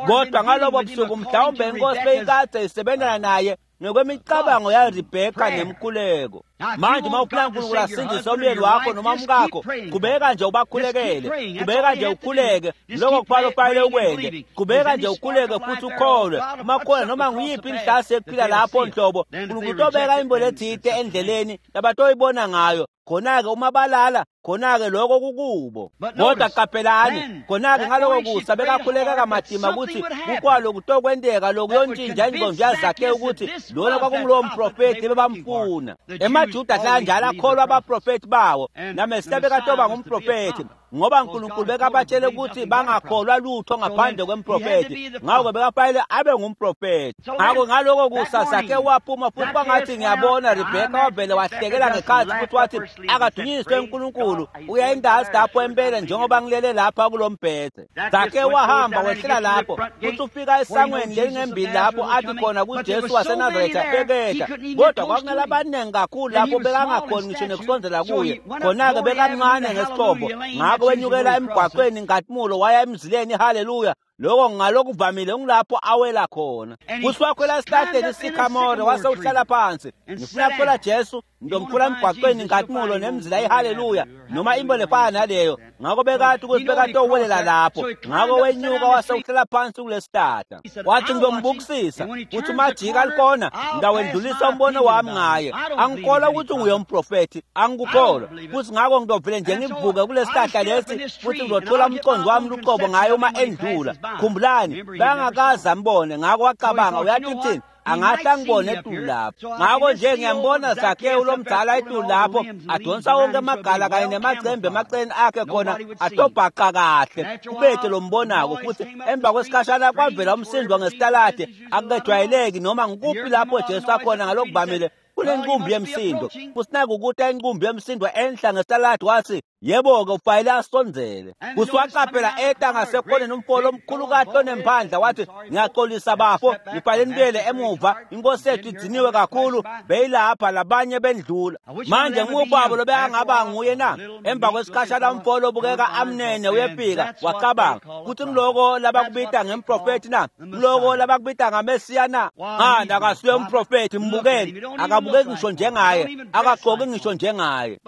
Kodwa ngalobo busuku mhlawumbe inkosi beyikade isebenzana naye ngokwemicabango yaRebheka nemkhuleko. Manje uma ufuna uNkulunkulu asindise umyeni wakho noma umkakho, qhubeka nje ubakhulekele, qhubeka nje ukhuleke, lokho kufanele ufanele ukwente. Qhubeka nje ukhuleke futhi ukholwe. Uma khona noma nguyiphi inhlasi ekuphila lapho nhlobo, uNkulunkulu utobeka imbo lethite endleleni labatoyibona ngayo. Khona-ke uma balala, khona-ke lokho kukubo. Kodwa qaphelani, khona-ke ngaloko kusa bekakhuleka kamatima ukuthi kukwalo kutokwenteka lokuyontshintsha ingqondo yaZakewu ukuthi lona kwakungulowo mprofethi bebamfuna. EmaJuda ahlala njalo akholwa abaprofethi bawo, naMesiya bekatoba ngumprofethi. Ngoba uNkulunkulu bekabatshele ukuthi bangakholwa lutho ngaphandle kwemprofethi. Ngakho bekafanele abe ngumprofethi. Ngakho ngaloko kusa Zakewu waphuma futhi kwangathi ngiyabona Rebheka wavele wahlekela ngekhathi futhi wathi akadunyiswe uNkulunkulu uya indazi lapho empela njengoba ngilele lapha kulombhede. Zakewu wahamba wehlela lapho futhi ufika esangweni lelingembili lapho athi khona kuJesu waseNazaretha bekehla, kodwa kwakunalabaningi kakhulu lapho bekangakhoni ngisho nekusondela kuye. Khona-ke bekamncane ngesichombo, ngakho wenyukela emgwaqweni Nkatimulo waya emzileni haleluya. Lokho ngalokuvamile ngilapho awela khona. Futhi wakhwela esihlahleni isikhamore wase uhlala phansi. Ngifuna kuthola Jesu, ngizomthola emgwaqweni Nkatimulo nemzila ihaleluya noma into lefana naleyo. Ngakho bekathi ukuthi bekatowelela lapho. Ngakho wenyuka wase uhlala phansi kulesihlahla. Wathi ngizombukisisa futhi umajika alikona ngidawendlulisa umbono wami ngaye. Angikholwa ukuthi unguye umprofethi, angikukholwa. Futhi ngakho ngidovele nje ngivuke kulesihlahla lesi futhi ngizothola umqondo wami luqobo ngaye uma endlula. Khumbulani, bangakaze ambone. Ngakho wacabanga uyathi uthini? Angahle angibone etulu lapho. Ngakho nje ngiyambona Zakewu lomdala etulu lapho adonsa wonke amagala kanye nemacembe emaceni akhe khona atobhaqa kahle ubethe lombonako. Futhi emva kwesikhashana kwavela umsindo ngesitalade akukejwayeleki noma ngikuphi lapho Jesu akhona ngalokuvamile kunenqumbi yemsindo. Futhi naku ukuthi inqumbi yemsindo enhla ngesitaladi wathi yebo-ke ufanele asondzele. Futhi waqaphela eta ngasekhoneni umfolo omkhulu kahle onemphandla wathi ngiyaxolisa bafo, ngifanele nibuyele emuva, inkosi yethu idziniwe kakhulu, beyilapha labanye bendlula. Manje ngubaba lobekangaba nguye na? Emva kwesikhashana umfolo obukeka amnene uyefika, wacabanga kuthi ngiloko labakubita ngemprofethi na? Ngiloko labakubita ngamesiya na? Ngani akasuye umprofethi, mbukeni, akabukeki ngisho njengaye, akagqoki ngisho njengaye.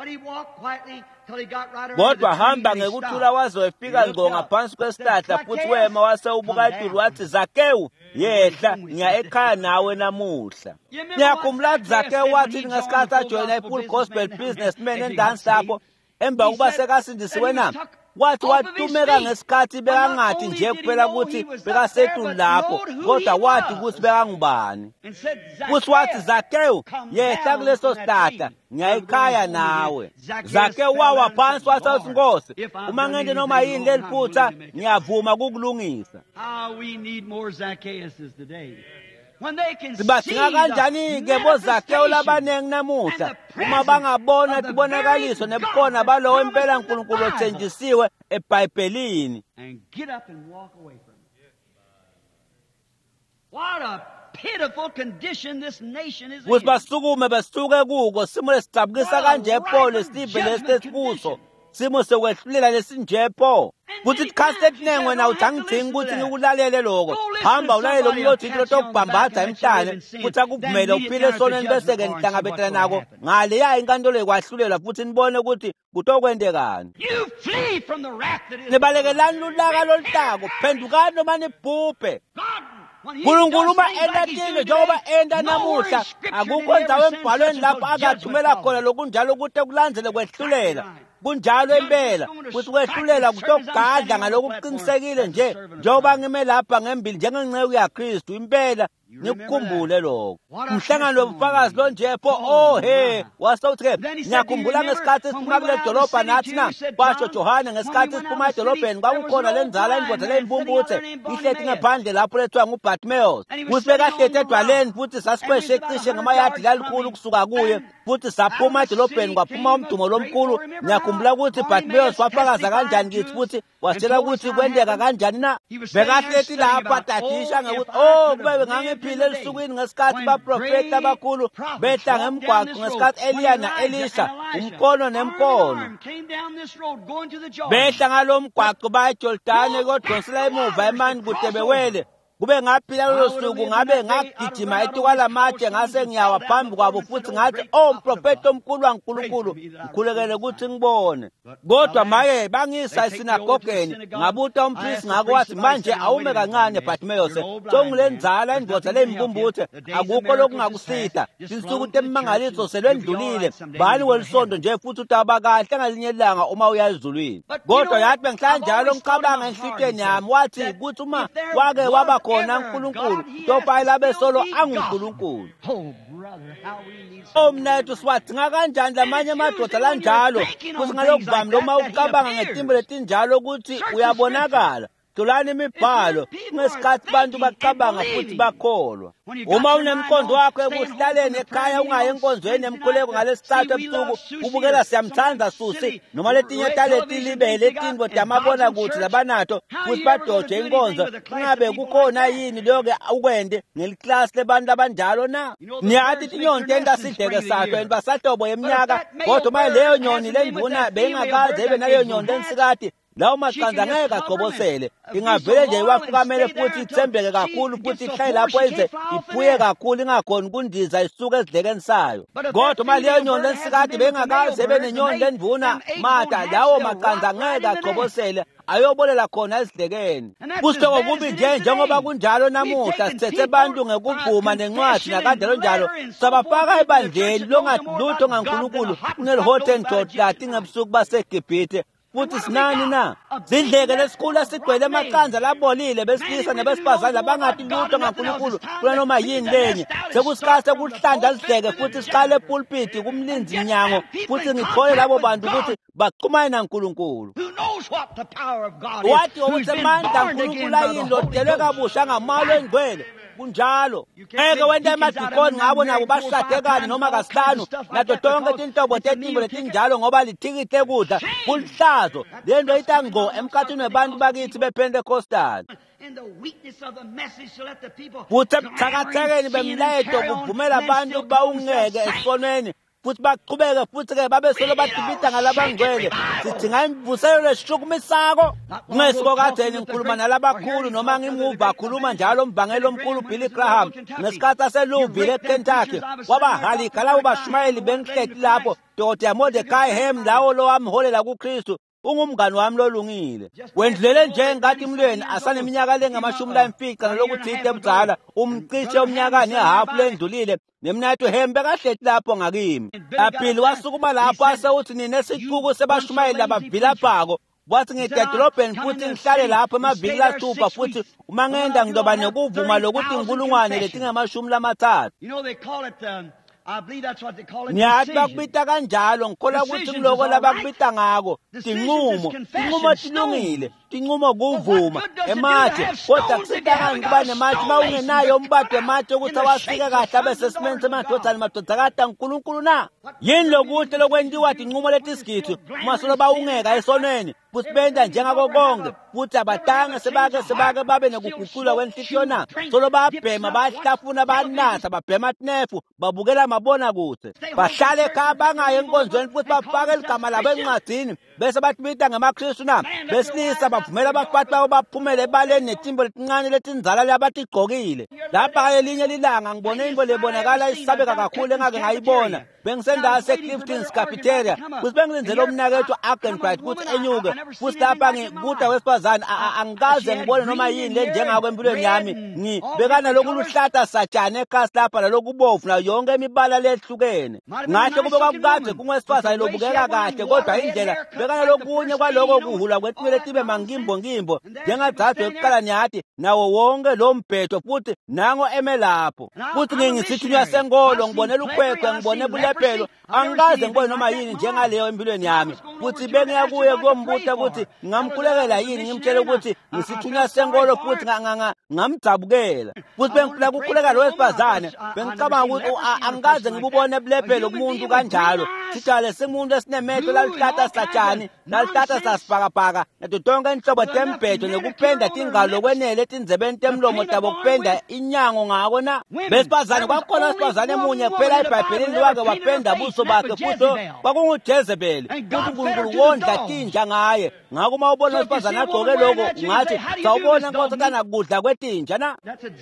Kodwa hamba ngekuthula waze wefika ngqo ngaphansi kwesihlahla futhi wema wase ubuka etulu wathi Zakewu yehla ngiya ekhaya nawe namuhla. Ngiyakhumbula Zakewu wathi ngesikhathi ajoyina i-Full Gospel Businessman endansi lapho emva kokuba sekasindisiwe na? Wathi watumeka ngesikhathi bekangathi nje kuphela ukuthi bekasetulu lapho, kodwa wathi ukuthi bekangubani. Futhi wathi Zakewu yehla kuleso sihlahla ngiyayikhaya nawe. Zakewu wawa phansi wathi Nkosi, uma ngente noma yini leli phutha ngiyavuma kukulungisa. Sibadinga kanjani-ke boZakewu labaningi namuhla uma bangabona tibonakaliso nebukhona balowo impela uNkulunkulu othenjisiwe eBhayibhelini. Kuthi basukume basuke kuko simo lesicabukisa kanje pho lesive lesi lesikuso, simo sekwehlulela lesinje pho. Kuthi isikhathi esiningi wena uthi angidingi ukuthi ngikulalele lokho. Hamba ulalele umlotho into tokubhambatha emhlane futhi akuvumele uphile esonweni bese-ke nihlangabetana nako ngaleya inkantolo yokwahlulelwa futhi nibone ukuthi kutokwendekani. Nibalekelani lulaka loluhlako, phendukani noma nibhubhe. Nkulunkulu uma enta tintfo njengoba enta namuhla, akukho ndzawo embhalweni lapho akathumela khona lokunjalo ukuthi kulandzele kwehlulela. Kunjalo impela futhi kwehlulela kutogadla ngalokuqinisekile nje njengoba ngime lapha ngembili njengenceku yaKristu impela. Nikukhumbule lokho. Umhlangano wobufakazi lo nje pho, oh he, wasewuthi-ke ngiyakhumbula ngesikhathi siphuma kule dolobha nathi na, kwasho Johane, ngesikhathi siphuma edolobheni kwakukhona le nzala indoda leyimpumputhe ihleti ngaphandle lapho lethiwa nguBartimaeus. Futhi bekahleti edwaleni futhi sasikweshe cishe ngamayadi lalikhulu kusuka kuye futhi saphuma edolobheni kwaphuma umdumo lomkhulu. Ngiyakhumbula ukuthi Bartimaeus wafakaza kanjani kithi futhi wasitshela ukuthi kwenteka kanjani na. Bekahleti lapho adadisha ngekuthi oh kube ngangiphile elusukwini ngesikhathi baprofeti abakhulu behla ngemgwaqo ngesikhathi Eliya na-Elisha umkono nemkono behla ngalo mgwaqo baya eJordani kodonsela emuva emani kude bewele. Kube ngaphila lolo suku ngabe ngagijima etukwalamatshe ngase ngiyawa phambi kwabo futhi ngathi oh mprofeti omkhulu waNkulunkulu ngikhulekele ukuthi ngibone. Kodwa maye bangisa esinagogeni ngabuta umpristi ngakho wathi manje awume kancane Bartimaeus, songilenzala indoda leyimpumputhe akukho lokungakusita, tinsuku temimangaliso selwendlulile, bani welisondo nje futhi utaba kahle ngalinye ilanga uma uya ezulwini. Kodwa yathi bengihlala njalo ngicabanga enhlitweni yami wathi ukuthi uma wake waba khona uNkulunkulu topayela besolo anguNkulunkulu. Omnethu siwadinga kanjani lamanye amadoda lanjalo futhi ngalokuvami noma ucabanga ngetimbo letinjalo ukuthi uyabonakala. Hlolani imibhalo ngesikhathi abantu bacabanga futhi bakholwa. Uma unemqondo wakho ekuhlaleni ekhaya ungayi enkonzweni emkhuleko ngalesithathu ebusuku ubukela Siyamthanda Susi noma letinye taleti libele tintfo tamabona kuthi labanato futhi badoje inkonzo, kungabe kukhona yini leyo-ke ukwende ngeliklasi lebantu abanjalo na? Niyathi tinyoni tenta sidleke sakho and basahlobo yeminyaka, kodwa uma leyo nyoni lendvuna beyingakaze ibe naleyo nyoni lensikati, lawo maqanda ngeke agcobosele. Ingavele nje iwafukamele futhi ithembeke kakhulu futhi ihlale lapho ize iphuye kakhulu ingakhoni kundiza isuke esidlekeni sayo. Kodwa uma leyo nyoni lensikati beyingakaze ibe nenyoni lendvuna mata, lawo maqanda ngeke agcobosele, ayobolela khona esidlekeni. Kusihloko kubi nje njengoba kunjalo namuhla, sithethe abantu ngekuvuma nencwadi nakanjalo njalo, sabafaka ebandleni longathi lutho ngaNkulunkulu kuneli-Hottentot lati ngebusuku baseGibhithe. Futhi sinani na? Zidleke lesikhulu esigcwele amaqanda labolile besilisa nebesifazane labangathi lutho ngaNkulunkulu kunanoma yini lenye. Sekusikhathi sekuhlanda sidleke futhi siqale epulpiti kumlinzi mnyango futhi ngithole labo bantu ukuthi baxhumane naNkulunkulu. Wathi ukuthi amandla kaNkulunkulu ayini lodelwe kabusha ngamalo engcwele. Kunjalo. Ngeke wente emadikoni ngabo nabo bashade kanye noma kasihlanu nato tonke tinhlobo tetimbo letinjalo ngoba lithikithi lekudla kulihlazo. Lento ita ngqo emkhathini webantu bakithi bePentecostal. Futhi ebuthakathakeni bemlayeto kuvumela abantu bawungeke esonweni futhi baqhubeke futhi-ke babesolo badibida ngalabangcwele. Sidinga imvuselelo leshukumisako. Kungesiko kadzeni ngikhuluma nalabakhulu noma ngimuva akhuluma njalo umvangeli omkhulu Billy Graham ngesikhathi aseLouisville eKentucky, wabahalika labo bashumayeli bengihleti lapho, Dr. Mordecai Ham lawo lowamholela kuKristu, ungumngani wami lolungile. Wendlulele nje ngathi emlweni asaneminyaka lengamashumi lamfica nalokuthite ebudzala, umcishe umnyaka nehafu lendlulile. Nemnathu Hembe bekahleti lapho ngakimi. Aphili wasukuma lapho ase uthi nine sicuku sebashumayeli labavilaphako. Wathi ngida edolobheni futhi ngihlale lapho emaviki lasithupha futhi uma ngenda ngizoba nekuvuma lokuthi inkulungwane letingamashumi lamatsatfu. Niyathi bakubita kanjalo, ngikholwa ukuthi kuloko labakubita ngako tinqumo. Tinqumo tilungile, tinqumo kuvuma ematshe, kodwa kusita ngani kuba nematshe uma ungenayo umbado wematshe ukuthi awasike kahle abe sesimeni semadvodzana madvodzakati aNkulunkulu na? Yini lokuhle lokwentiwa tinqumo letisigidi uma solo bawungeka esonweni futhi benta njengako konke futhi abatange sebake babe nekuguqulwa kwenhliziyo na? Solo babhema, bahlafuna, banatha, babhema tinefu, babukela mabonakude, bahlale ekhaya bangayi enkonzweni futhi bafake ligama labo encwadini bese batibita ngemaKristu na? Besilisa bavumela abafati babo baphumele ebaleni netimbo letincane letindzala labatigqokile. Lapha elinye lilanga ngibone into lebonakala isabeka kakhulu engake ngayibona. Bengisendawo seClifton's Cafeteria futhi bengilindzele umnakethu Arganbright ukuthi enyuke futhi lapha ngikuda wesifazane angikaze ngibone noma yini lenjengako empilweni yami. Ngibekana lokuluhlata satshane ekhasi lapha nalokubovu nayo yonke imibala lehlukene. Ngahle kube kwakukade kungowesifazane lobukeka kahle, kodwa indlela bekana lokunye kwaloko kuhulwa kwetinwele tibe mangimbongimbo njengadzadwe ekuqala niyathi nawo wonke lo mbhedo futhi nango eme lapho. Futhi ngingisithunywa senkolo, ngibone lukhwekhwe, ngibone bulephelo, angikaze ngibone noma yini njengaleyo empilweni yami. Futhi bengiya kuye kuyombuta ukuthi ngingamkhulekela yini, ngimtshele ukuthi ngisithunywa senkolo futhi ngamdzabukela. Futhi bengifuna kukhuleka lo wesifazane, bengicabanga ukuthi angikaze ngibubone bulephelo kumuntu kanjalo. Sijale simuntu esinemehlo lalihlata satshani lalihlata sasibhakabhaka nato tonke inhlobo tembhedo nekupenda tingalo lokwenele etindzebeni temlomo tabo kupenda inyango ngako na. Besifazane, kwakukhona wesifazane munye kuphela eBhayibhelini lowake wapenda buso bakhe futhi kwakunguJezebeli, futhi uNkulunkulu wondla tinja ngaye. Ngakho uma ubona wesifazane agqoke lokho ungathi sawubona nkosazana kudla kwetinja na?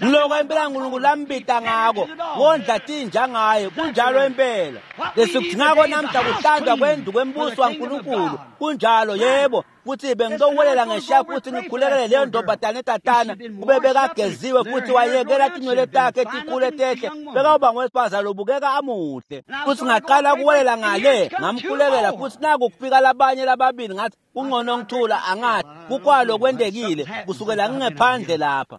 Ngiloko impela uNkulunkulu lambita ngako, wondla tinja ngaye. Kunjalo impela. Lesikudingako namhla kuhlandwa kwendlu kwembuso waNkulunkulu. Kunjalo, yebo. Futhi bengizowuwelela ngeshiya futhi ngikhulekele leyo ntombazane etatana kube bekageziwe futhi wayekela tinwele takhe tikhule tehle, bekawuba ngowesifazane lobukeka amuhle. Futhi ngaqala ukuwelela ngale, ngamkhulekela, futhi naku kufika labanye lababili. Ngathi kungcono ngithula, angathi kukwalo kwendekile kusukela ngingephandle lapha.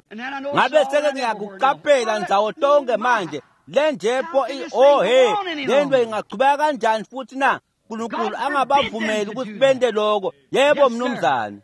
Ngabe seke ngiyakuqaphela ndzawo tonke manje le njepho, oh he, lento ingachubeka kanjani futhi na? uNkulunkulu angabavumeli ukuthi bende lokho. Yebo mnumzane.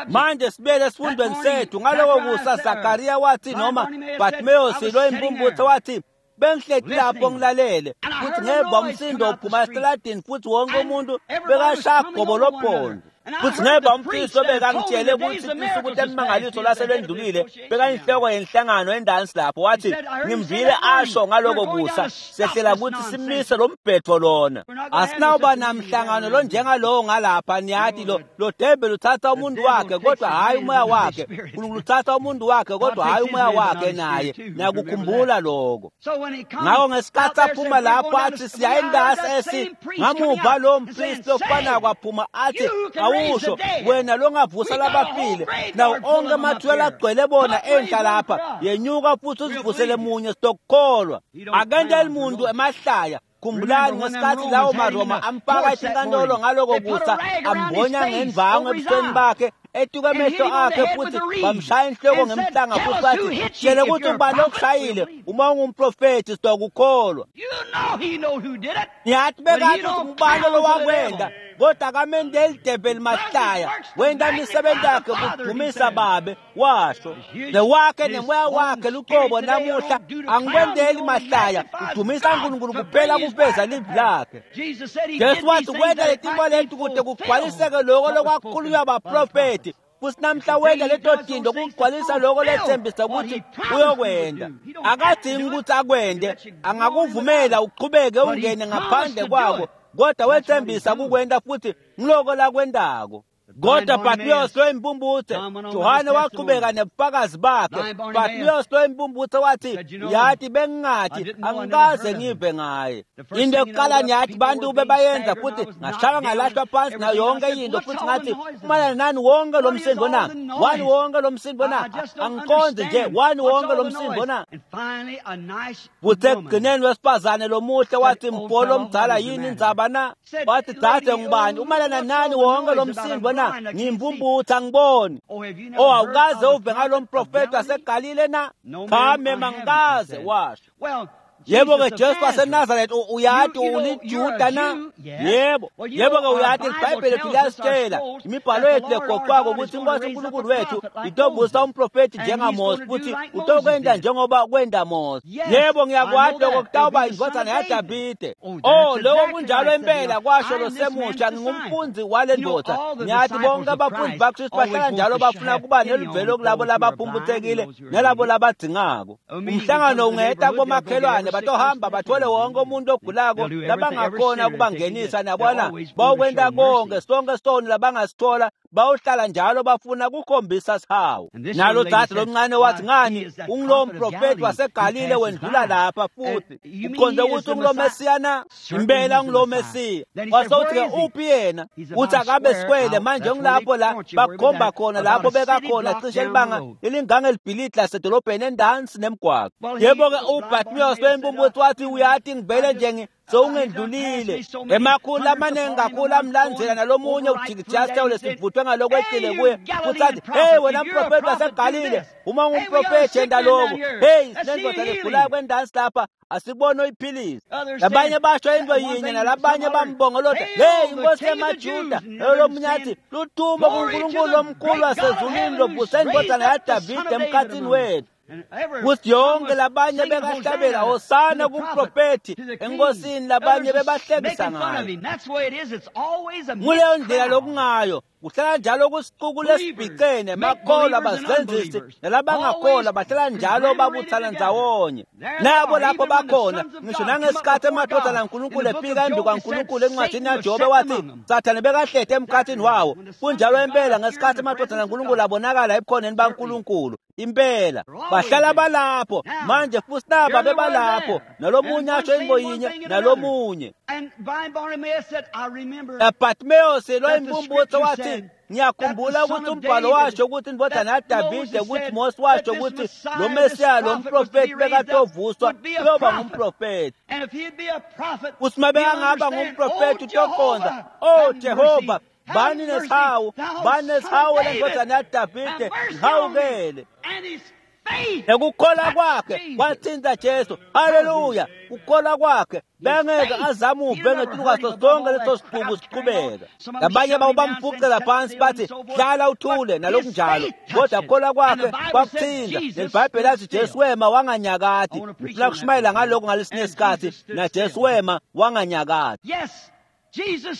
Manje sibele esifundweni sethu ngaloko kusa. Zakariya wathi, noma Bartimeus lo impumputhe wathi, bengihleti lapho ngilalele, futhi ngeva umsindo uphuma esitaladini, futhi wonke umuntu bekashaya gobo lophondo, futhi ngeva umpristi obekangitshele ukuthi insuku temimangaliso laselwendlulile, bekayinhloko yenhlangano endansi lapho, wathi, ngimvile asho ngaloko kusa, sehlela ukuthi simise lo mbhetho lona, asinawuba namhlangano lo njengalowo ngalapha. Niyathi lo devil uthatha umuntu wakhe kodwa hhayi umoya wakhe. Unkulunkulu uthatha umuntu wakhe kodwa hhayi umoya wakhe naye. Niyakukhumbula lokho. Ngakho ngesikhathi aphuma lapho athi siya endasi esi, ngamuva lowo mpristi ofanako aphuma athi, awusho wena longavusa labafile, nawo onke amathuna agcwele bona enhla lapha, yenyuka futhi uzivusele munye, sitokukholwa. Akenteli muntu emahlaya. Khumbulani ngesikhathi lawo maRoma amfaka etinkantolo ngaloko kusa, ambonya ngendvangu ebusweni bakhe, etuka emehlo akhe, futhi bamshaya inhloko ngemhlanga, futhi bathi, tshele ukuthi ubani okushayile, uma ungumprofethi sitokukholwa. Ngiyathi bekathi ubani lowakwenda, kodwa akamendeli develi mahlaya. Wenta imisebenzi yakhe kudumisa babe, washo newakhe nemoya wakhe luqobo namuhla. Angikwendeli mahlaya, udumisa uNkulunkulu kuphela kufeza livi lakhe. Jesu wathi kwenta letintfo leti kute kugcwaliseke loko lokwakhulunywa baprofethi, futhi namhla wenta leto tinto kugcwalisa loko lethembisa ukuthi uyokwenda. Akadingi ukuthi akwende, angakuvumela uqhubeke ungene ngaphandle kwako, kodwa wethembisa kukwenta futhi ngiloko lakwentako. Kodwa Bartimeus lo impumputhe, Johane waqhubeka nebufakazi bakhe. Bartimeus lo impumputhe wathi, yathi bengingathi angikaze ngive ngaye. Into yokuqala niyathi bantu bebayenza, futhi ngashaywa ngalahlwa phansi nayo yonke into, futhi ngathi, umalana nani wonke lo msindo na? Wani wonke lo msindo na? Angiqondi nje, wani wonke lo msindo na? Futhi ekugcineni wesifazane lomuhle wathi, mfolo omdala, yini indzaba na? Wathi, dzadze, ngubani umalana nani wonke lo msindo na? Ngimpumputhe, angiboni. Oh, awukaze uve ngalo mprofethi waseGalile na? Cha mema, angikaze, washo. Yebo-ke, Jesu waseNazaretha, uyathi uliJuda na? Yebo. Yebo-ke, uyathi iBhayibheli lethu liyasitshela, imibhalo yethu legoqwako, ukuthi iNkosi uNkulunkulu wethu itovusa umprofethi njengaMose, futhi utokwenta njengoba kwenta Mose. Yebo, ngiyakwati lokho, kutawuba indvodzana yaDavide. Oh, lokho kunjalo impela, kwasho lo semusha, ngingumfundzi wale ndoda. Ngiyathi bonke abafundi baKristu bahlala njalo bafuna kuba neluvelo kulabo labaphumputhekile nalabo labadzingako. Umhlangano ungeta kubomakhelwane, batohamba bathole wonke umuntu ogulako labangakhona ukubangenisa, nabona bawukwenta konke sonke soni labangasithola, bawuhlala njalo bafuna kukhombisa sihawu. Nalo dzadze lomncane wathi, ngani, ungulowo mprofethi waseGalile wendlula lapha, futhi ukhonze ukuthi ungulo Mesiya na? Impela ungulo Mesiya. Wasewuthi-ke, uphi yena? Uthi akabe sikwele manje, ngilapho la bakukhomba khona lapho bekakhona, cishe libanga elingangelibhilidi lasedolobheni endansi nemgwaqo. Yebo-ke, uBartimeus wempumputhe wathi, uyathi ngivele nje sewungendlulile, emakhulu amaningi kakhulu amlandzela, nalomunye ujikijika sitawule sivuthwe ngalokweqile kuye, futhi athi, hey wena mprofethi waseGalile, uma ungumprofethi yenta lokhu. Hey, sinendoda legulayo kwendansi lapha, asikubone uyiphilisa. Labanye basho into yinye, nalabanye bambongolota, hey inkosi yemaJuda. Lomunye athi, luthumo kuNkulunkulu omkhulu wasezulwini lovuse indvodzana yaDavide emkhathini wethu. Kuthi yonke labanye bekahlabela hosana kumprofethi enkosini, labanye bebahlekisa ngayo. Nguleyo ndlela lokungayo, kuhlala njalo kusicuku lesibhicene, makholwa, abazenzisi nalabangakholwa, bahlala njalo babuthana ndzawonye. Nabo lapho bakhona, ngisho nangesikhathi emadodana kaNkulunkulu efika embi kwaNkulunkulu, encwadini yaJobe wathi Sathane bekahlete emkhathini wawo. Kunjalo impela, ngesikhathi emadodana kaNkulunkulu abonakala ebukhoneni baNkulunkulu. Impela bahlala balapho manje futhi naba bebalapho nalomunye asho intfo yinye nalomunye. Bartimaeus loyimpumputse wathi ngiyakhumbula ukuthi umbhalo washo ukuthi indodana yaDavide ukuthi Mose washo ukuthi lo Mesiya lo mprofeti bekatovuswa uyoba ngumprofeti. Futhi uma bekangaba ngumprofeti utoqonda, oh Jehova, bani nesihawu, bani nesihawu lendodana yaDavide, ngihawukele. Nekukholwa kwakhe kwathinta Jesu. Haleluya! Kukholwa kwakhe bengeke azamuve ngetulu sonke leso sixuku siqhubeka. Labanye babo bamfuqela phansi bathi hlala uthule nalokunjalo, kodwa kukholwa kwakhe kwakuthinta. LeBhayibheli lathi Jesu wema wanganyakati. Ngifuna kushumayela ngalokho ngalesinye isikhathi, na Jesu wema wanganyakati.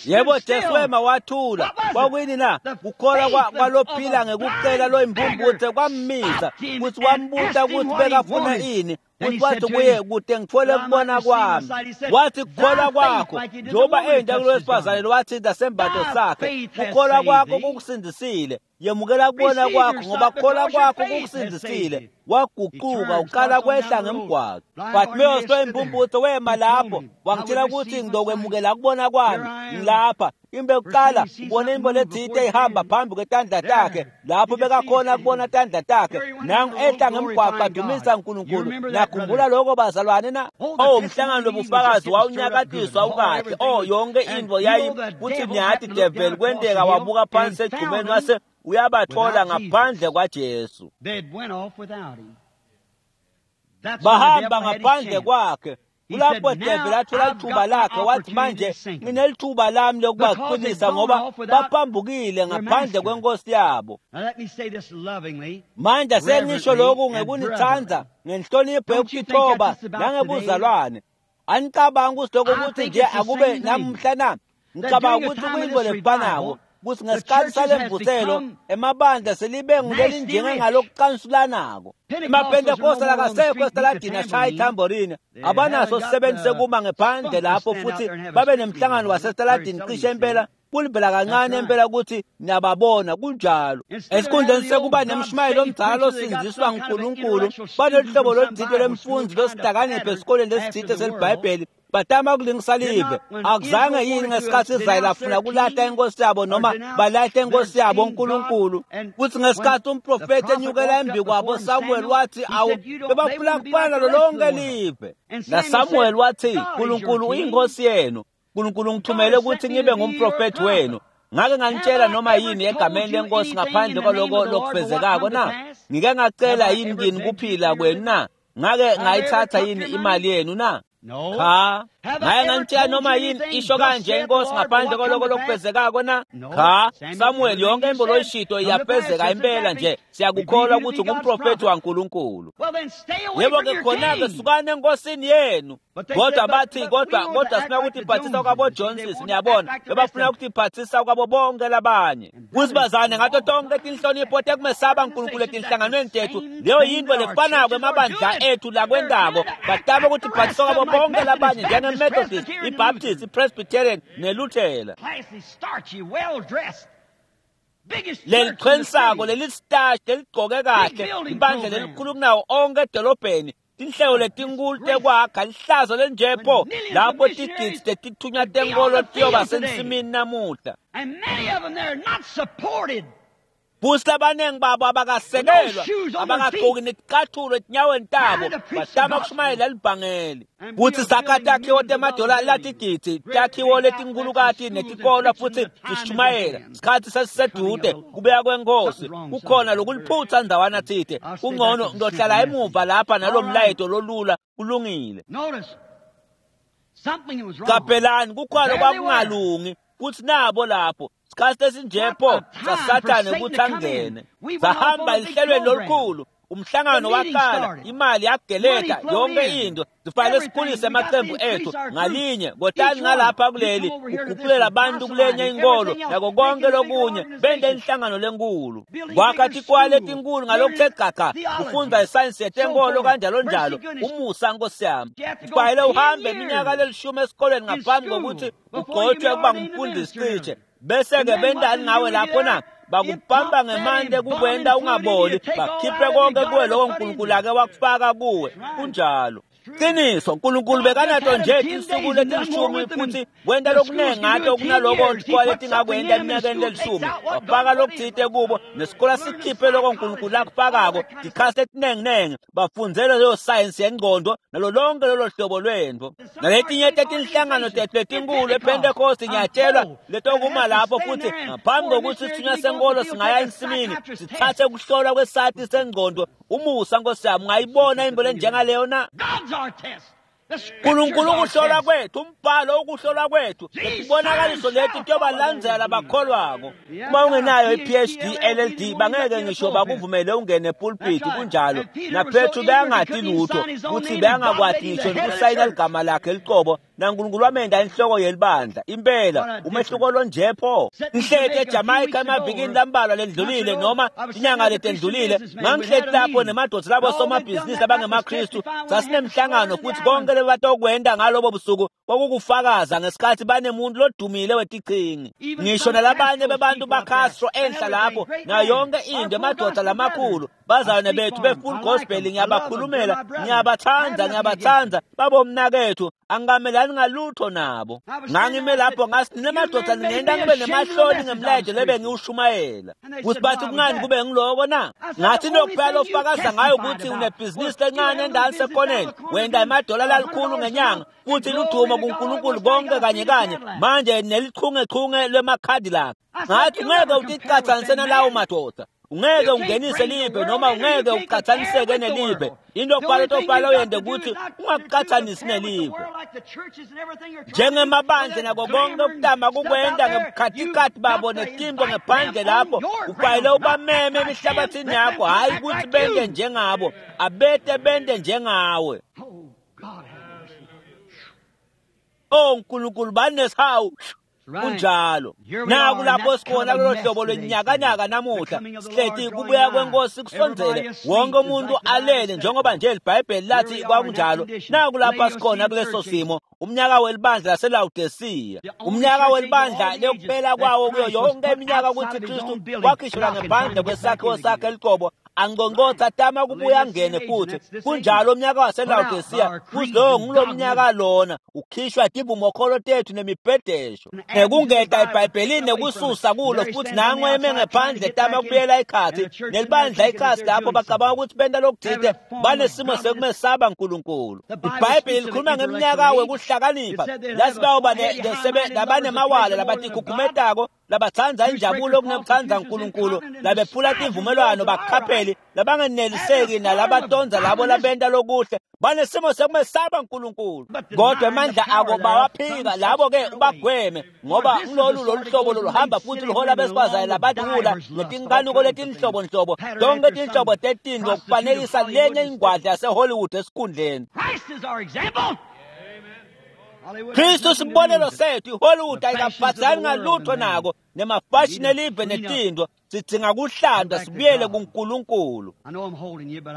Yebo, Jesu wema wathula. Kwakuyini na? Kukholwa kwalophila ngekucela loyimpumputse kwammisa futhi wambuta ukuthi bekafuna ini. Futhi wathi kuye, kude ngithole kubona kwami. Wathi kukholwa kwakho, njengoba enda kulo wesifazane wathinta sembatho sakhe, kukholwa kwakho kukusindisile. Yemukela kubona kwakho ngoba kukholwa kwakho kukusindisile. Waguquka uqala kwehla ngemgwaqo. Bartimaeus loyimpumputse wema lapho wangitshela ukuthi ngizokwemukela kubona kwami. Ngilapha imbe kuqala ubone into letsite ihamba phambi kwetandla takhe lapho bekakhona kubona tandla takhe nangu ehla ngemgwaqo adumisa uNkulunkulu. Nakhumbula lokho bazalwane na? Oh, umhlangano lobufakazi wawunyakatiswa ukahle. Oh, yonke into yayi kuthi niyathi devil kwenteka wabuka phansi egcumeni wase uyabathola ngaphandle kwaJesu. Bahamba ngaphandle kwakhe. Kulapho devil athola ithuba lakhe wathi manje nginelithuba lami lokubaqinisa ngoba baphambukile ngaphandle kwenkosi yabo. Manje sengisho lokhu ngekunithanda ngenhlonipho yokutithoba nangebuzalwane. Anicabangi ukuthi lokho ukuthi nje akube namuhla na? Ngicabanga ukuthi kuyinto lefanako ukuthi ngesikhathi salemvuselo emabandla selibe ngulelinjengengalokucansulanako. EmaPentecostal akasekho esitaladini ashaya ithamborini, abanaso sisebenzi sekuma ngephandle lapho futhi babe nemhlangano wasesitaladini cishe impela kulivela kancane impela ukuthi niyababona kunjalo. Esikhundleni sekuba nemshumayelo omdala osindziswa nguNkulunkulu, banoluhlobo lolutsite lwemfundzi losihlakaniphi esikoleni lesitsite seliBhayibheli batama kulingisa live. Akuzange yini ngesikhathi Israyeli afuna kulahla inkosi yabo noma balahle inkosi yabo uNkulunkulu? Futhi ngesikhathi umprofeti enyukela embi kwabo Samuel wathi awu bebafuna kufana nalo lonke live. Na Samuel wathi uNkulunkulu uyinkosi yenu, uNkulunkulu ngithumele ukuthi ngibe ngumprofeti wenu. Ngake nganitshela noma yini egameni lenkosi ngaphandle kwaloko lokufezekako na? Ngike ngacela yini kini kuphila kwenu na? Ngake ngayithatha yini imali yenu na? Cha. Ngake nganitshela noma yini isho kanje inkosi ngaphandle kwaloko lokufezekako na? Cha. Samuel, yonke into loyishito iyafezeka impela nje. Siyakukholwa ukuthi ngumprofeti waNkulunkulu. Yebo ke khona-ke sukani enkosini yenu. Kodwa bathi kodwa sifuna ukuthi iphathisa kwabo Joneses, niyabona bebafuna ukuthi iphathisa kwabo bonke labanye. Kusibazane ngato tonke tinhlonipho tekumesaba uNkulunkulu etinhlanganweni tethu, leyo yinto lefanako emabandla ethu lakwendako. Batama ukuthi iphathisa kwabo bonke labanye njenge-Methodist, i-Baptist, i-Presbyterian neLuthela. Leliqhenisako leli-starch leligqoke kahle ibandla lelikhulu kunawo onke edolobheni, tinhlelo letinkulu tekwakha lihlazo lenjepho lapho tigidzi tetithunywa tenkolo tiyoba sensimini namuhla. Futhi labaningi babo abakasekelwa, abakagqoki neticathulo etinyaweni tabo, batama kushumayela libhangeli. Futhi sakha takhiwo temadola latigidzi, takhiwo letinkhulukati netikolwa futhi sishumayela. Sikhathi sesisedude kubuya kwenkosi. Kukhona lokuliphutha ndzawana tsite. Kungcono ngiyohlala emuva lapha nalo mlayeto lolula kulungile. Qaphelani kukhona kwakungalungi futhi nabo lapho. Sikhathi esinjepho saSathane ukuthi angene. Sahamba ehlelweni lolukhulu, umhlangano waqala, imali yageleka, yonke into. Sifanele sikhulise amaqembu ethu ngalinye, kotani ngalapha kuleli, uguqulela abantu kulenye inkolo nako konke lokunye, bente inhlangano lenkulu. Kwakha tikwale etinkulu ngalokuthe gaga, kufundza isayensi yetenkolo kanjalo njalo. Umusa Nkosi yami. Kufanele uhambe iminyaka lelishumi esikolweni ngaphambi kokuthi ugcotshwe kuba ngumfundisi cishe. Bese-ke bentani ngawe lapho na? Bakupamba ngemande kukwenta ungaboli, bakhiphe konke kuwe lokho uNkulunkulu ake wakufaka kuwe. Kunjalo. Qiniso, uNkulunkulu bekanato nje tinsuku letilishumi futhi wenta lokunengi ngato kunaloko tikole letingakwenta eminyakeni lelishumi. Wafaka lokutsite kubo nesikole sikhiphe loko uNkulunkulu akufakako, tikhasi letinenginengi, bafundzele leyo sayensi yengqondo nalo lonke lolo hlobo lwentfo. Naletinye tetinhlangano tetfu letinkulu ePhentekhosti ngiyatshelwa letokuma lapho futhi ngaphambi kokuthi sithunywa senkolo singaya ensimini sithathe kuhlolwa kwesati sengqondo. Umusa Nkosi yami, ungayibona into lenjengaleyo na? uNkulunkulu ukuhlola kwethu, umbhalo ukuhlola kwethu, lesibonakaliso leti kuyobalandzela labakholwako. Uma ungenayo i-PhD, LLD, bangeke ngisho bakuvumele ungene epulpiti. Kunjalo. NaPetru bekangati lutho, kutsi bekangakwati ngisho nokusayina ligama lakhe licobo, naNkulunkulu wamenta inhloko yelibandla. Impela umehluko lonje pho. Ngihleti eJamaica emavikini lambalwa lendlulile noma inyanga letendlulile, ngangihleti lapho nemadvodza labo somabhizinisi abangemaKristu. Sasinemhlangano futhi konke lebatokwenta ngalobo busuku kwakukufakaza ngesikhathi banemuntu lodumile wetichingi. Ngisho nalabanye bebantu baCastro enhla lapho nayo yonke into, emadvodza lamakhulu, bazalwane bethu be-Full Gospel, ngiyabakhulumela, ngiyabathanda, ngiyabathanda babomnakethu, angikamelani ngalutho nabo. Ngangime lapho ngasi nemadoda ningenta ngibe nemahloni ngemlayeto lebe ngiwushumayela. Kuthi bathi kungani kube ngiloko na? Ngathi into lofakaza ngayo ukuthi unebhizinisi lencane endaweni sekoneni, wenta emadola lalikhulu ngenyanga, futhi ludumo kuNkulunkulu konke kanye kanye, manje nelichungechunge lwemaCadillac. Ngathi ungeke uticatsanise nalawo madoda, ungeke ungenise live noma ungeke uqathaniseke nelive. Into kufanele tofala uyente ukuthi ungakuqathanisi nelive. Njengemabandla nako konke okutama kukwenta ngebukhatikhathi babo netinto ngephandle lapho, ufanele ubameme emihlabathini yakho, hhayi ukuthi bente njengabo, abete bente njengawe. Oh Nkulunkulu, banesihawu. Kunjalo. Naku lapho sikhona kulolu hlobo lwenyakanyaka namuhla, sihleti kubuya kwenkosi kusondzele, wonke umuntu alele njengoba nje iBhayibheli lathi kwakunjalo. Naku lapha sikhona kuleso simo, umnyaka welibandla laseLawodisiya, umnyaka welibandla lekuphela kwawo kuyo yonke iminyaka ukuthi Kristu wakhishwa ngaphandle kwesakhiwo sakhe eliqobo, angqongqotha tama kubuya angene futhi. Kunjalo umnyaka waseLawodisiya, futhi lowo ngulomnyaka lona ukhishwa tivumokholo tethu nemibhedesho nekungeta eBhayibhelini nekususa kulo, futhi nango eme ngephandle tama kubuyela ekhathi nelibandla ikhasi lapho bacabanga ukuthi benta lokuthite, banesimo sekumesaba uNkulunkulu. iBhayibheli likhuluma ngeminyaka wekuhlakanipha lasibawuba labanemawala labatikhukhumedako, labatsandza injabulo kunekutsandza uNkulunkulu, labephula tivumelwano, bakhapheli labangeneliseki nalabatonza labo labenta lokuhle, banesimo sekumesaba uNkulunkulu, kodwa emandla ako bawaphika. Labo ke ubagweme, ngoba ngilolu lolu hlobo loluhamba futhi luhola besifazane labadula netinkanuko letinhlobonhlobo, tonke tinhlobo tetinto kufanekisa lenye ingwadla yaseHollywood esikhundleni. Kristu sibonelo sethu. iHollywood ayikaphathani ngalutho nako nemafashini elive netinto. Sidzinga kuhlandwa sibuyele kuNkulunkulu.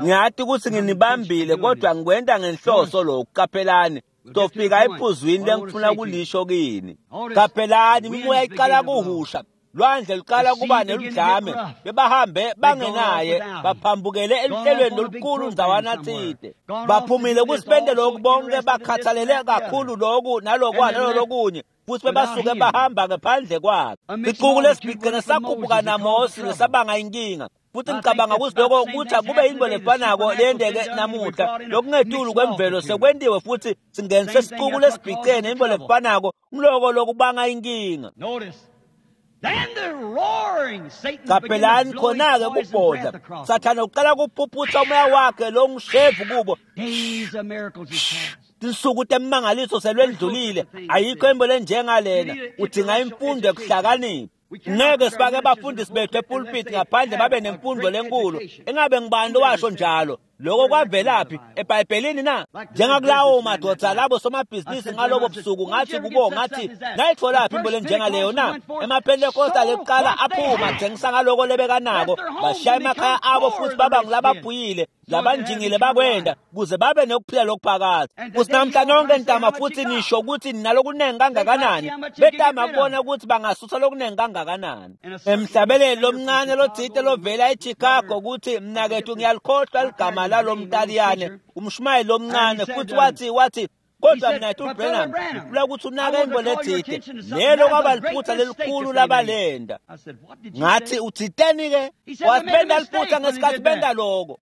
Ngiyati ukuthi nginibambile, kodwa ngikwenta ngenhloso lokhu. Qaphelani, tofika ephuzwini lengifuna kulisho kini. Qaphelani, imimoya iqala kuhusha, lwandle luqala kuba neludlame, bebahambe bangenaye, baphambukele eluhlelweni lolukhulu ndzawana tsite, baphumile kusibente lokhu bonke, bakhathalele kakhulu lokhu nalokwa nalolokunye, futhi bebasuke bahamba ngaphandle kwakhe. Sixuku lesibhicene sakhuphuka naMosi nesabanga inkinga, futhi ngicabanga ukuthi lokho kuthi akube yinto lefanako leyenteke namuhla. Lokungetulu kwemvelo sekwentiwe futhi singenise sixuku lesibhicene, into lefanako umloko lokubanga inkinga. Qaphelani khona-ke kubhodla, Sathane uqala kuphuphutsa umoya wakhe longushevu kubo. Tinsuku temangaliso selwendlulile, ayikho into lenjengalena. Udinga imfundo ekuhlakanipha. Ngeke sifake abafundisi bethu epulpiti ngaphandle babe nemfundo lenkulu. Engabe ngibani lowasho njalo? Lokho kwavelaphi eBhayibhelini na? Njengakulawo madoda labo somabhizinisi ngalobo busuku, ngathi kubo, ngathi nayitholaphi into lenjengaleyo na? EmaPentecostal ekuqala aphuma athengisa ngaloko lebekanako, bashaya emakhaya abo futhi baba ngulababhuyile labanjingile bakwenda kuze babe nokuphila lokuphakathi. Futhi namhla nonke ntama futhi nisho ukuthi ninalokunengi kangakanani, betama kubona ukuthi bangasusa lokunengi kangakanani. Emhlabeleli lomncane lothite lovela eChicago ukuthi mnakethu ngiyalikhohlwa ligama lalo mtaliyane, umshumayeli lomncane, futhi wathi kodwa mnakethu Branham ngifuna ukuthi unake into lethite, lelo kwaba liphutha lelikhulu labalenda. Ngathi uthiteni-ke? Wathi benda liphutha ngesikhathi benda loko.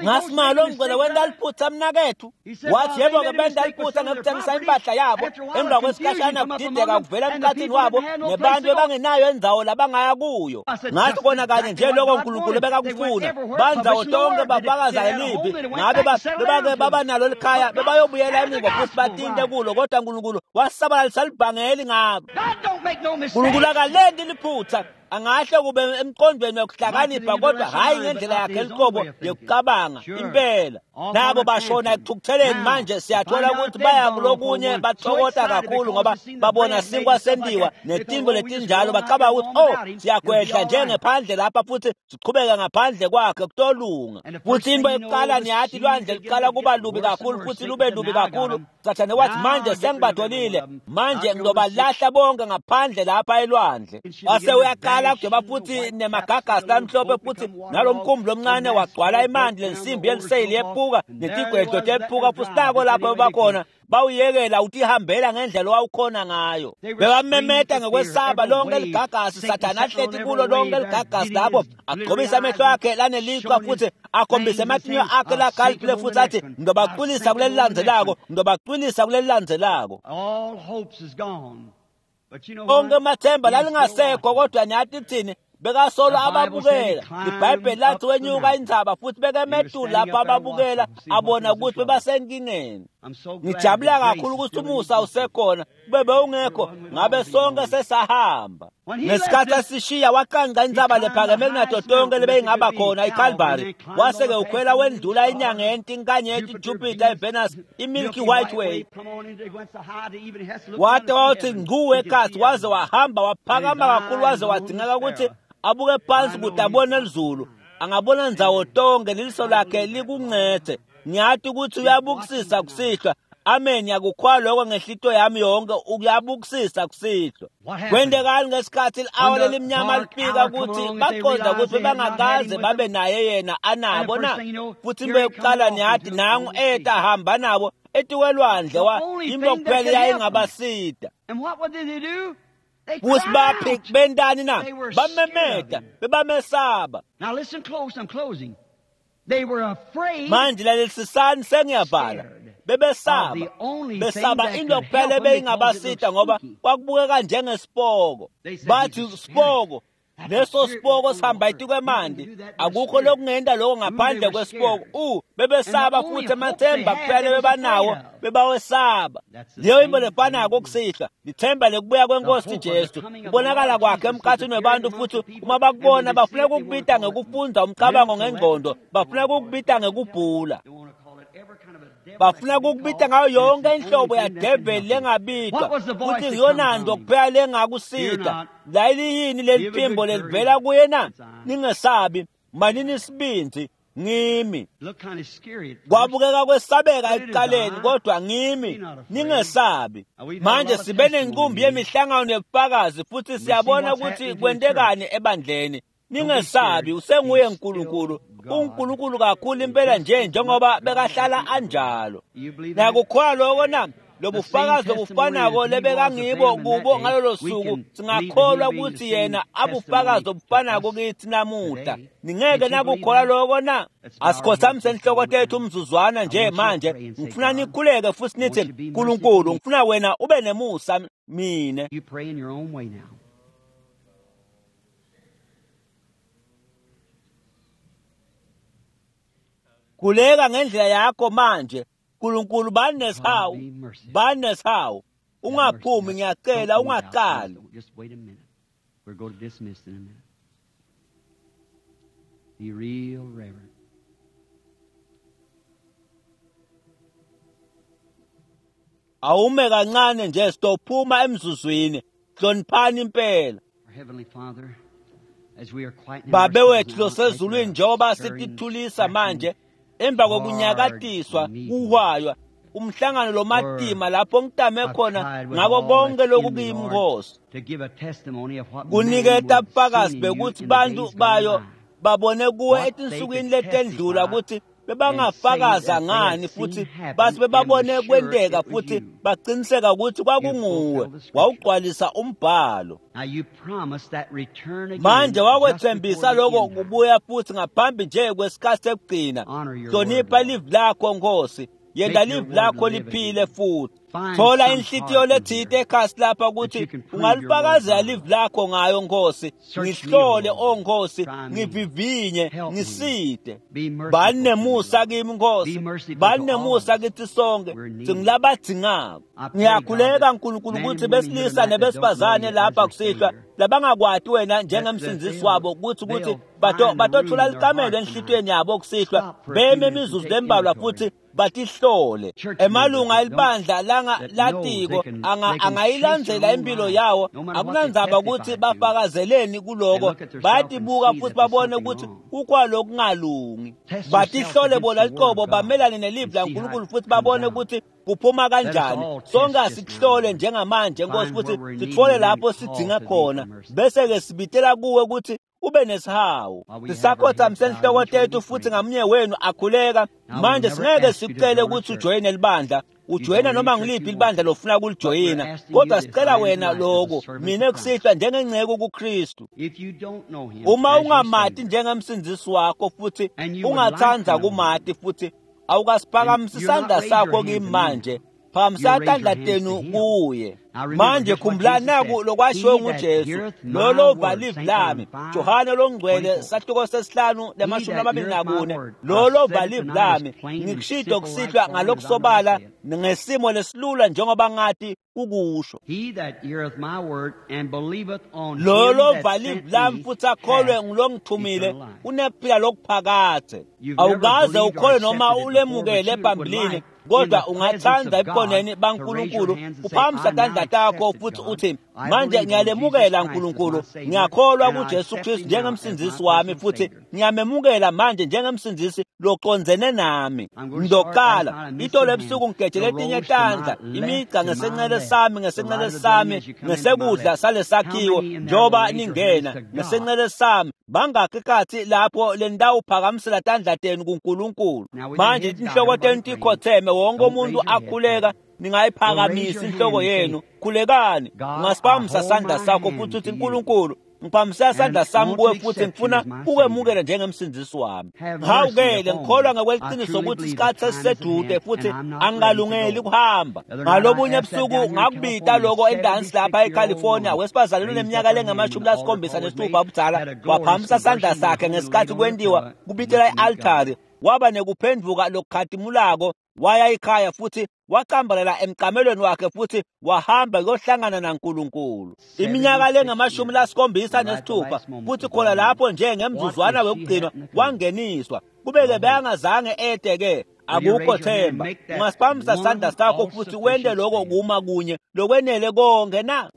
Ngasimalo ngicela wenda liphutha mnakethu. Wathi yebo-ke benda liphutha ngekuthengisa impahla yabo, emva kwesikhashana kudideka kuvela emkhathini wabo nebantu ebangenayo indzawo labangaya kuyo. Ngathi kona kanye nje loko uNkulunkulu bekakufuna, bandzawo tonke bafakaza elibi, ngabe bebake babanalo likhaya bebayobuyela emuva futhi batinte kulo, kodwa uNkulunkulu wasabalalisa libhangeli ngabo. uNkulunkulu akalenti liphutha, angahle kube emqondweni wokuhlakanipha kodwa hhayi ngendlela yakhe liqobo yokucabanga impela. Nabo bashona ekuthukutheleni. Manje siyathola ukuthi baya kulokunye bathokota kakhulu ngoba babona sinkwa sendiwa netinto letinjalo, bacabanga ukuthi oh siyakwehla njengephandle lapha futhi siqhubeke ngaphandle kwakhe kutolunga. Futhi into ekuqala niyathi lwandle luqala kuba lubi kakhulu futhi lube lubi kakhulu. Sathane wathi manje sengibatholile, manje ngizobalahla bonke ngaphandle lapha elwandle. Wase uyaqala kudweba futhi nemagagasi lamhlophe futhi nalo mkhumbi lomncane wagcwala emanti, lensimbi yeliseyili yephuka netigwedlo tephuka futhi nako lapho bakhona bawuyekela utihambela ngendlela owawukhona ngayo. Bebamemeta ngekwesaba lonke ligagasi, Sathane ahleti kulo lonke ligagasi lapho agcobisa amehlo akhe laneliqwa futhi akhombise amatinyo akhe lakhaliphile futhi athi ngizobacwilisa kuleli landzelako, ngizobacwilisa kuleli landzelako. Onke amathemba lalingasekho, kodwa niyathi kuthini? Bekasolo ababukela. IBhayibheli lathi wenyuka intsaba futhi bekemetulu lapho ababukela, abona ukuthi bebasenkingeni. Ngijabula kakhulu ukuthi umusa usekhona, kube bewungekho ngabe sonke sesahamba. Ngesikhathi asishiya waqanqa intsaba lephakeme kunato tonke lebeyingaba khona iCalvary, wase-ke ukhwela wendlula inyanga yentinkanyeti iJupiter, iVenus, iMilky White Way, wade wawuthi ngcu ekhathi, waze wahamba waphakama kakhulu waze wadingeka ukuthi abuke phansi kude abone lizulu, angabona ndzawo tonke, leliso lakhe likuncethe. Ngiyathi ukuthi uyabukisisa kusihlwa. Amen, ngiyakukhwa lokho ngehlito yami yonke, uyabukisisa kusihlwa. Kwentekani ngesikhathi li-awa lelimnyama lifika ukuthi baqonda ukuthi bebangakaze babe naye yena anabo na? Futhi into yokuqala niyathi nangu eta hamba nabo etikwelwandle, wa into kuphela yayingabasida. Futhi baphi bentani na? Bamemeta, bebamesaba. Manje lalelisisani, sengiyavala. Bebesaba, besaba into kuphela ebeyingabasida ngoba kwakubukeka njengesipoko. Bathi sipoko, leso sipoko sihamba etikwemanti, akukho lokungenta lokho ngaphandle kwesipoko. Bebesaba futhi amathemba kuphela bebanawo bebawesaba. Leyo into lefanako kusihlwa, lithemba lekubuya kwenkosi Jesu, kubonakala kwakhe emkhathini webantu. Futhi uma bakubona bafuna ukukubita ngekufundza umcabango ngengqondo, bafuna ukukubita ngekubhula, bafuna ukukubita ngayo yonke inhlobo yadeveli lengabitwa, futhi ngiyona nto kuphela lengakusita. Layiliyini leli phimbo lelivela kuye na? Ningesabi, manini isibindi, ngimi. Kwabukeka kwesabeka ekuqaleni, kodwa ngimi, ningesabi. Manje sibe nenqumbi yemihlangano yobufakazi futhi siyabona ukuthi kwentekani ebandleni. Ningesabi, usenguye uNkulunkulu, uNkulunkulu kakhulu impela nje njengoba bekahlala anjalo. Nakukholwa lokho na? Lobufakazi obufanako lebekangibo kubo ngalolo suku, singakholwa ukuthi yena abufakazi obufanako kithi namuhla. Ningeke nakukholwa lokho na? Asikhothamise inhloko tethu umzuzwana nje manje. Ngifuna nikhuleke futhi nithi, Nkulunkulu, ngifuna wena ube nemusa mine. Khuleka ngendlela yakho manje. Nkulunkulu banesihawu, banesihawu. Ungaphumi, ngiyacela, ungaqali. Just wait a minute. We're going to dismiss in a minute. Be real reverent. Awume kancane nje, sitophuma emzuzwini. Hloniphani impela. Babe wethu losezulwini, njengoba sitithulisa manje emva kokunyakatiswa kuhwaywa umhlangano lomatima lapho ngitame khona ngako konke lokukimi Nkosi, kuniketa bufakazi bekuthi bantu bayo babone kuwe etinsukwini letendlula ukuthi bebangafakaza ngani, futhi base bebabone kwenteka futhi baqiniseka ukuthi kwakunguwe. Wawugcwalisa umbhalo. Manje wakwethembisa lokho kubuya futhi ngaphambi nje kwesikhathi sekugcina. Hlonipha livi lakho Nkosi, yenda livi lakho liphile futhi. Thola inhlitiyo lethite ekhasi lapha ukuthi ungalifakazela livi lakho ngayo Nkosi. Ngihlole o Nkosi, ngivivinye, ngisite. Bani nemusa kimi Nkosi, bani nemusa kithi sonke, singilabadzingako. Ngiyakhuleka Nkulunkulu ukuthi besilisa nebesifazane lapha kusihlwa labangakwati wena njengemsindzisi wabo ukuthi batothola likamelo enhlitiyweni yabo kusihlwa, beme imizuzu lembalwa futhi batihlole. Emalunga elibandla latiko angayilandzela impilo yawo, akunandzaba ukuthi bafakazeleni kuloko, bayatibuka futhi babone ukuthi kukwalokungalungi. Batihlole bona liqobo, bamelane nelivi laNkulunkulu futhi babone ukuthi kuphuma kanjani. Sonke asikuhlole njengamanje Nkosi, futhi sitfole lapho sidzinga khona, bese-ke sibitela kuwe ukuthi ube nesihawu. Sisakhothamise inhloko tethu futhi ngamunye wenu akhuleka. Manje singeke sikucele ukuthi ujoyine libandla, ujoyina noma ngiliphi libandla lofuna kulijoyina, kodwa sicela wena lokho mina kusihlwa njengenceku kuKristu. Uma ungamati njengemsindzisi wakho futhi ungathanda kumati futhi awukasiphakamisa isandla sakho kimi manje, phakamisa tandla tenu kuye. Manje khumbulani naku lokwashiwo nguJesu, lolo va livi lami, Johane longcwele sahluko sesihlanu 24, lolo va livi lami, ngikushido kusihlwa ngalokusobala ngesimo lesilula njengoba ngathi kukusho. Lolo va livi lami futhi akholwe ngulongithumile unekuphila lokuphakadze. Awukaze ukholwe noma ulemukele phambilini, kodwa ungathanda ebukhoneni baNkulunkulu uphakamisa tandla takho futhi uthi, manje ngiyalemukela Nkulunkulu, ngiyakholwa kuJesu Kristu njengemsindzisi wami futhi ngiyamemukela manje njengemsindzisi locondzene nami. Ngizoqala itolo ebusuku ngigejele etinye tandla, imigca ngesenxele sami, ngesenxele sami, ngesekudla salesakhiwo, njengoba ningena ngesenxele sami. Bangakhi ikhathi lapho le ndawo uphakamisela tandla tenu kuNkulunkulu? Manje inhloko tenu tikhotheme, wonke umuntu akhuleka, ningayiphakamisi inhloko yenu. Khulekani, ungasiphakamisa sandla sakho futhi uthi, Nkulunkulu, ngiphakamisa sandla sami kuwe futhi ngifuna ukwemukela njengemsindzisi wami. Ngihawukele, ngikholwa ngokweqiniso ukuthi isikhathi sesisedude futhi angingalungeli ukuhamba. Ngalobunye ebusuku ngakubita lokho endansi lapha eCalifornia, wesifazane loneminyaka lengama-76 ubudala waphakamisa sandla sakhe ngesikhathi kwentiwa kubitela i-altari, waba nekuphenduka lokukhatimulako, waya ekhaya futhi wacambalela emcamelweni wakhe futhi wahamba kuyohlangana naNkulunkulu. Iminyaka lengama-76 futhi khona lapho nje ngemzuzwana wokugcina wangeniswa. Kubeke beyangazange ede-ke, akukho themba. Ungasiphakamisa sandla sakho futhi wente lokho kuma kunye lokwenele konke na?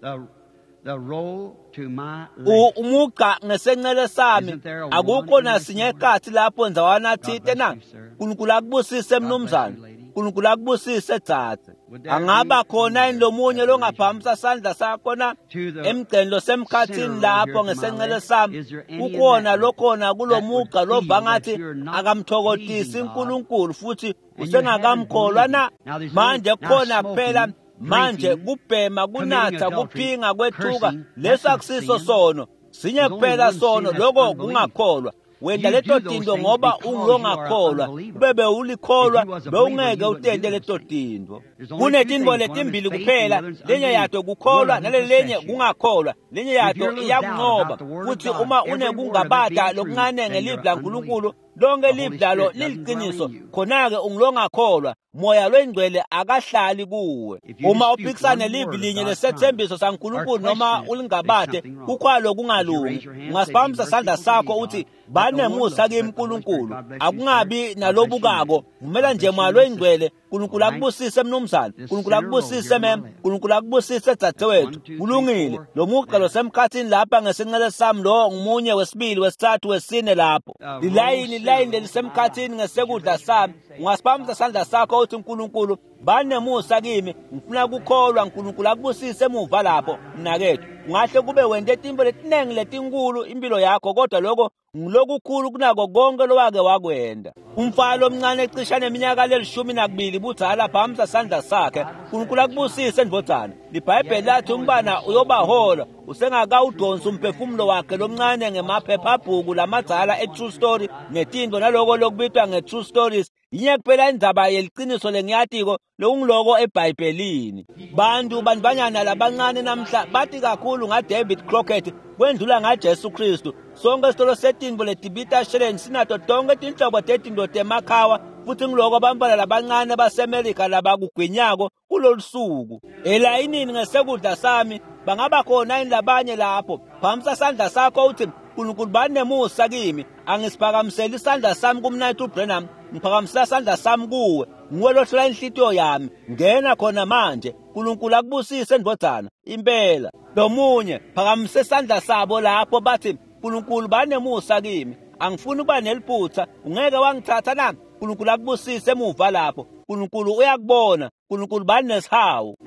Umugqa ngesenxele sami, akukho nasinye ekhathi lapho ndzawana thite na? Nkulunkulu akubusise mnumzane, Nkulunkulu akubusise dzadze. Angaba khona yini lomunye longaphakamisa sandla sakho na? Emgceni losemkhathini lapho ngesenxele sami, kukhona lokhona kulomugqa lova ngathi akamthokotisi uNkulunkulu futhi usengakamkholwa na? Manje kukhona kuphela manje kubhema, kunatha, kuphinga, kwethuka, leso akusiso sono. Sinye kuphela sono, lokho kungakholwa. Wenda leto tinto ngoba ungulongakholwa, kube bewulikholwa bewungeke utente leto tinto. Kunetinto letimbili kuphela, lenye yato kukholwa nalelenye kungakholwa, lenye yato iyakunqoba. Futhi uma unekungabada lokuncane ngelivi laNkulunkulu, lonke livi lalo liliqiniso, khona-ke ungulongakholwa. Moya lwengcwele akahlali kuwe. Uma uphikisana nelivi linye lesethembiso saNkulunkulu noma ulingabade, kukhwalo kungalungi. Ungasiphakamisa sandla sakho uthi, Banemusa kimi Nkulunkulu. Akungabi nalobukako, vumela nje Moya loyingcwele. Nkulunkulu akubusise mnumzane, Nkulunkulu akubusise mem, Nkulunkulu akubusise dzadzewethu. Kulungile. Lo mugqa losemkhathini lapha ngesinxele sami, lo ngumunye, wesibili, wesithathu, wesine lapho. Lilayini, lilayini lelisemkhathini ngesekudla sami. Ungasiphakamisa sandla sakho uthi, Nkulunkulu banemusa kimi, ngifuna kukholwa. Nkulunkulu akubusise emuva lapho mnakethu. Ungahle kube wente tintfo letinengi letinkulu impilo yakho, kodwa lokho ngilokukhulu kunako konke lowake wakwenda. Umfana lomncane ecisha neminyaka leli-12 budzala, phamisa sandla sakhe. Nkulunkulu akubusise ndvodzana. Libhayibheli lathi umbana uyobahola usengakawudonsi umphefumulo wakhe lomncane ngemaphephabhuku lamadzala e-True Story netintfo naloko lokubitwa nge-True Stories. Yinye kuphela indzaba yeliciniso lengiyatiko, lokungiloko eBhayibhelini. Bantu bantfwanyana labancane namhla bati kakhulu ngaDavid Crockett kwendlula ngaJesu Kristu. Sonke isitolo setintfo letibita sheleni sinato tonke tinhlobo tetintfo temakhawa, futhi ngiloko bantfwana labancane baseMelika labakugwinyako kulolu suku. Elayinini ngesekudla sami bangaba khona yini labanye lapho? Phamisa sandla sakho uthi, Nkulunkulu banemusa kimi. Angisiphakamiseli isandla sami kuMnayethu Branham, ngiphakamisela isandla sami kuwe. Nguwe lohlola inhlitiyo yami. Ngena khona manje. Nkulunkulu akubusise ndvodzana. Impela. Lomunye phakamise isandla sabo lapho bathi, Nkulunkulu banemusa kimi. Angifuni ukuba neliphutha. Ungeke wangithatha na? Nkulunkulu akubusise emuva lapho. Nkulunkulu uyakubona. Nkulunkulu banesihawu.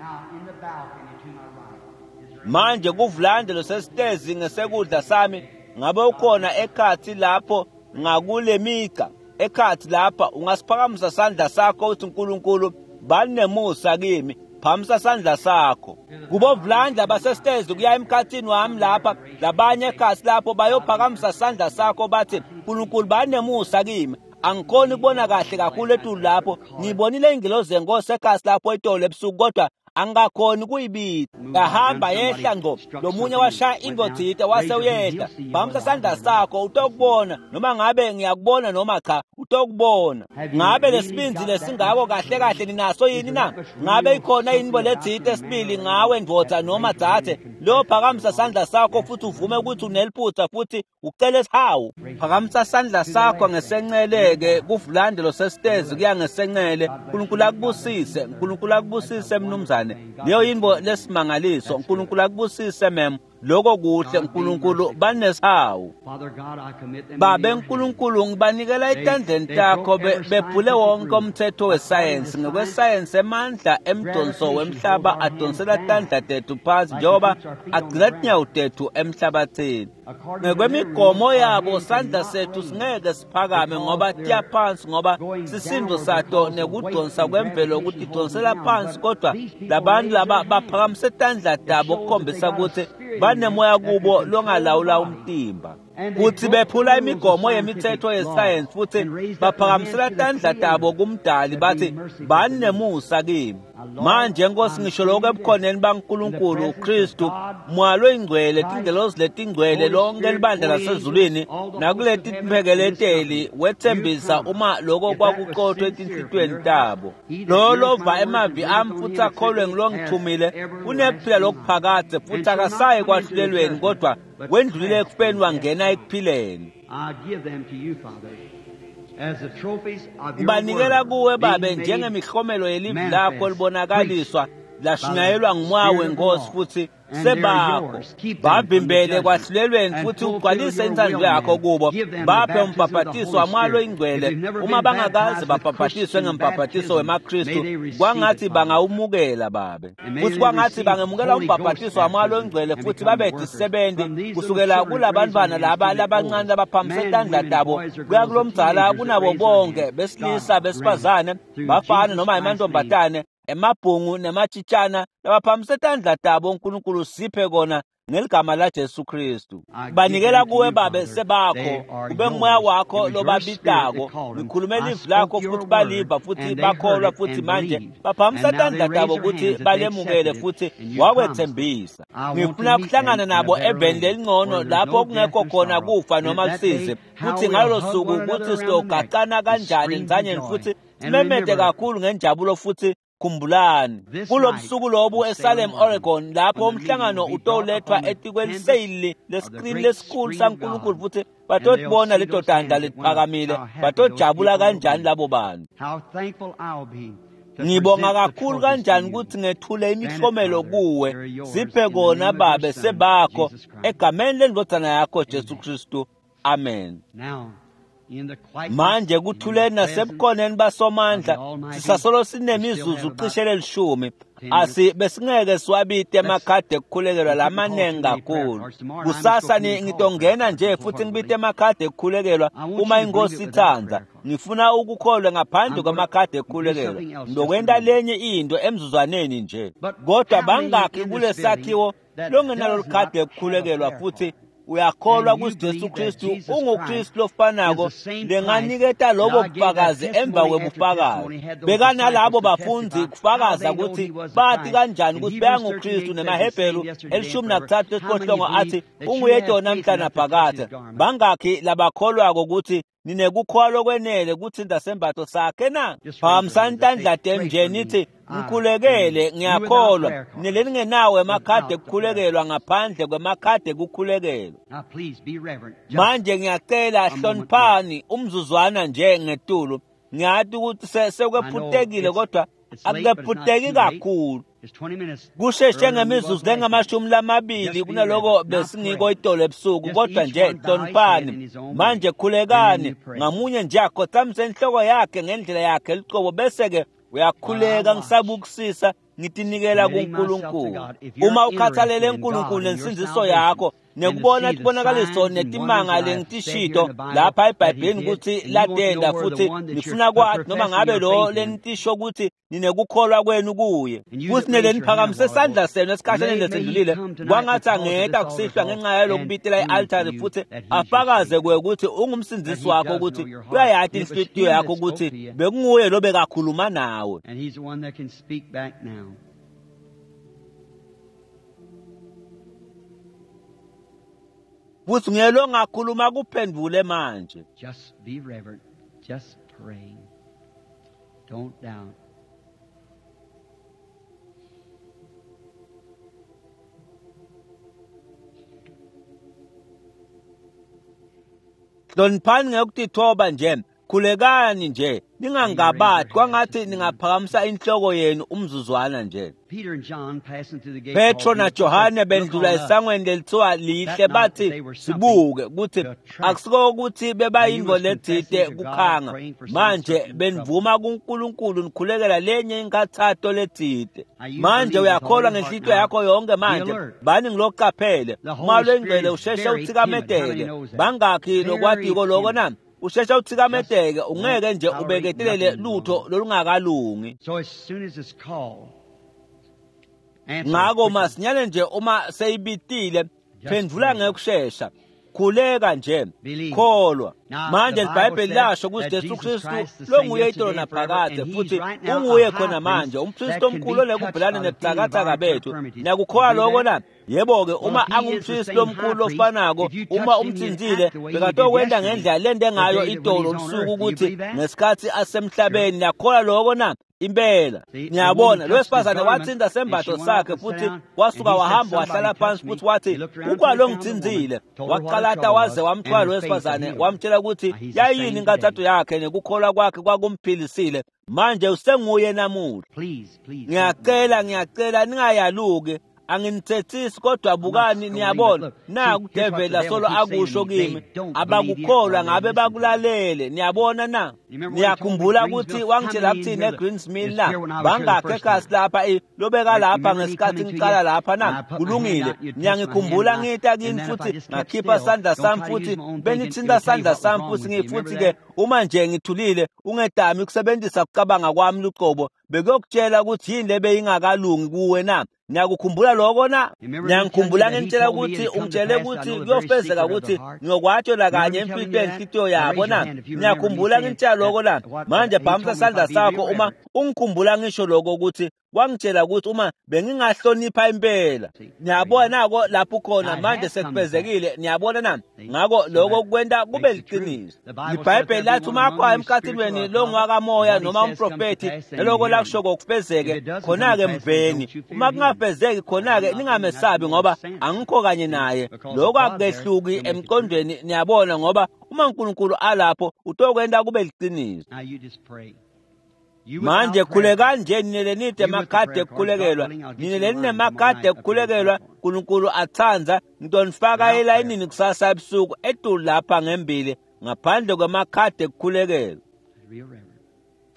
Manje kuvulande losesitezi ngesekudla sami, ngabe ukhona ekhathi lapho ngakule migca ekhathi lapha? Ungasiphakamisa sandla sakho uthi, Nkulunkulu banemusa kimi. Phamisa sandla sakho. Kubovulanda basesitezi kuya emkhathini wami lapha, labanye ekhathi lapho bayophakamisa sandla sakho bathi, Nkulunkulu banemusa kimi. Angikhoni ukubona kahle kakhulu etulu lapho. Ngibonile ingilozi yenkosi ekhasi lapho itolo ebusuku, kodwa angakhoni kuyibita. Yahamba yehla ngqo, lomunye washaya intfo tsite wase uyehla. Phamisa sandla sakho utokubona, noma ngabe ngiyakubona noma cha, utokubona. Ngabe lesibindzi lesingako kahle kahle ninaso yini na? Ngabe ikhona intfo letsite sibili ngawe ndvodza noma dzadze? Lo phakamisa sandla sakho futhi uvume ukuthi uneliphutha futhi ucele sihawu. Phakamisa sandla sakho ngesenceleke kuvulande losesitezi kuya ngesencele. Nkulunkulu akubusise. Nkulunkulu akubusise mnumzane. Leyo yintfo lesimangaliso. Nkulunkulu akubusise mem. Lokho kuhle. Nkulunkulu banesihawu. Babe Nkulunkulu, ngibanikela etandleni takho. Bephule wonke umthetho wesayensi. Ngokwesayensi emandla emdonso wemhlaba adonsela tandla tethu phansi njengoba agcina tinyawo tethu emhlabathini. Ngekwemigomo yabo sandla sethu singeke siphakame ngoba tiya phansi, ngoba sisindo sato nekudonsa kwemvelo kutidonsela phansi, kodwa labantu laba baphakamise tandla tabo kukhombisa ukuthi banemoya kubo longalawula umtimba. Kuthi bephula imigomo yemithetho yesayensi futhi baphakamisela tandla tabo kumdali bathi, banemusa kimi. Manje Nkosi, ngisho lokho ebukhoneni baNkulunkulu uKristu, Moya loyingcwele, tingelosi letingcwele, lonke libandla lasezulwini nakuleti timphekeleteli, wethembisa uma lokho kwakuqothwe etinhlitiyweni tabo. Lo lova emavi ami futhi akholwe ngilongithumile unekuphila lokuphakadze futhi akasayi kwahlulelweni, kodwa wendlulile ekufeni wangena ekuphileni. Ngibanikela kuwe Babe njengemihlomelo yelivi lakho libonakaliswa lashunyayelwa ngumoya wenkosi futhi sebakho. Bavimbele kwahlulelweni futhi ugcwalise intsandvo yakho kubo. Baphe umbhabhatiso wamoya loyingcwele. Uma bangakaze babhabhatiswe ngembhabhatiso wemaKristu, kwangathi bangawumukela Babe. Futhi kwangathi bangemukela umbhabhatiso wamoya loyingcwele futhi babe tisebenzi kusukela kulabantwana laba labancane labaphakamise tandla tabo kuya kulomdzala kunabo bonke, besilisa, besifazane, bafana noma emantombazane, emabhungu nematshitshana labaphakamise tandla tabo. uNkulunkulu siphe kona ngeligama laJesu Kristu. Banikela kuwe Babe sebakho, kube ngumoya wakho lobabitako. Ngikhulume livi lakho futhi baliva futhi bakholwa, futhi manje baphakamisa tandla tabo ukuthi balemukele futhi wakwethembisa. Ngifuna kuhlangana nabo eveni lelingcono lapho kungekho khona kufa noma lusizi, futhi ngalolo suku ukuthi siyogaqana kanjani nzanyeni futhi simemete kakhulu ngenjabulo futhi Khumbulani kulobusuku lobu eSalem, Oregon, lapho umhlangano utolethwa etikweliseyili leskrini lesikhulu saNkulunkulu futhi batotibona leto tandla letiphakamile, batojabula kanjani labo bantu. Ngibonga kakhulu kanjani ukuthi ngethule imihlomelo kuwe. Siphe kona Babe sebakho egameni lendvodzana yakho Jesu Kristu. Amen. Manje kuthuleni nasebukhoneni basomandla sisasolo sinemizuzu cishe lelishumi. Asi besingeke siwabite emakhadi ekukhulekelwa lamaningi kakhulu. Kusasa ngitongena nje futhi ngibite emakhadi ekukhulekelwa uma inkosi ithanda. Ngifuna ukukholwa ngaphandle kwamakhadi ekukhulekelwa. Ngizokwenta lenye into emzuzwaneni nje. Kodwa bangakhi kulesakhiwo longenalo likhadi ekukhulekelwa futhi uyakholwa ukuthi Jesu Kristu unguKristu lofanako lenganiketa lobo bufakazi emva kwebufakazi. Bekanalabo bafundi kufakaza ukuthi bathi kanjani ukuthi beyanguKristu nemaHebheru 13 athi unguye namhla naphakade. Bangakhi labakholwako ukuthi ninekukholwa kwenele kuthinta sembatho sakhe na? Phakamisani tandla tenu nje nithi ngikhulekele, ngiyakholwa. Nileningenawo emakhadi ekukhulekelwa ngaphandle kwemakhadi ekukhulekelwa. Manje ngiyacela hloniphani umzuzwana nje ngetulu. Ngiyati ukuthi sekwephutekile kodwa akukephuteki kakhulu. Kusheshe ngemizuzu lengamashumi kunaloko besingiko itolo ebusuku, kodwa nje hloniphani. Manje khulekani ngamunye nje akhothamise inhloko yakhe ngendlela yakhe lucobo, bese-ke uyakhuleka. Ngisabukusisa ngitinikela kuNkulunkulu. Uma ukhathalele uNkulunkulu nensindziso yakho nekubona tibonakaliso netimanga lengitishito lapha eBhayibhelini ukuthi latenda, futhi nifuna kwathi noma ngabe lo lenitisho ukuthi ninekukholwa kwenu kuye, futhi neleniphakamise sandla senu esikhashaneni lesendlulile, kwangathi angeta kusihlwa ngenxa yalokubitela i-altari futhi afakaze kuye ukuthi ungumsindzisi wakho, ukuthi uyayati inhlitiyo yakho ukuthi bekunguye lo bekakhuluma nawe. Futhi nguye lo ngakhuluma kuphendvule manje. Just be reverent. Just pray. Don't doubt. Hloniphani ngekutithoba nje, khulekani nje, ningangabati, kwangathi ningaphakamisa inhloko yenu umzuzwana nje. Petro na Johane bendlula esangweni lelithiwa lihle, bathi sibuke ukuthi akusiko ukuthi bebayinto letsite kukhanga. Manje benivuma kuNkulunkulu nikhulekela lenye inkathato letsite. Manje uyakholwa ngenhlitiyo yakho yonke manje, bani ngiloqaphele uma lwengcwele usheshe uthikameteke. Bangakhi lokwatiko loko na? Usheshe uthikameteke, ungeke nje ubeketelele lutho lolungakalungi. Ngako masinyane nje uma seyibitile, phendvula ngekushesha, khuleka nje, kholwa. Manje iBhayibheli lasho ukuthi Jesu Kristu longuye itolo naphakade, futhi unguye khona manje umpristi omkhulu onekubhelana nebuthakathaka bethu. Niyakukholwa loko na? Yebo-ke, uma angumpristi omkhulu ofanako, uma umthinzile bekatokwenta ngendlela lente ngayo itolo lusuku ukuthi ngesikhathi asemhlabeni. Niyakholwa loko na? Impela. Niyabona, lo wesifazane wathinta sembatho sakhe futhi wasuka wahamba wahlala phansi futhi wathi ukwalo ngithinzile. Waqalata waze wamthwala lo wesifazane, wamtshela ukuthi yayini inkathatho yakhe nekukholwa kwakhe kwakumphilisile. Manje usenguye namuhla. Ngiyacela, ngiyacela ningayaluki. Anginithethisi, kodwa bukani, niyabona naku develi asolo akusho kimi, abakukholwa ngabe bakulalele. Niyabona na? Niyakhumbula ukuthi wangitshela kuthini eGreens Mill na? Bangakhe ekhasi lapha lobeka lapha ngesikhathi ngiqala lapha na? Kulungile. Niyangikhumbula ngita kini futhi ngakhipha sandla sami futhi benithinta sandla sami futhi ngifuthi-ke uma nje ngithulile ungedami ukusebenzisa ukucabanga kwami luqobo, bekuyokutshela ukuthi yini lebe ingakalungi kuwe na? Niyakukhumbula lokho na? Niyangikhumbula ngimtshela ukuthi ungitshele ukuthi kuyofezeka ukuthi ngiyokwatshela kanye imfihlo yenhlitiyo yabo na? Niyakhumbula ngimtshela lokho na? Manje bhamsa isandla sakho uma ungikhumbula ngisho lokho ukuthi wangitshela ukuthi uma bengingahlonipha impela. Niyabona nako lapho khona manje sekufezekile. Niyabona na? Ngakho lokho kwenta kube liqiniso. IBhayibheli lathi uma akho emkhathini wenu lo ngwakamoya noma umprofethi naloko lakusho kokufezeke khona-ke mveni. Uma kungafezeki khona-ke ningamesabi ngoba angikho kanye naye. Lokho akukehluki emqondweni, niyabona, ngoba uma uNkulunkulu alapho utokwenta kube liqiniso. Manje khulekani nje nine lenide emakhadi ekukhulekelwa, nine leninemakhadi ekukhulekelwa, uNkulunkulu atsandza ngitonifaka elayinini kusasa ebusuku etulu lapha ngembili ngaphandle kwemakhadi ekukhulekelwa.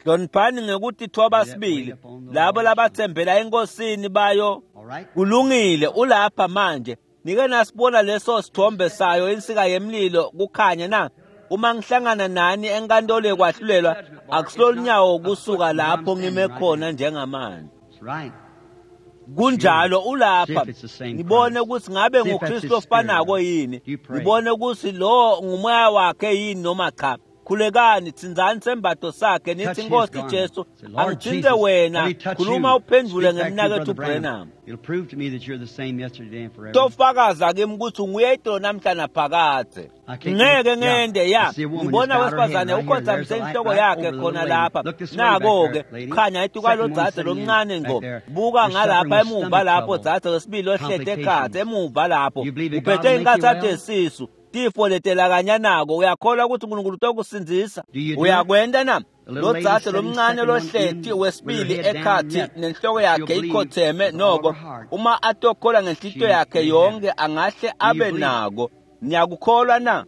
Hloniphani ngekuthi thoba sibili labo labathembela enkosini bayo. Kulungile, ulapha manje. Nike nasibona leso sithombe sayo insika yemlilo kukhanya na? Uma ngihlangana nani enkantolo yekwahlulelwa, akusilolunyawo kusuka lapho ngime khona njengamanje. Kunjalo, ulapha. Ngibone ukuthi ngabe nguKristu ofanako yini, ngibone ukuthi lo ngumoya wakhe yini noma cha. Khulekani, tsinzani sembatho sakhe nithi, Nkosi Jesu, angithinte wena. Khuluma uphendule ngemnakethu Branham. Tofakaza kimi ukuthi nguye itolo namhla naphakadze. Ngeke ngende ya. Ngibona wesifazane ukhothamise inhloko yakhe khona lapha. Nako-ke khanya etukwalo dzadze lomncane ngqo. Buka ngalapha emuva lapho dzadze wesibili ohlete ekhatsi emuva lapho. Uphethe inkathatho yesisu. Tifo letelakanyanako. Uyakholwa ukuthi uNkulunkulu utokusindzisa? Uyakwenta na? Lo dzadze lomncane lohleti wesibili ekhathi nenhloko yakhe ikhotheme noko, uma atokholwa ngenhlitiyo yakhe yonke angahle abe nako. Niyakukholwa na?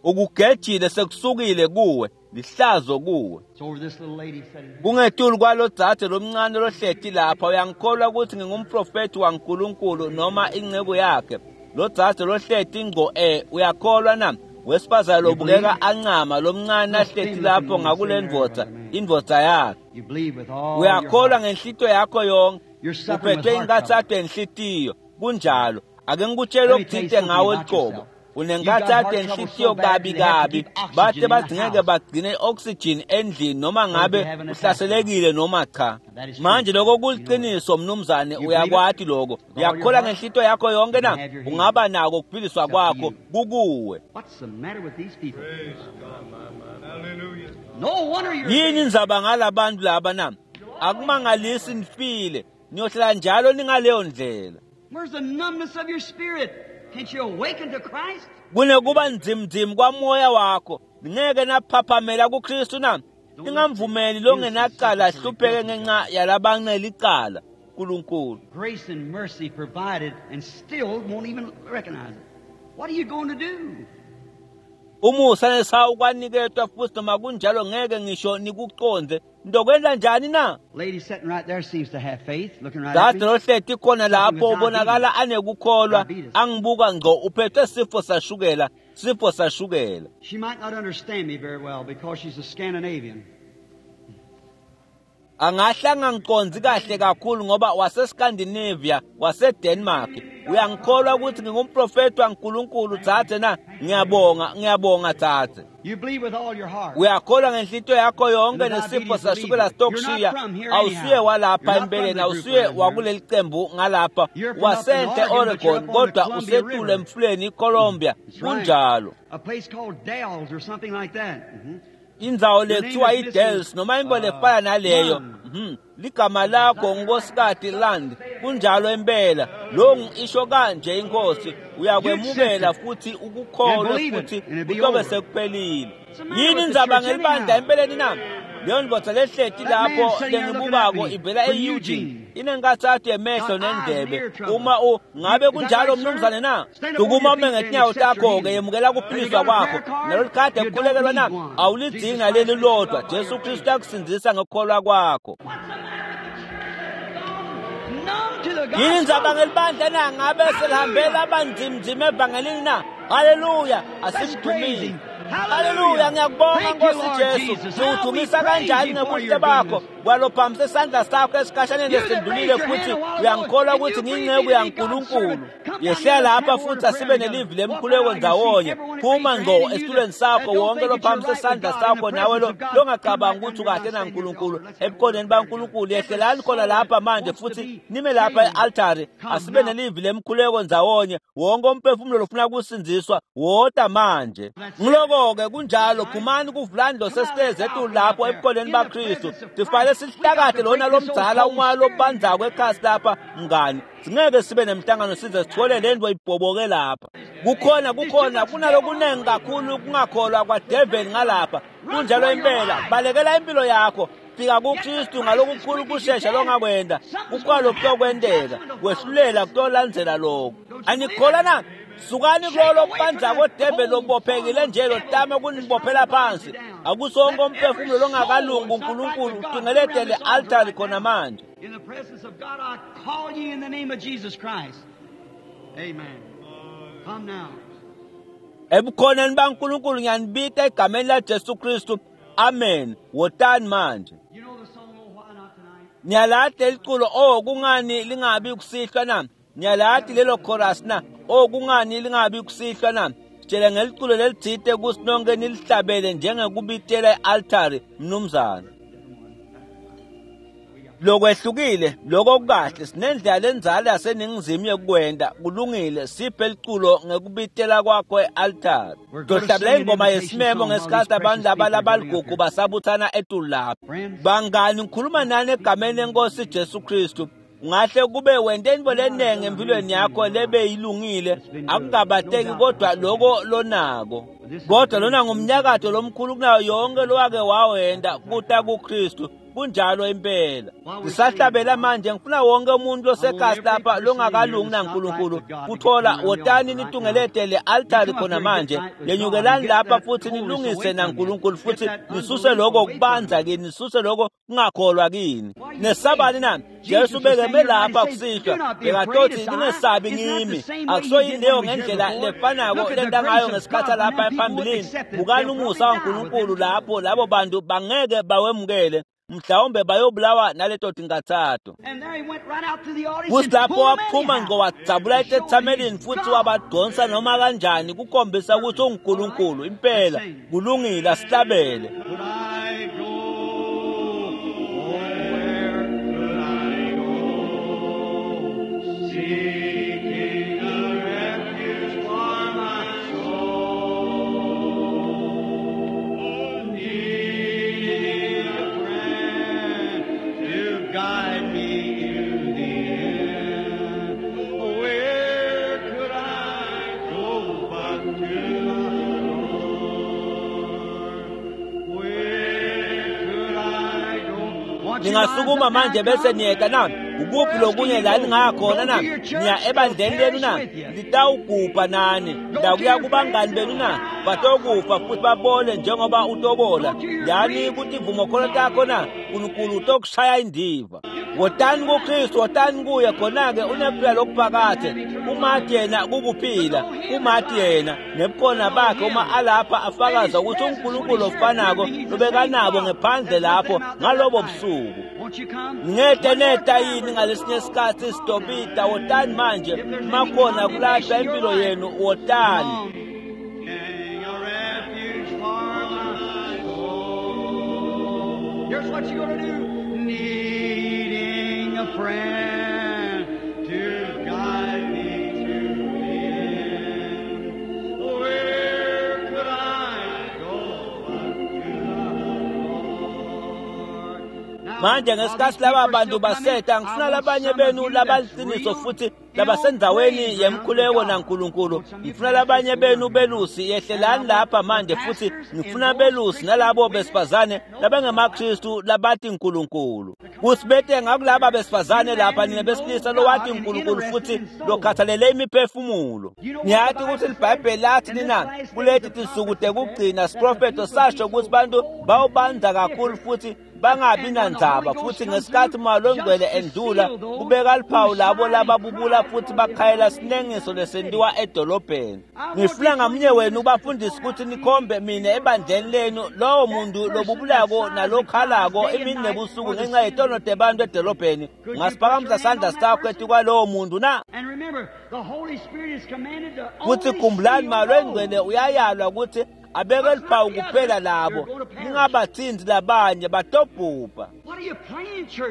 Ukugejile sekusukile kuwe, lihlazo kuwe. Kungetulu kwalo dzadze lomncane lohleti lapha. Uyangikholwa ukuthi ngingumprofethi waNkulunkulu noma inceku yakhe? Lo dzadze lohleti ngqo uyakholwa na? Wesifazane lobukeka ancama lomncane ahleti lapho ngakule ndvodza, indvodza yakhe. Uyakholwa ngenhlitiyo yakho yonke? Uphethwe inkathato yenhlitiyo. Kunjalo. Ake ngikutshele okuthinte ngawe luqobo. Unenkathatho yenhlitiyo kabi kabi, bate badingeke bagcine i-oxygen endlini noma ngabe uhlaselekile noma cha. Manje lokho kuliqiniso mnumzane, uyakwati lokho. Uyakholwa ngenhlitiyo yakho yonke na? Ungaba nako ukuphiliswa kwakho kukuwe. Yini indzaba ngalabantu laba na? Akumangalisi nifile, niyohlala njalo ningaleyo ndlela. Kunekuba ndzimndzim kwamoya wakho, ngeke naphaphamela kuKristu na? Ningamvumeli longenacala ahlupheke ngenxa yalabanele icala. uNkulunkulu. Grace and mercy provided and still won't even recognize it. What are you going to do? Umusa nesihawu kwaniketwa futhi noma kunjalo ngeke ngisho nikuqonde. Ndokwenta njani na? Lady sitting right there seems to have faith, looking right at Dzadze me. lohleti khona lapho ubonakala anekukholwa, angibuka ngqo, uphethwe sifo sashukela, sifo sashukela. She might not understand me very well because she's a Scandinavian. Angahle angangiqondzi kahle kakhulu ngoba waseScandinavia, waseDenmark. Uyangikholwa ukuthi ngingumprofethi waNkulunkulu dzadze na? Ngiyabonga, ngiyabonga dzadze. You believe with all your heart. Uyakholwa ngenhlitiyo yakho yonke nesifo sashukela sitokushiya. Awusiye walapha empeleni, awusiye wakuleli cembu ngalapha, wasenhle Oregon, kodwa usetule emfuleni iColumbia. Kunjalo. A place called Dells or something like that. Indzawo lekuthiwa iDells noma into lefana naleyo. Ligama lakho nguNkosikati Land. Kunjalo impela. Lo isho kanje inkosi, uyakwemukela futhi ukukholwe futhi kutobe sekuphelile. Yini indzaba ngelibandla empeleni na? Leyo ndvodza lehleti lapho lengibukako ivela e-Eugene. Inenkathatho yemehlo nendlebe. Uma ngabe kunjalo mnumzane na? Sukuma ume ngetinyawo takho-ke, yemukela kuphiliswa kwakho. Nalolu khadi ekukhulekelwa na? Awulidzingi naleli lodwa. Jesu Kristu uyakusindzisa ngekukholwa kwakho. Yini indzaba ngelibandla na? Ngabe selihambela abanzimnzima evangelini na? Haleluya, asimdumise. Haleluya, ngiyakubonga Nkosi Jesu. Siwudumisa kanjani ngebuhle bakho. Kwalophamise isandla sakho esikhashaneni lesindlulile futhi uyangikholwa ukuthi ngiyinceku yaNkulunkulu. Yehlela lapha futhi asibe nelivi lemkhuleko ndzawonye. Phuma ngqo esitulweni sakho wonke lophamise isandla sakho nawe lo longacabanga ukuthi ukahle naNkulunkulu. Ebukhoneni baNkulunkulu yehlelani khona lapha manje futhi nime lapha e-altari. Asibe nelivi lemkhuleko ndzawonye. Wonke umphefumulo lofuna kusindziswa wota manje. Ngiloko-ke kunjalo, phumani kuvulani lo sesitezi etulu lapho ebukhoneni baKristu. Sifanele sihlakade lona lomdzala umoya lobandzako ekhasi lapha mngani. Singeke sibe nemhlangano size sithole le nto ibhoboke lapha. Kukhona kunalokunengi kakhulu kungakholwa kwadeveli ngalapha. Kunjalo impela, balekela impilo yakho. Fika kuKristu ngalokukhulu kushesha longakwenda. Kukhona kuyokwenteka, kwehlulela kuyolandzela lokho. Anikholwa na? Sukani kulolo bandzako develi lobophekile nje lotama kunibophela phansi. Akusonke umphefumulo longakalungi uNkulunkulu utungeletele altari khona manje. In the presence of God, I call ye in the name of Jesus Christ. Amen. Come now. Ebukhoneni baNkulunkulu ngiyanibita egameni laJesu Kristu. Amen. Wotani manje. You know the song, Oh, Why Not Tonight? Niyalati leliculo, oh kungani lingabi kusihlwa na? Niyalati lelo chorus na? Oh kungani lingabi kusihlwa na? Sitshele ngeliculo lelitsite kutsi nonke nilihlabele njengekubitela e-altari, mnumzane. Lokwehlukile, lokho kukahle, sinendlela lendzala yaseningizimu yekukwenta. Kulungile, siphe liculo ngekubitela kwakho e-altari. Tohlabela ingoma yesimemo ngesikhathi abantu laba labaligugu basabuthana etulu lapha. Bangani, ngikhuluma nani egameni lenkosi Jesu Kristu. Ungahle kube wente intfo lenengi empilweni yakho lebeyilungile, akukabateki kodwa loko lonako. Kodwa lona ngumnyakato lomkhulu kunayo yonke lowake wawenta kuta kuKristu. Kunjalo impela. Sisahlabela manje, ngifuna wonke umuntu losekhasi lapha longakalungi naNkulunkulu kuthola wotani nitungelete le altari khona manje. Lenyukelani lapha futhi nilungise naNkulunkulu futhi nisuse lokho kubanza kini, nisuse lokho kungakholwa kini. Nesabani na? Jesu bekeme lapha kusihlwa bekatothi ningesabi ngimi. Akusoyini leyo ngendlela lefanako lenta ngayo ngesikhathi lapha ephambilini. Bukani umusa waNkulunkulu lapho labo bantu bangeke bawemukele. Mhlawumbe bayobulawa naleto tingathathu. And there he went right out to the audience Futhi and lapho pulled them waphuma anyhow. ngqo wadzabula etethamelini futhi wabadonsa noma kanjani kukhombisa ukuthi unguNkulunkulu impela. Kulungile, asihlabele. Could I go? Oh, where could I go? Seeking a refuge for my soul, needing a friend to guide me to the end. Where could I go but to the Lord? Where could I go? Won't you rise Ningasukuma up now manje and bese come? niyeta na? Ukuphi lokunye la ningakhona na? Niya ebandleni lenu na? Litawugubha nani? Ndakuya kubangani benu na? Batokufa futhi babole njengoba utobola. Yani kutivumokholo takho na? uNkulunkulu utokushaya indiva. Wotani kuKristu, wotani kuye khona-ke unephila lokuphakade. Umathi yena kukuphila, umathi yena nebukhona bakhe uma alapha afakaza ukuthi uNkulunkulu ofanako lobekanabo ngephandle lapho ngalobo busuku. Won't you come? Ngete neta yini ngalesinye isikhathi sidobita? Wotani manje, makhona kulahlwa impilo yenu, wotani. King, a refuge for my soul. Here's what you're gonna do. Needing a friend to guide me to the end. Where could I go but to the Lord? Now, Manje while ngesikhathi these laba people are bantu still coming, baseta, I ngifuna want labanye some of benu you that's labaliciniso real futhi in labasendzaweni praise yemkhuleko round with God. naNkulunkulu. Want some of you Ngifuna labanye pastors benu to come belusi, here. yehlelani And I lapha want the manje futhi pastors and ngifuna those belusi Christian nalabo women besifazane that know labangemaKristu labati uNkulunkulu. Kusibete ngakulaba besifazane lapha nina besilisa lowati uNkulunkulu futhi lokhathalele imiphefumulo. Niyati ukuthi liBhayibheli lathi nina kuleti tinsuku tekugcina siprofetho sasho ukuthi bantu bawubanza kakhulu futhi Bangabi nandzaba futhi ngesikhathi Moya Longcwele endlula kubeka luphawu labo lababubula futhi bakhayela sinengiso lesentiwa edolobheni. Ngifuna ngamunye wenu ubafundisi ukuthi nikhombe mina ebandleni lenu lowo muntu lobubulako nalokhalako imini nebusuku ngenxa yetono tebantu edolobheni. Ungasiphakamisa sandla sakho etikwalowo muntu na? Futhi khumbulani Moya Longcwele uyayalwa ukuthi abeke luphawu kuphela labo, ningabathinzi labanye batobhubha.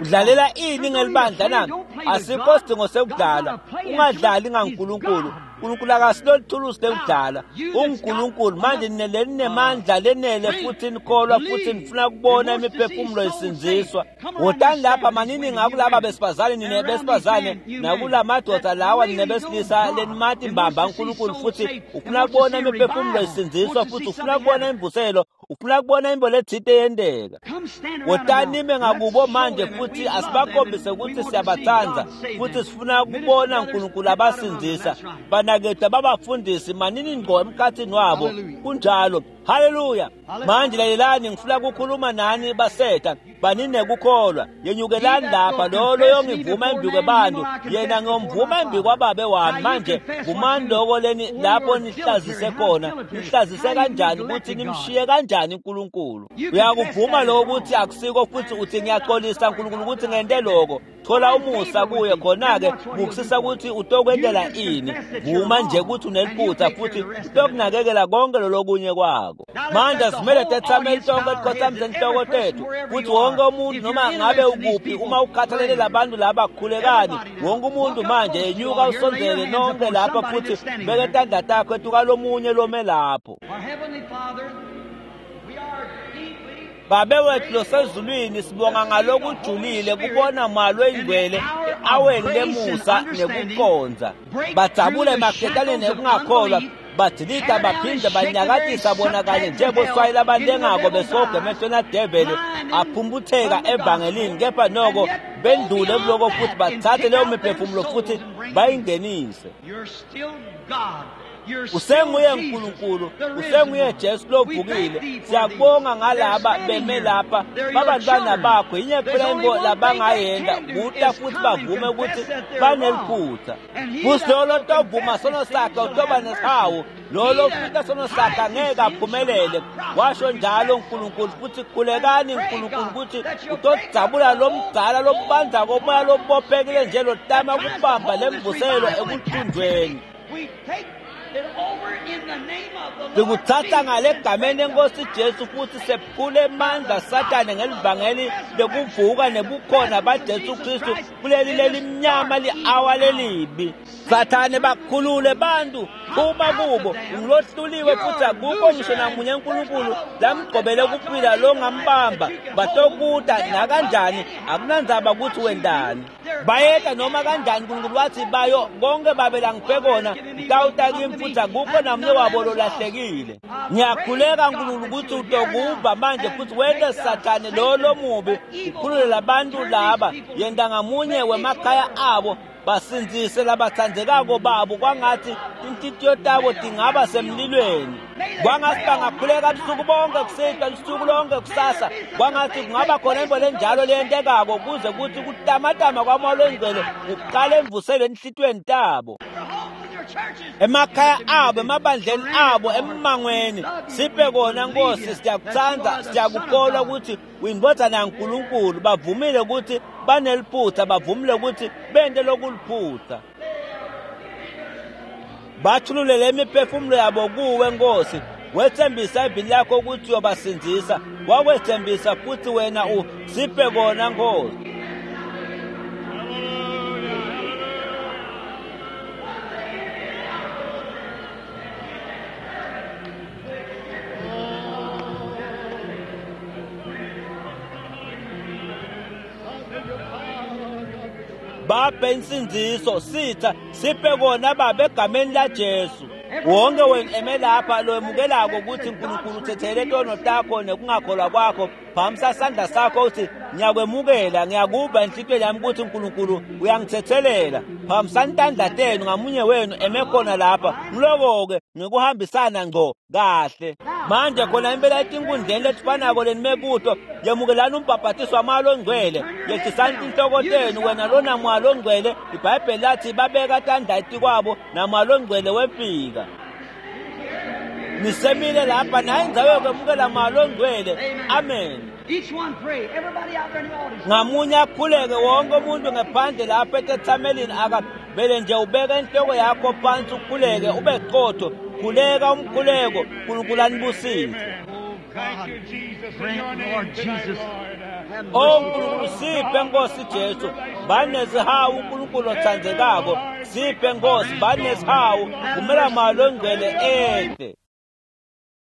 Udlalela ini ngelibandla na? Asikho sidingo sekudlala. Ungadlali ngaNkulunkulu. uNkulunkulu akasilolithulusi lekudlala. UnguNkulunkulu. Manje ninemandla lenele futhi nikholwa futhi nifuna kubona imiphefumulo isindziswa. Wotani lapha manini ngakulaba besifazane, nine besifazane, nakula madoda lawa nine besilisa lenimati mbamba uNkulunkulu futhi ufuna kubona imiphefumulo isindziswa futhi ufuna kubona imvuselo, ufuna kubona imbo letsite yenteka. Wotani nime ngakubo manje futhi asibakhombise ukuthi siyabatsandza futhi sifuna kubona uNkulunkulu abasindzisa. Banakethu babafundisi manini ngqo emkhathini wabo. Kunjalo. Haleluya. Manje lalelani, ngifuna ukukhuluma nani basetha baninekukholwa. Yenyukelani lapha lo loyongivuma embi kwebantu, yena ngiyomvuma embi kwababe wami. Manje vumani loko leni lapho nihlazise khona. Nihlazise kanjani ukuthi nimshiye kanjani uNkulunkulu? Uyakuvuma lokho ukuthi akusiko futhi uthi ngiyaxolisa uNkulunkulu ukuthi ngente lokho. Thola umusa kuye khona-ke bukusisa ukuthi utokwentela ini. Vuma nje ukuthi uneliphutha futhi utokunakekela konke lolokunye kwako. Manje simele tethamele tonke tikhothamise inhloko tethu futhi wonke umuntu noma ngabe ukuphi uma ukhathalele labantu laba khulekani. Wonke umuntu manje yenyuka usondzele nonke lapha futhi beke tandla takho etukalomunye lome lapho. Babe wethu losezulwini, sibonga ngalokujulile kubona Moya Longcwele aweni lemusa nekuqondza. Badzabule emaketaneni ekungakholwa, badilita baphinde banyakatisa bona kanye njengoswayela abalengako besoga emehlweni adeveli aphumputheka evangelini, kepha noko bendlule kuloko futhi bathathe leyo miphefumulo futhi bayingenise. Usenguye uNkulunkulu, usenguye Jesu lovukile. Siyabonga ngalaba beme lapha babantwana bakho. Yinye kuphela into labangayenta kuta futhi bavume ukuthi baneliphutha. Futhi lo lotovuma sono sakhe utoba nesihawu, lo lofika sono sakhe angeke aphumelele. Washo njalo uNkulunkulu. Futhi khulekani uNkulunkulu ukuthi utodzabula lo mdzala lobanza komoya lobophekile nje lotama kubamba lemvuselo ekuthunjweni. Sikuthatha ngale egameni lenkosi Jesu futhi sephule emandla Sathane ngelivangeli lokuvuka nebukhona baJesu Kristu kuleli lelimnyama li-awa lelibi. Sathane bakhulule bantu, phuma kubo, ungulohluliwe futhi akukho ngisho namunye uNkulunkulu lamgqobele kuphila longambamba. Batokuta nakanjani, akunandzaba ukuthi wendani. Bayeta noma kanjani, uNkulunkulu wathi bayo konke babe langiphe kona ngitawuta kimi futhi akukho namunye wabo lolahlekile. Ngiyakhuleka uNkulunkulu ukuthi utokuva manje futhi wente Sathane lo lomubi ukhulule labantu laba, yenta ngamunye wemakhaya abo basindzise labatsandzekako babo kwangathi tinhlitiyo tabo tingaba semlilweni. Kwangathi bangakhuleka busuku bonke kusihlwa lusuku lonke kusasa. Kwangathi kungaba khona into lenjalo leyentekako kuze kuthi kutamatama kwaMoya Longcwele kuqale emvuselweni enhlitiyweni tabo, emakhaya abo, emabandleni abo, emmangweni. Siphe kona Nkosi, siyakutsandza, siyakukholwa ukuthi uyindvodzana yaNkulunkulu. Bavumile ukuthi baneliphutha, bavumile ukuthi bente lokuliphutha. Bathululele imiphefumulo yabo kuwe Nkosi. Wethembisa ivini lakho ukuthi uyobasindzisa, wakwethembisa futhi wena usiphe kona Nkosi. Baphe insindziso sitha, siphe kona Baba egameni laJesu. Wonke wena eme lapha lowemukelako ukuthi uNkulunkulu uthethele tono takho nekungakholwa kwakho, phamisa sandla sakho uthi Ngiyakwemukela, ngiyakuva enhlitiyweni yami ukuthi uNkulunkulu uyangithethelela. Phakamisani tandla tenu ngamunye wenu eme khona lapha. Ngiloko-ke ngikuhambisana ngco kahle. Manje khona impela etinkundleni letifanako lenime kuto, yemukelani umbhabhatiso wamoya longcwele. Yehlisani tinhloko tenu, wena lona moya longcwele. IBhayibheli lathi babeka tandla etikwabo namoya longcwele wefika. Nisemile lapha naye indzawo yokwemukela moya longcwele. Amen. Each one pray. Everybody out there in the audience. Ngamunye akhuleke, wonke umuntu ngephandle lapha etethamelini akavele nje ubeke inhloko yakho phansi ukhuleke, ube qotho. Khuleka umkhuleko, uNkulunkulu anibusise. Oh Thank God, you, Jesus. In grant, your name Lord tonight, Jesus, Lord. have O mercy. Nkulunkulu siphe Nkosi Jesu, banesihawu uNkulunkulu othandekako, siphe Nkosi, banesihawu, vumela moya longcwele ehle.